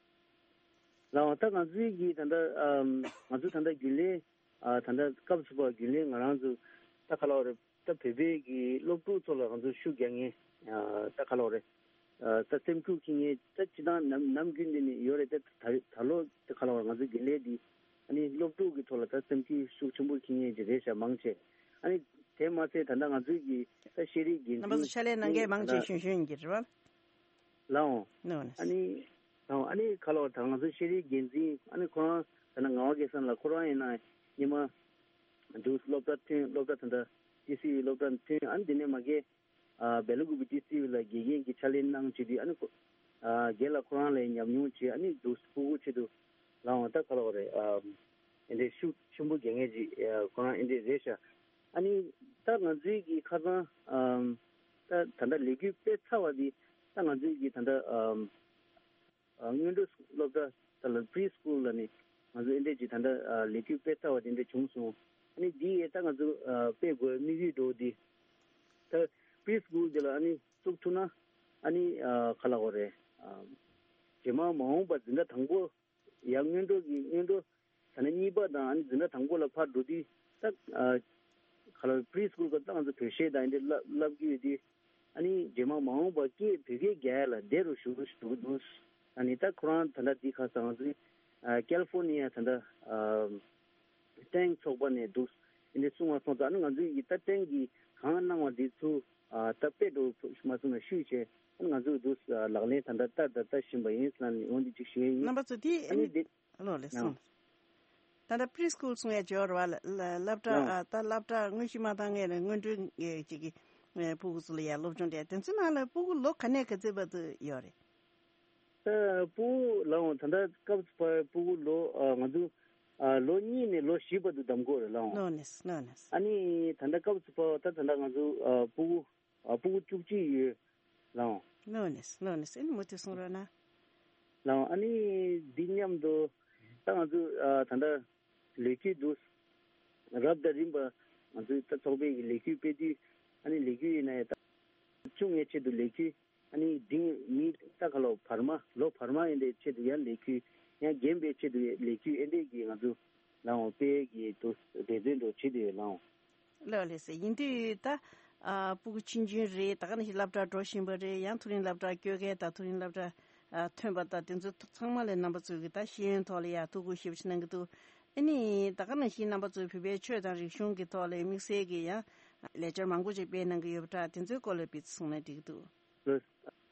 ལགས། ད་ང་ཚོའི་གི་ད་ལྟ་ཨམ་ང་ཚོ་ད་ལྟ་རྒྱུན་ལས་ཨ་ད་ལྟ་སྐབས་སུ་བབས་རྒྱུན་ལས་ང་རང་ཚོ་ད་ག་ལབ་དགོས་རེད། ད་བོད་པའི་གི་སློབ་ཕྲུག་ཚོ་ལ་ང་ཚོ་ཤུགས་རྒྱག་མཁན་ཨ་ད་ག་ལབ་དགོས་རེད། ཨ་ད་སེམས་ཤུགས་འཁྱེར་མཁན་ད་སྤྱིར་བཏང་ནམ་ནམ་རྒྱུན་འདི་ནས་ཡོད་རེད། ད་ད་ད་ལོ་ད་ག་ལབ་དགོས་རེད། ང་ཚོའི་རྒྱུན་ལས་འདི་ཨ་ནི་སློབ་ཕྲུག་གི་ཐོག་ལ་ད་སེམས་ཤུགས་ཤུགས་ཆེན་པོ་འཁྱེར་མཁན་ཅིག་རེད་ཤག་མང་ཆེ། ཨ་ནི་དེ་མ་ཚད་ད་ལྟ་ང་ཚོའི་གི་ད་ཤེས་རིག་འགན་རྣམ་པ་ཚོ་འཛིན་ཕྱག་ལས་གནང་མཁན་མང་ཆེ་ད་གཞོན་གཞོན་ཡིན་གྱི་རེད་པ། ལགས་འོང་། ལགས་འོང་། ཨ་ནི་ལགས་འོང་། ཨ་ནི་ག་ལབ་དགོས་རེད། ད་ང་ཚོའི་ཤེས་རིག་འགན་འཛིན་ཨ་ནི་ཁོ་རང་ད་ལྟ་ངག་དབང་སྐལ་བཟང་ལགས་ཁོ་རང་ཡིན་ན་སྔོན་མ་འདུག་སློབ་གྲྭ་ཐོན། སློབ་གྲྭ་ད་ལྟ་ཊི་སི་ཝི་སློབ་གྲྭ་ཐོན། ཨ་ནི་དེ་ནས་མ་གི་ཨ་སྦེལ་ཀོབ་ཀྱི་ཊི་སི་ཝི་ལ་དགེ་རྒན་གྱི་ཕྱག་ལས་གནང་བྱས་དུས་ཨ་ནི་ཁོ་ཨ་རྒན་ལགས་ཁོ་རང་ལ་ཉམས་མྱོང་བྱས། ཨ་ནི་འདུག་སྤུ་གུ་ཆེད་དུ་ལགས་འོང་། ད་ག་ལབ་དགོས་རེད། ཨ་ཨེ་འདྲའི་ཤུགས་ཆེན་པོ་རྒྱག་མཁན་ཅིག་ཨ་ཁོ་རང་ཨེ་འདྲའི་རེད་ཤག་ཨ་ནི་ད་ང་ཚོའི་གི་ཁ་སང་ཨམ་ད་ད་ལྟ་ལས་འགུལ་སྤེལ་ཚར་བ་འདི་ད་ང་ཚོའི་གི་ད་ལྟ་ཨམ་ཨ་སྔོན་འགྲོ་སློབ་གྲྭ་ད་ལ་པི་རི་སི་ཀུལ་ལ་ནི་ང་ཚོ་ཨེ་འདྲས་ཅིག་ད་ལྟ་ཨ་ལས་འགུལ་སྤེལ་ཚར་བ་དེ་འདྲ་བྱུང་སོང་། ཨ་ནི་འདི་ཡས་ད་ང་ཚོ་ཨ་སྤེལ་དགོས་དམིགས་ཡུལ་འདྲ་བོ་འདི་ད་པི་རི་སི་ཀུལ་འདི་ལ་ཨ་ནི་བཙུགས་ཐུབ་ན་ཨ་ནི་ཨ་ག་ལབ་དགོས་རེད། ཨ་རྗེས་མ་མ་འོངས་པ་འཛིན་གྲྭ་དང་པོ་ཡང་སྔོན་འགྲོ་གི་སྔོན་འགྲོ་ད་ནི་གཉིས་པ་དང་ཨ་ནི་འཛིན་གྲྭ་དང་པོ་ལ་ཕར་འགྲོ་དུས་ད་ཨ་ག་ལ་པི་རི་སི་ཀུལ་སྐབས་ད་ང་ཚོ་བོད་གཞས་དང་ཨེ་འདྲ་བསླབ་བསླབ་ཀྱི་ཡོད་དུས་ཨ་ནི་རྗེས་མ་མ་འོངས་པ་སྐད་བོད་སྐད་རྒྱག་ཡ་ལ་བདེ་རུ་ཞུ་ཞུ་གི་འདུག་ཨ་ནི་ད་ཁོ་རང་ད་ལྟ་འདི་ཁ་སང་ང་ཚོའི་ཨ་ཀེ་ལི་ཧྥོར་ནི་ཡ་ད་ལྟ་ཨ་ཏང་ཚོགས་པ་ནས་འདུག་ཨེ་འདྲ་གསུང་བ་སོང་ཙང་ཨ་ནི་ང་ཚོའི་ཡི་ད་ཏང་གིས་གང་གནང་བ་འདི་ཚུར་ཨ་ད་དཔེ་འགྲོ་མ་སོང་ན་ཤུལ་བྱས་ཨ་ནི་ང་ཚོས་འདུག་ལག་ལེན་ད་ལྟ་ལྟ་ད་ལྟ་བཞིན་པ་ཡིན་ཟེར་ནས་འོ་འདི་གཅིག་ཞུ་ཡ་ཡིན། རྣམ་པ་ཚོ་དེ་ཨ་ནི་འདི། ལོ་ལེ་ཡང་སོང་། ད་ལྟ་པི་རི་སི་ཀུལ་གསུང་ཡ་འབྱོར་བ་ལ་ལ་སློབ་གྲྭ་ཡང་ཨ་ད་སློབ་གྲྭ་དངོས་གཞི་མ་བཏང་མཁན་ལ་སྔོན་འགྲོའི་ཅིག་གི་ཨེ་སྤུ་གུ་ཚོ་ལ་ཡ་སློབ་སྦྱོང་སྤྲད། དེ་ཚོའི་ནང་ལ་སྤུ་གུ་ལོ་ག་ནས་ག་ཚོད་བར་དུ་ཡོད་རེད། ད་སྤུ་གུ་ལའང་ད་ལྟ་སྐབས་སུ་བབས་པའི་སྤུ་གུ་ལོ་ཨ་ང་ཚོ་ཨ་ལོ་གཉིས་ནས་ལོ་བཞི་བར་དུ་གདམ་དགོས་རེད་ལའང་། ལོ་ནས་ལོ་ནས། ཨ་ནི་ད་ལྟ་སྐབས་སུ་བབས་པ་ད་ད་ལྟ་ང་ཚོ་ཨ་སྤུ་གུ་ཨ་སྤུ་གུ་བཅུ་གཅིག་ཡོད་ལའང་། ལོ་ནས་ལོ་ནས་ཨ་ནི་མུ་མཐུད་གསུང་རོགས་གནང་། ལའང་ཨ་ནི་འདི་མཉམ་དུ་ད་ང་ཚོ་ཨ་ད་ལྟ་ལས་འགུལ་འདུག་རབ་དང་རིམ་པ་ ང་ཚོའི་ད་ཚོགས་པའི་གི་ལས་འགུལ་སྤེལ་དུས་ཨ་ནི་ལས་འགུལ་ཡིན་ན་ཡང་ད་ཆུང་ངའི་ཆེད་དུ་ལས་འགུལ་ཨ་ནི་འབྲིང་མི་ད་ག་ལོ་བར་མ་ལོ་བར་མ་ཡིན་པའི་ཆེད་དུ་ཡང་ལས་འགུལ་ཡང་རྒན་པའི་ཆེད་དུ་ལས་འགུལ་ཨེ་འདྲས་ཀྱི་ང་ཚོ་ལའང་སྤེལ་གི་འདུག་འབད་བརྩོན་འགྲོ་བྱེད་དུ་ཡོད་ལའང་། ལགས་ལགས་སེ། ཡིན་དུས་ད་ཨ་སྤུ་གུ་ཆུང་ཆུང་རེད། ད་ག་ནང་བཞིན་སློབ་གྲྭ་འགྲོ་བཞིན་པ་རེད། ཡང་མཐོ་རིམ་སློབ་གྲྭ་སྐྱོད་མཁན་དང་མཐོ་རིམ་སློབ་གྲྭ་ཨ་ཐོན་པ་དང་དེ་ཚོ་ཚང་མ་ལ་རྣམ་པ་ཚོས་ཀྱི་ད་ཤེས་ཡོན་ཐོག་ལ་ཡ་ཐུགས་ཁུར་ཞེ་པོ་ཞིག་གནང་གི་འདུག་ཨ་ནི་ད་ག་ནང་བཞིན་རྣམ་པ་ཚོས་བོད་པའི་ཆོས་དང་རིག་གཞུང་གི་ཐོག་ལ་དམིགས་བསལ་གྱི་ཡང་ལས་འཆར་མང་པོ་ཅིག་སྤེལ་གནང་གི་ཡོད་པ་འདྲ། དེ་ཚོའི་སྐོར་ལ་སྤེལ་ཚུལ་གསུངས་ན་འགྲིག་གི་འདུག་ལགས།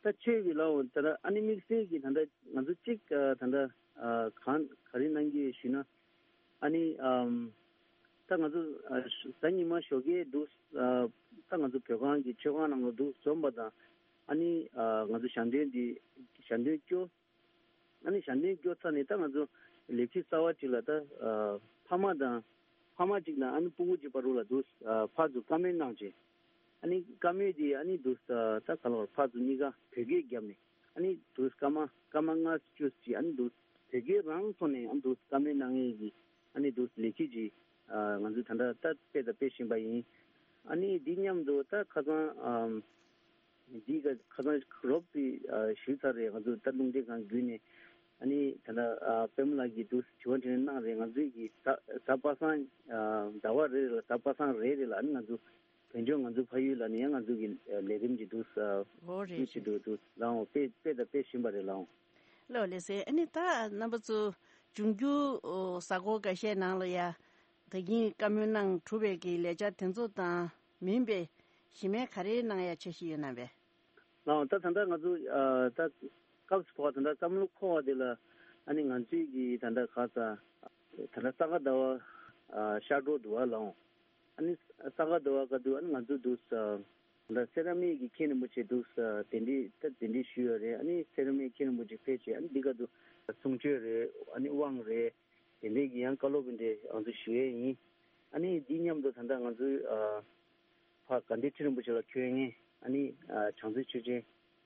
ད་ཆོས་ཀྱི་ལའང་ད་ལྟ་ཨ་ནི་དམིགས་བསལ་གྱི་ད་ལྟ་ང་ཚོ་གཅིག་ཨ་ད་ལྟ་ཨ་གང་ག་རེ་གནང་གི་ཡོད་ཞུས་ན། ཨ་ནི་ཨམ་ད་ང་ཚོ་ཨ་ད་ཉི་མ་ཞོགས་ཀས་འདུག་ཨ་ད་ང་ཚོ་བོད་ཁང་གི་མཆོད་ཁང་ནང་ལ་འདུག་འཛོམས་པ་དང་ཨ་ནི་ཨ་ང་ཚོ་ཞལ་འདོན་འདི་ཞལ་འདོན་སྐྱོ། ཨ་ནི་ཞལ་འདོན་སྐྱོ་ཚར་ནས་ད་ང་ཚོ་ལས་འགུལ་གསར་བ་ཅིག་ལ་ད་ཨ་ཕ་མ་དང་ཕ་མ་ཅིག་དང་ཨ་ནི་སྤུ་གུ་ཅིག་བར་དུ་ལ་འདུག་ཨ་ཕར་ཚུར་བཀའ་མོལ་གནང་བྱས། ཨ་ནི་བཀའ་མོལ་དེ་ཨ་ནི་འདུག་ཨ་ད་ག་ལ་བར་ཕར་ཚུར་གཉིས་ཀ་བོད་སྐད་བརྒྱབ་ནས། ཨ་ནི་དུས་སྐར་མ་སྐར་མ་ལྔ་བཅུ་ཅིག་ཨ་ནི་དུས་བོད་སྐད་རང་ཐོག་ནས་ཨ་ནི་དུས་བཀའ་མོལ་གནང་ཡས་ཀྱི་ཨ་ནི་དུས་ལས་འགུལ་ཅིག་ཨ་ང་ཚོས་ད་ལྟ་ད་སྤེལ་དང་སྤེལ་བཞིན་པ་ཡིན། ཨ་ནི་འདི་མཉམ་དུ་ད་ཁ་སང་ཨམ་འདི་ག་ཁ་སང་རོབ་ཙམ་ཨ་ཞུས་ཚར་རེད། ང་ཚོ་ད་རླུང་འཕྲིན་ཁང་བརྒྱུད་ནས་ཨ་ནི་ད་ལྟ་ཨ་པད་མ་ལགས་ཀྱིས་དུས་དྲི་བ་དྲིས་ལན་གནང་རེད། ང་ཚོའི་གི་ད་ད་པ་སངས་ཨ་ཟླ་བ་རེ་རེ་ལ་ད་པ་སངས་རེ་རེ་ལ་ཨ་ནི་ང་ཚོ་བོད་ལྗོངས་ང་ཚོའི་ཕ་ཡུལ་ལ་ནི་ཡང་ང་ཚོ་གི་ལས་རིམ་གྱི་འདུག་ས་འོ་རེད་ཤུགས་ཆེ་རེད། འདུག་འདུག་ལའང་སྤེལ་སྤེལ་དང་སྤེལ་བཞིན་པ་རེད་ལའང་། ལགས་ལགས་སེ། ཨ་ནི་ད་རྣམ་པ་ཚོ་འབྱུང་འགྱུར་གཟའ་འཁོར་འགའ་ཤས་ནང་ལ་ཡ་ད་གིན་བཀའ་མོལ་གནང་གྲུབ་པའི་གི་ལས་འཆར་དེ་ཚོ་དང་མིན་པའི་གཞི་མེད་ག་རེ་གནང་ཡ་འཆར་གཞི་ཡོད་ན་བས། ལའང་ད་ད་ལྟ་ང་ཚོ་ད་སྐབས་སུ་བབ་ད་ལྟ་བསམ་བློ་འཁོར་བ་དེ་ལ་ཨ་ནི་ང་ཚོའི་གི་ད་ལྟ་ག་ས་ད་ལྟ་ས་ག་ཟླ་བ་ཤར་འགྲོ་འདུག་བ་ལའང་། ཨ་ནི་ས་ག་ཟླ་བ་ག་དུས་ཨ་ནི་ང་ཚོ་འདུག་ས་ད་སེ་ར་མིག་གི་མཁན་རིན་པོ་ཆེ་འདུག་ས་གདན་འདྲེན་ད་གདན་འདྲེན་ཞུས་ཡོད་རེད། ཨ་ནི་སེ་ར་མིག་མཁན་རིན་པོ་ཆེ་ཕེབས་བྱས་ཨ་ནི་འདི་ག་དུས་གསུང་ཆོས་རེད། ཨ་ནི་དབང་རེད། དེ་འདྲའི་གི་ཡང་བཀའ་སློབ་འདི་ང་ཚོ་ཞུ་ཡས་ཡིན། ཨ་ནི་འདི་མཉམ་དུ་ད་ལྟ་ང་ཚོའི་ཨ་ཕ་དགའ་ལྡན་ཁྲི་རིན་པོ་ཆེ་ལ་འཁོད་མཁན་ཨ་ནི་ཨ་བྱང་རྩེ་ཆོས་ཅན་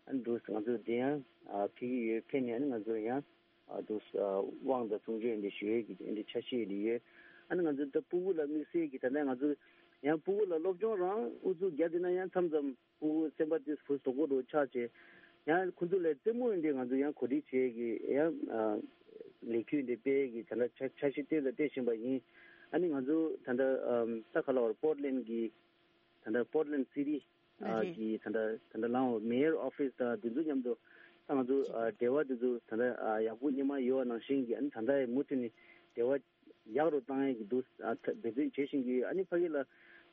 ཨ་ནི་འདུག་ང་ཚོ་འདི་ཡང་ཨ་ཕེབས་ཀྱི་ཡོད། ཕེབས་ནས་ཨ་ནི་ང་ཚོ་ཡང་ཨ་འདུག་ཨ་དབང་དང་གསུང་ཆོས་འདི་ཞུ་ཡས་ཀྱི་འདི་འདྲའི་འཆར་གཞི་འདི་ཡོད། ཨ་ནི་ང་ཚོ་ད་སྤུ་གུ་ལ་དམིགས་བསལ་གྱི་ད་ལྟ་ང་ཚོ་ཡང་སྤུ་གུ་ལ་སློབ་སྦྱོང་རང་ཨུ་ཚུགས་རྒྱག་བསྡད་ན་ཡང་མཚམས་མཚམས་ཕྲུ་གུ་སེམས་པ་དེ་བུ་སོག་པོ་འདྲ་ཆགས་བྱས། ཡང་ཁོ་ཚོ་ལ་རྩེད་མོ་འདི་ང་ཚོ་ཡང་གོ་སྒྲིག་བྱེད་ཀྱི་ཡང་ཨ་ལས་འགུལ་འདི་སྤེལ་གྱི་ད་ལྟ་འཆར་འཆར་གཞི་བཏོན་དང་སྤེལ་བཞིན་པ་ཡིན། ཨ་ནི་ང་ཚོ་ད་ལྟ་ཨམ་ས་ག་ལ་བར་པོར་ཊ་ལེན་གྱི་ད་ལྟ་པོར་ཊ་ལེན་སི་ཊི་ཨ་རེད། གི་ད་ལྟ་ད་ལྟ་ལའང་མེ་ཡར་ཨོ་ཕིས་དང་དེ་ཚོ་མཉམ་དུ་ད་ང་ཚོ་ཨ་འབྲེལ་བ་དེ་ཚོ་ད་ལྟ་ཨ་ཡག་པོ་སྔོན་མ་ཡོད་པ་ནང་བཞིན་གྱི་ཨ་ནི་ད་ལྟ་ཡང་མུ་མཐུད་ནས་འབྲེལ་བ་ཡག་རུ་བཏང་ཡས་ཀྱི་འདུག་ཨ་ད་འབད་བརྩོན་བྱེད་བཞིན་གྱི་ཡོད། ཨ་ནི་ཕ་གི་ལ་ད་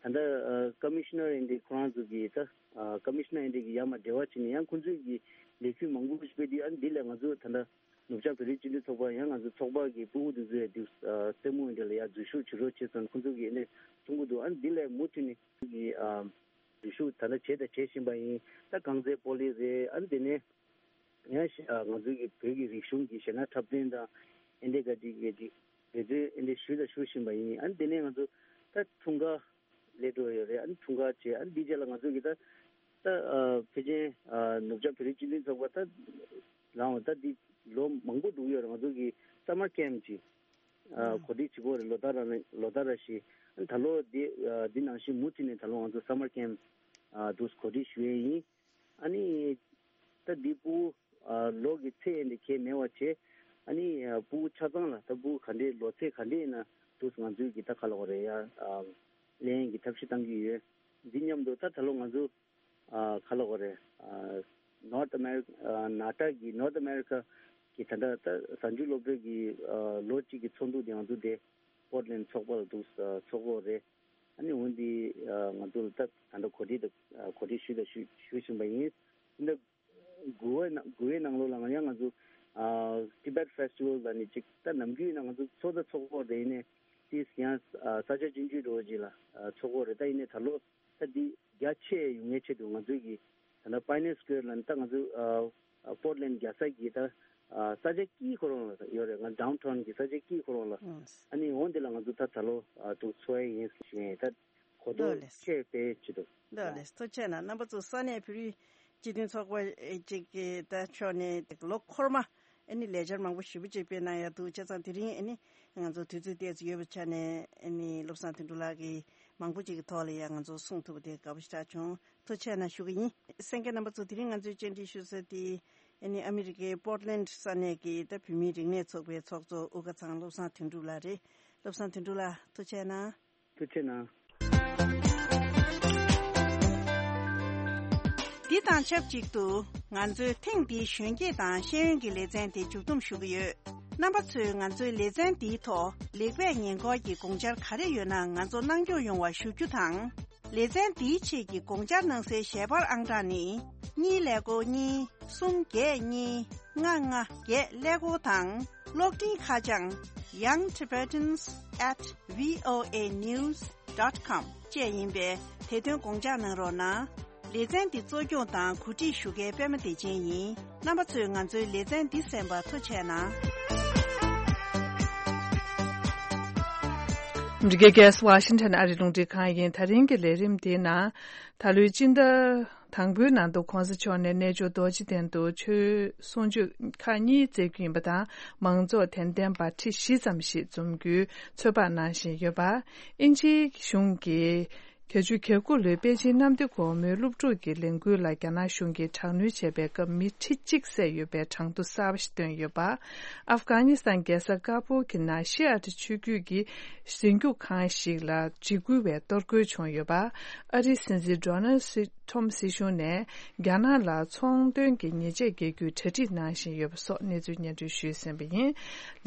ལྟ་ཨ་ཀོ་མི་ཤི་ནར་ཨེ་འདྲ་ཁོ་རང་ཚོ་གི་ད་ཨ་ཀོ་མི་ཤི་ནར་ཨེ་འདྲ་གི་ཡར་མར་འབྲེལ་བ་བྱས་ནས་ཡང་ཁོང་ཚོས་ཀྱི་ལས་འགུལ་མང་པོ་ཞིག་སྤེལ་དུས་ཨ་ནི་འདི་ལས་ང་ཚོ་ད་ལྟ་ནུབ་བྱང་བོད་རིགས་སྤྱི་མཐུན་ཚོགས་པ་ཡང་ང་ཚོ་ཚོགས་པ་གི་སྤུ་གུ་དེ་ཚོས་འདུག་ཨ་རྩེད་མོ་ཨེ་འདྲ་ལ་ཡར་འཛུལ་ཞུགས་བྱེད་རོགས་བྱེད་ཙང་ཁོང་ཚོ་གི་ཨེ་འདྲ་གསུང་གི་འདུག་ཨ་ནི་འདི་ལས་མུ་མཐུད་ནས་ཀྱི་ཨ་འཛུལ་ཞུགས་ད་ལྟ་བྱས་དང་བྱེད་བཞིན་པ་ཡིན། ད་རྐང་རྩེད་སྤོ་ལོ་རེད། ཨ་ནི་དེ་ནས་ཡང་ཞེ་ཨ་ང་ཚོའི་གི་བོད་ཀྱི་རིག་གཞུང་གི་གཞས་སྣ་འཁྲབ་སྟོན་དང་ཨེ་འདྲའི་ག་ཅིག་གི་ཅིག་འབད་བརྩོན་ཨེ་འདྲའི་ཞུས་དང་ཞུ་བཞིན་པ་ཡིན། ཨ་ནི་དེ་ནས་ང་ཚོ་ད་འཁྲུངས་སྐར་སླེབས་འགྲོ་ཡོད་རེད། ཨ་ནི་འཁྲུངས་སྐར་བྱས་ཨ་ནི་འདི་རྗེས་ལ་ང་ཚོ་གི་ད་ད་ཨ་ཕལ་ཆེར་ཨ་ནུབ་བྱང་བོད་རིགས་སྤྱི་མཐུན་ཚོགས་པ་ད་ལའང་ད་འདི་ལོ་མང་པོ་འགྲོ་གི་ཡོད་རེད། ང་ཚོ་གི་སམ་མར་ཁེམ་ཅིག་ཨ་ཨ་གོ་སྒྲིག་བྱེད་ཀྱི་ཡོད་རེད། ལོ་ལྟར་རང་ལོ་ལྟར་ར་ཞིག་ཨ་ནི་ད་ལོ་འདི་ཨ་འདི་ནང་བཞིན་མུ་མཐུད་ནས་ད་ལོ་ང་ཚོ་སམ་མར་ཁེམ་ཨ་འདུག་གོ་སྒྲིག་ཞུ་ཡས་ཡིན། ཨ་ནི་ད་འདི་སྤུ་གུ་ཨ་ལོ་གི་ཚད་འདི་གས་མེད་པ་བྱས། ཨ་ནི་ཨ་སྤུ་གུ་ཆ་ཚང་ལ་ད་སྤུ་གུ་ག་འདྲའི་ལོ་ཚད་ག་འདྲའི་ཡིན་ན་འདུག་ང་ཚོའི་གི་ད་ག་ལ་གོ་རེད་ཡ་ཨ་ལེན་གྱི་ཐབས་ཤེས་བཏང་གི་ཡོད། འདི་མཉམ་དུ་ད་ད་ལོ་ང་ཚོ་ཨ་ག་ལ་གོ་རེད་ཨ་ནོར་ཐི་ཨ་མེ་རི་ཀ་ཨ་ནཱ་ཊ་གི་ནོར་ཐི་ཨ་མེ་རི་ཀ་གི་ད་ལྟ་ད་གཟའ་མཇུག་སློབ་གྲྭ་གི་ཨ་ལོ་གཅིག་གི་ཚོགས་འདུ་དེ་ང་ཚོ་དེ་པོར་ཊ་ལེན་ཚོགས་པ་ལ་འདུག་ཨ་ཚོགས་ཀྱི་ཡོད་རེད། ཨ་ནི་འོན་ཏེ་ཨ་ང་ཚོ་ལ་ད་ད་ལྟ་གོ་སྒྲིག་དང་ཨ་གོ་སྒྲིག་ཞུས་དང་ཞུ་ཞུ་བཞིན་པ་ཡིན། འདི་འདྲ་དགུ་པའི་ནང་དགུ་པའི་ནང་ལོགས་ལ་ང་ཡང་ང་ཚོ་ཨ་Tibet Festival ལ་ནི་ཅིག་ད་ནམ་རྒྱུན་ཡིན་ན་ང་ཚོ་ཚོགས་ད་ཚོགས་ཀྱི་ཡོད་རེད། ཡིན་ནའི་དེས་ཡང་ཨ་ས་ཆ་ཆུང་ཆུང་འདྲ་བོ་ཅིག་ལ་ཨ་ཚོགས་ཀྱི་ཡོད་རེད། ད་ཡིན་ནའི་ད་ལོ་ད་འདི་རྒྱ་ཆེ་ཡོང་མཁན་ཆེད་དུ་ང་ཚོའི་གི་ད་ལྟ་Pioneer Square ལ་ནི་ད་ང་ཚོ་ཨ་ཨ་Portland རྒྱལ་ས་གི་ད་ཨ་ས་ཆ་དཀྱིལ་ཁོ་རང་ལ་ཡོད་རེད། ང་downtown གི་ས་ཆ་དཀྱིལ་ཁོ་རང་ལ། ཨང་། ཨ་ནི་འོང་དེ་ལ་ང་ཚོ་ད་ད་ལོ་ཨ་འདུག་ཚོགས་ཡས་ཡིན་ཞུ་ཡས་ད་གོ་རྟོགས་ལགས་ལགས། ཆེ་སྤེལ་ཆེད་དུ། ལགས་ལགས། ཐུགས་རྗེ་གནང་། རྣམ་པ་ཚོ་ས་གནས་བོད་རིགས་སྤྱི་མཐུན་ཚོགས་པ་ཅིག་གི་ད་ཕྱོགས་ནས་ལོ་འཁོར་མ་ཨ་ནི་ལས་འཆར་མང་པོ་ཞེ་པོ་ཅིག་སྤེལ་གནང་ཡ་འདུག་བྱས་ཙང་དེ་རིང་ཨ་ནི་ང་ཚོ་དུས་ཚོད་ཏོག་ཙམ་ཡོད་པའི་ཆ་ནས་ཨ་ནི་བློ་བཟང་དོན་གྲུབ་ལགས་ཀྱིས་ མང་པོ་ཅིག་གི་ཐོག་ལ་ཡང་ང་ཚོ་གསུང་ཐུབ་པ་དེ་དགའ་པོ་ཞེ་དྲག་བྱུང་། ཐུགས་རྗེ་གནང་ཞུ་གི་ཡིན། གསན་མཁན་རྣམ་པ་ཚོ་དེ་རིང་ང་ཚོའི་བཅར་འདྲི་ཞུ་ས་དེ་ཨ་ནི་ཨ་མི་རི་ཀའི་པོར་ཊི་ལེན་ཌི་ས་གནས་ཀྱི་ད་བོད་མིའི་རིག་གནས་ཚོགས་པའི་ཚོགས་གཙོ་དབུ་དཀར་ཚང་བློ་བཟང་དོན་གྲུབ་ལགས་རེད། བློ་བཟང་དོན་གྲུབ་ལགས་ཐུགས་རྗེ་གནང་། ཐུགས་རྗེ་གནང་། འདི་དང་ཆབས་ཅིག་ཏུ་ང་ཚོའི་ཐེངས་འདིའི་གཞོན་སྐྱེས་དང་ཤེས་ཡོན་གྱི་ལེ་ཚན་དེ་མཇུག་བསྡོམས་ཞུ་གི་ཡོད། རྣམ་པ་ཚོས་ང་ཚོའི་ལེ་ཚན་འདིའི་ཐོག་ལེགས་སྤེལ་ཉེས་འཁོར་གྱི་དགོངས་འཆར་ག་རེ་ཡོད་ན་ང་ཚོ་གནང་སྐྱོང་ཡོང་བ་ཞུ་རྒྱུ་དང་། ལེ་ཚན་འདིའི་ཆེད་ཀྱི་དགོངས་འཆར་གནང་སའི་ཞལ་པར་ཨང་གྲངས་ནི། གཉིས་ཀླད་ཀོར་གཉིས། གསུམ་བརྒྱད་གཉིས། ལྔ་ལྔ་བརྒྱད་ཀླད་ཀོར་དང་། གློག་འཕྲིན་ཁ་བྱང་young tibetans at voa news dot com བཅས་ཡིན་པས་དེ་དོན་དགོངས་འཇགས་གནང་རོགས་གནང་། ལེ་ཚན་འདི་གཙོ་སྐྱོང་དང་གོ་སྒྲིག་ཞུ་མཁན་པད་མ་བདེ་ཆེན་ཡིན། རྣམ་པ་ཚོས་ང་ཚོའི་ལེ་ཚན་འདི་གསན་པར་ཐུགས་རྗེ་གནང་། འདི་གའི་གེ་སི་ཝ་ཤིང་ཊོན་ཨ་རི་རླུང་འཕྲིན་ཁང་ཡིན། ད་རིང་གི་ལས་རིམ་དེའི་ནང་ད་ལོའི་སྤྱི་ཟླ་དང་པོའི་ནང་དུ་གོང་ས་མཆོག་ནས་གནས་མཆོག་རྡོ་རྗེ་གདན་དུ་ཆོས་གསུང་ཆོས་ཁག་གཉིས་བསྩལ་རྒྱུ་ཡིན་པ་དང་། མང་ཚོགས་དད་ལྡན་པ་ཁྲི་བཞི་ཙམ་ཞིག་འཛོམས་རྒྱུའི་ཚོད་དཔག་གནང་བཞིན་ཡོད་པ། དབྱིན་ཇིའི་གཞུང་གིས་བརྒྱད་ཅུ་གྱ་དགུ་ལོའི་པེ་ཅིན་གནམ་བདེ་སྒོ་མོའི་སློབ་ཕྲུག་གི་ལས་འགུལ་ལ་རྒྱ་ནག་གཞུང་གིས་དྲག་གནོན་བྱས་པའི་སྐབས་མི་ཁྲི་གཅིག་བསད་ཡོད་པའི་གྲངས་ཐོ་གསར་པ་ཞིག་བཏོན་ཡོད་པ། ཨབ་གྷ་ནི་སི་ཐན་རྒྱལ་ས་ཀ་བུལ་གྱི་ནང་ཤི་ཨ་ཏི་ཆོས་བརྒྱུད་ཀྱི་གཟིགས་རྒྱུགས་ཁང་ཞིག་ལ་འཇིགས་སྐུལ་བའི་གཏོར་རྒོལ་བྱུང་ཡོད་པ། ཨ་རིའི་སྲིད་འཛིན་ཌོ་ནལ་སི་ཊྲམ་སྲིད་གཞུང་ནས་རྒྱ་ནག་ལ་ཚོང་དོན་གྱི་ཉེས་ཆད་འགེལ་རྒྱུའི་གྲ་སྒྲིག་གནང་བཞིན་ཡོད་པ་སོགས་གནས་ཚུལ་སྙན་སྒྲོན་ཞུས་ཟིན་པ་ཡིན།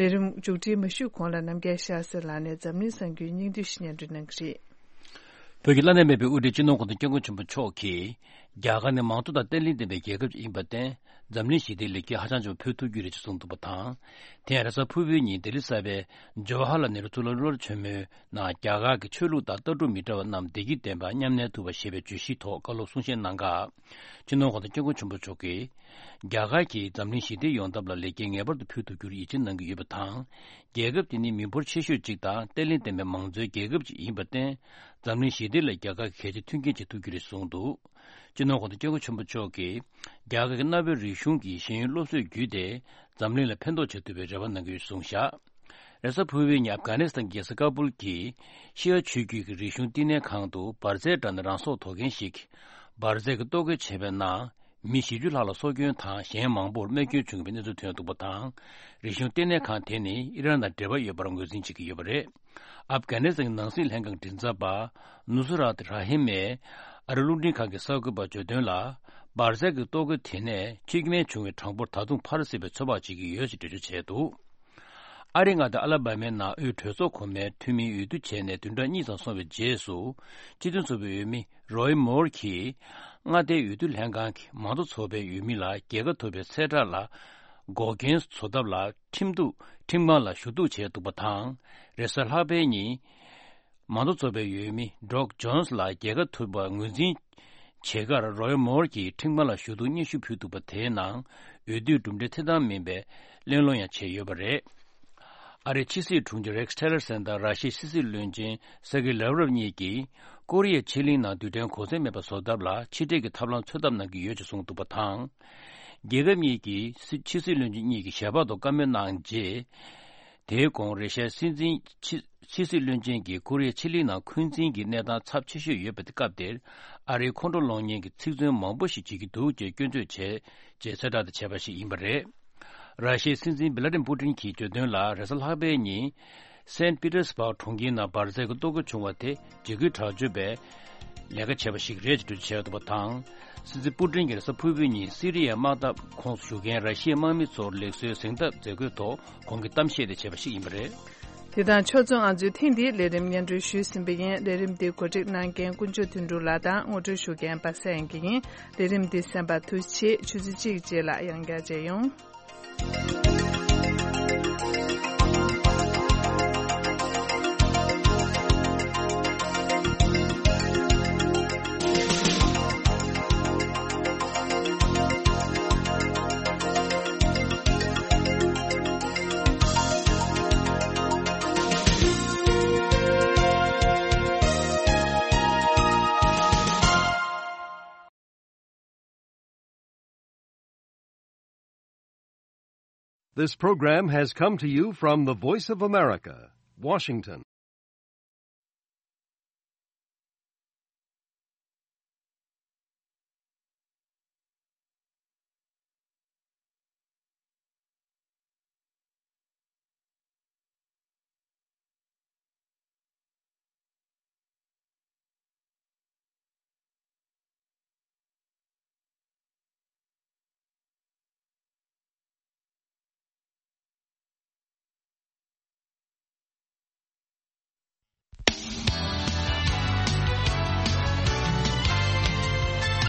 ལས་རིམ་མཇུག་སྒྲིལ་མ་ཞུས་གོང་ལ་རྣམ་རྒྱལ་ཤར་སེ་ལགས་ནས་འཛམ་གླིང་གསར་འགྱུར་སྙིང་བསྡུས་ཤིག་སྙན་སྒྲོན་གནང་གི་རེད། བོད་ཀྱི་བླ་ན་མེད་པའི་དབུ་ཁྲིད་སྤྱི་ནོར་གོང་ས་སྐྱབས་མགོན་ཆེན་པོ་མཆོག་གིས་རྒྱ་གར་ནི་མང་གཙོ་དང་བརྟན་ལྷིང་ལྡན་པའི་རྒྱལ་ཁབ་ཅིག་ཡིན་པར་བརྟེན། འཛམ་གླིང་ཞི་བདེའི་ལེགས་སྐྱེས་ཧ་ཅང་ཆེ་བ་ཕུལ་ཐུབ་རྒྱུ་རེད་ཅེས་གསུངས་འདུག་པ་དང་། དེ་ཡང་རེས་གཟའ་ཕུར་བུའི་ཉིན་ལྡི་ལི་གསར་པའི་ཇོ་ཧར་ལཱལ་ནེ་རུ་གཙུག་ལག་སློབ་གྲྭ་ཆེན་མོའི་ནང་རྒྱ་གར་གྱི་ཆོས་ལུགས་དང་ལྟ་གྲུབ་མི་འདྲ་བ་རྣམས་བདེ་སྐྱིད་ལྡན་པར་མཉམ་གནས་ཐུབ་པ་ཞེས་པའི་བརྗོད་གཞིའི་ཐོག་བཀའ་སློབ་གསུང་བཤད་གནང་སྐབས། སྤྱི་ནོར་གོང་ས་སྐྱབས་མགོན་ཆེན་པོ་མཆོག་གིས། རྒྱ་གར་གྱིས་འཛམ་གླིང་ཞི་བདེའི་ཡོང་ཐབས་ལ་ལེགས་སྐྱེས་ངེས་པར་དུ་ཕུལ་ཐུབ་རྒྱུར་ཡིད་ཆེས་གནང་གི་ཡོད་པ་དང་། རྒྱལ་ཁབ་དེ་ནི་མི་འབོར་ཆེ་ཤོས་གཅིག་དང་བརྟན་ལྷིང་ལྡན་པའི་མང་གཙོའི་རྒྱལ་ཁབ་ཅིག་ཡིན་པར་བརྟེན། འཛམ་གླིང་ཞི་བདེ་ལ་རྒྱ་གར་གྱིས་གལ་ཆེའི་མཐུན་རྐྱེན་བྱེད་ཐུབ་རྒྱུ་རེད་གསུངས་འདུག་སྤྱི་ནོར་གོང་ས་སྐྱབས་མགོན་ཆེན་པོ་མཆོག་གིས། རྒྱ་གར་གྱི་གནའ་བོའི་རིག་གཞུང་གི་ཤེས་ཡོན་སློབ་གསོས་བརྒྱུད་དེ། འཛམ་གླིང་ལ་ཕན་ཐོགས་བྱེད་ཐུབ་པའི་རེ་བ་གནང་གི་ཡོད་གསུངས་བཞག་རེས་གཟའ་ཕུར་བུའི་ཉིན་ཨབ་གྷ་ནི་སི་ཐན་གྱི་རྒྱལ་ས་ཀ་བུལ་གྱི་ཤི་ཡ་ཆོས་བརྒྱུད་ཀྱི་རིག་གཞུང་བསྟི་གནས་ཁང་དུ་འབར་རྫས་འདྲ་ནི་རང་སྲོག་དོར་མཁན་ཞིག་འབར་རྫས་ཀྱིས་གཏོར་རྒོལ་བྱས་པའི་ནང་། མི་བཞི་བཅུ་ལྷག་ལ་སྲོག་སྐྱོན་དང་གཞན་མང་པོར་རྨས་སྐྱོན་བྱུང་བའི་གནས་ཚུལ་ཐོན་འདུག་པ་དང་། རིག་གཞུང་ལྟེ་གནས་ཁང་དེ་ནི་ཨི་རན་དང་འབྲེལ་བ་ཡོད་པར་ངོས་འཛིན་བྱེད་ཀྱི་ཡོད་པ་རེད། ཨབ་གྷ་ནི་སི་ཐན་གྱི་ནང་སྲིད་ལྷན་ཁང་མགྲིན་ཚབ་པ་ནུ་སི་རཱཏ་ར་ཧིམ་མས་ཨ་རི་རླུང་འཕྲིན་ཁང་གི་གསར་འགོད་པར་བརྗོད་དོན་ལ། འབར་རྫས་ཀྱི་གཏོར་རྒོལ་དེ་ནས་ཤི་རྨས་བྱུང་བའི་གྲངས་འབོར་ད་དུང་འཕར་སྲིད་པའི་ཚོད་དཔག་བྱེད་ཀྱི་ཡོད་ཅེས་འགྲེལ་བརྗོད་བྱས་འདུག་ཨ་རིའི་མངའ་སྡེ་ཨ་ལ་བྷ་མའི་ནང་དབུས་གྲོས་ཚོགས་གོང་མའི་འཐུས་མི་འོས་བསྡུ་བྱས་ནས་བདུན་ཕྲག་གཉིས་ཙམ་སོང་བའི་རྗེས་སུ། སྤྱི་མཐུན་ཚོགས་པའི་འོས་མི་རོའི་མོར་གྱིས། མངའ་སྡེའི་འོས་བསྡུ་ལྷན་ཁང་གིས་མང་གཙོ་ཚོགས་པའི་འོས་མི་ལ་རྒྱལ་ཁ་ཐོབ་པའི་གསལ་བསྒྲགས་ལ་འགོག་རྐྱེན་བཟོ་ཐབས་ལ་ཁྲིམས་གཏུག་ཁྲིམས་ཁང་ལ་ཞུ་གཏུག་བྱས་འདུག་པ་དང་། རེས་གཟའ་ལྷག་པའི་ཉིན། མང་གཙོ་ཚོགས་པའི་འོས་མི་ཌོག་ཇོན་སི་ལ་རྒྱལ་ཁ་ཐོབ་པ་ངོས་འཛིན་བྱེད་ཁར་རོའི་མོར་གྱིས་ཁྲིམས་ཁང་ལ་ཞུ་གཏུག་སྙན་ཞུ་ཕུལ་འདུག་པ་དེའི་ནང་འོས་བསྡུའི་གྲུབ་འབྲས་ཐེ་བདམས་མིན་པའི་གླེང་སློང་ཡང་བྱས་ཡོད་པ་རེད། ཨ་རིའི་ཕྱི་སྲིད་དྲུང་ཆེ་རེག་སི་ཊི་ལར་སན་དང་ར་ཤི་ཡའི་ཕྱི་སྲིད་བློན་ཆེན་སེར་གེ་ལེ་ཝ་རོབ་གཉིས་ཀྱིས་ཀོ་རི་ཡའི་ཕྱེད་གླིང་ནང་རྡུལ་ཕྲན་གོ་མཚོན་མེད་པ་བཟོ་ཐབས་ལ་ཕྱི་འབྲེལ་གྱི་ཐབས་ལམ་འཚོལ་ཐབས་གནང་གི་ཡོད་ཅེས་གསུངས་འདུག་པ་དང་། རྒྱལ་ཁབ་གཉིས་ཀྱི་སྲིད་ཕྱི་སྲིད་བློན་ཆེན་གཉིས་ཀྱིས་ཞལ་པར་དུ་བཀའ་མོལ་གནང་རྗེས། དེའི་གོང་རེ་ཤའི་སྲིད་འཛིན་ཕྱི་ཕྱི་སྲིད་བློན་ཆེན་གྱིས་ཀོ་རི་ཡའི་ཕྱེད་གླིང་ནང་འཁོན་འཛིན་གྱི་གནས་སྟངས་ཚབས་ཆེ་ཤོས་ཡོད་པའི་སྐབས་དེར། ཨ་རིའི་ཁོང་ཁྲོ་སློང་ཉེན་གྱི་ཚིག་མཚོན་མང་པོ་ཞིག་བྱེད་ཀྱི་འདུག་ཅེས་སྐྱོན་བརྗོད་བྱས་ཅེས་གསལ་བསྒྲགས་དེ་བྱས་པ་ཞིག་ཡིན་པ་རེད། ར་ཤི་ཡའི་སྲིད་འཛིན་བི་ལ་ཏིམ་པུ་ཏིན་གྱིས་བརྗོད་དོན་ལ། རེས་གཟའ་ལྷག་པའི་ཉིན། སེན་པི་ཏེར་སྦག་གྲོང་ཁྱེར་ནང་འབར་རྫས་ཀྱི་གཏོར་རྒོལ་བྱུང་བ་དེ་འཇིགས་སྐུལ་དྲག་སྤྱོད་པའི་ལས་ཀ་བྱས་པ་ཞིག་རེད་ཅེས་འགྲེལ་བརྗོད་བྱས་འདུག་པ་དང་། སྲིད་འཛིན་པུ་ཏིན་གྱིས་རེས་གཟའ་ཕུར་བུའི་ཉིན་སི་རི་ཡའི་དམག་འཐབ་ཁོངས་སུ་ཞུགས་མཁན་ར་ཤི་ཡའི་དམག་མི་ཚོར་ལེགས་གསོའི་གཟེངས་རྟགས་མཛད་སྒོའི་ཐོག་ཁོང་གིས་གཏམ་བཤད་དེ་བྱས་པ་ཞིག་ཡིན་པ་རེད། དེ་དང་ཕྱོགས་མཚུངས་ང་ཚོས་ཐེངས་འདིའི་ལས་རིམ་སྙན་སྒྲོན་ཞུས་ཟིན་པ་ཡིན། ལས་རིམ་འདི་གོ་སྒྲིག་གནང་མཁན་དཀོན་མཆོག་དོན་གྲུབ་ལགས་དང་ངོ་སྤྲོད་ཞུ་མཁན་པ་སངས་དབྱངས་སྐྱིད་ཡིན། ལས་རིམ་འདི་གསན་པར་ཐུགས་རྗེ་ཆེ། ཆུ་ཚོད་གཅིག་རྗེས་ལ་ཡང་བསྐྱར་མཇལ་ཡོང་། This program has come to you from the Voice of America, Washington.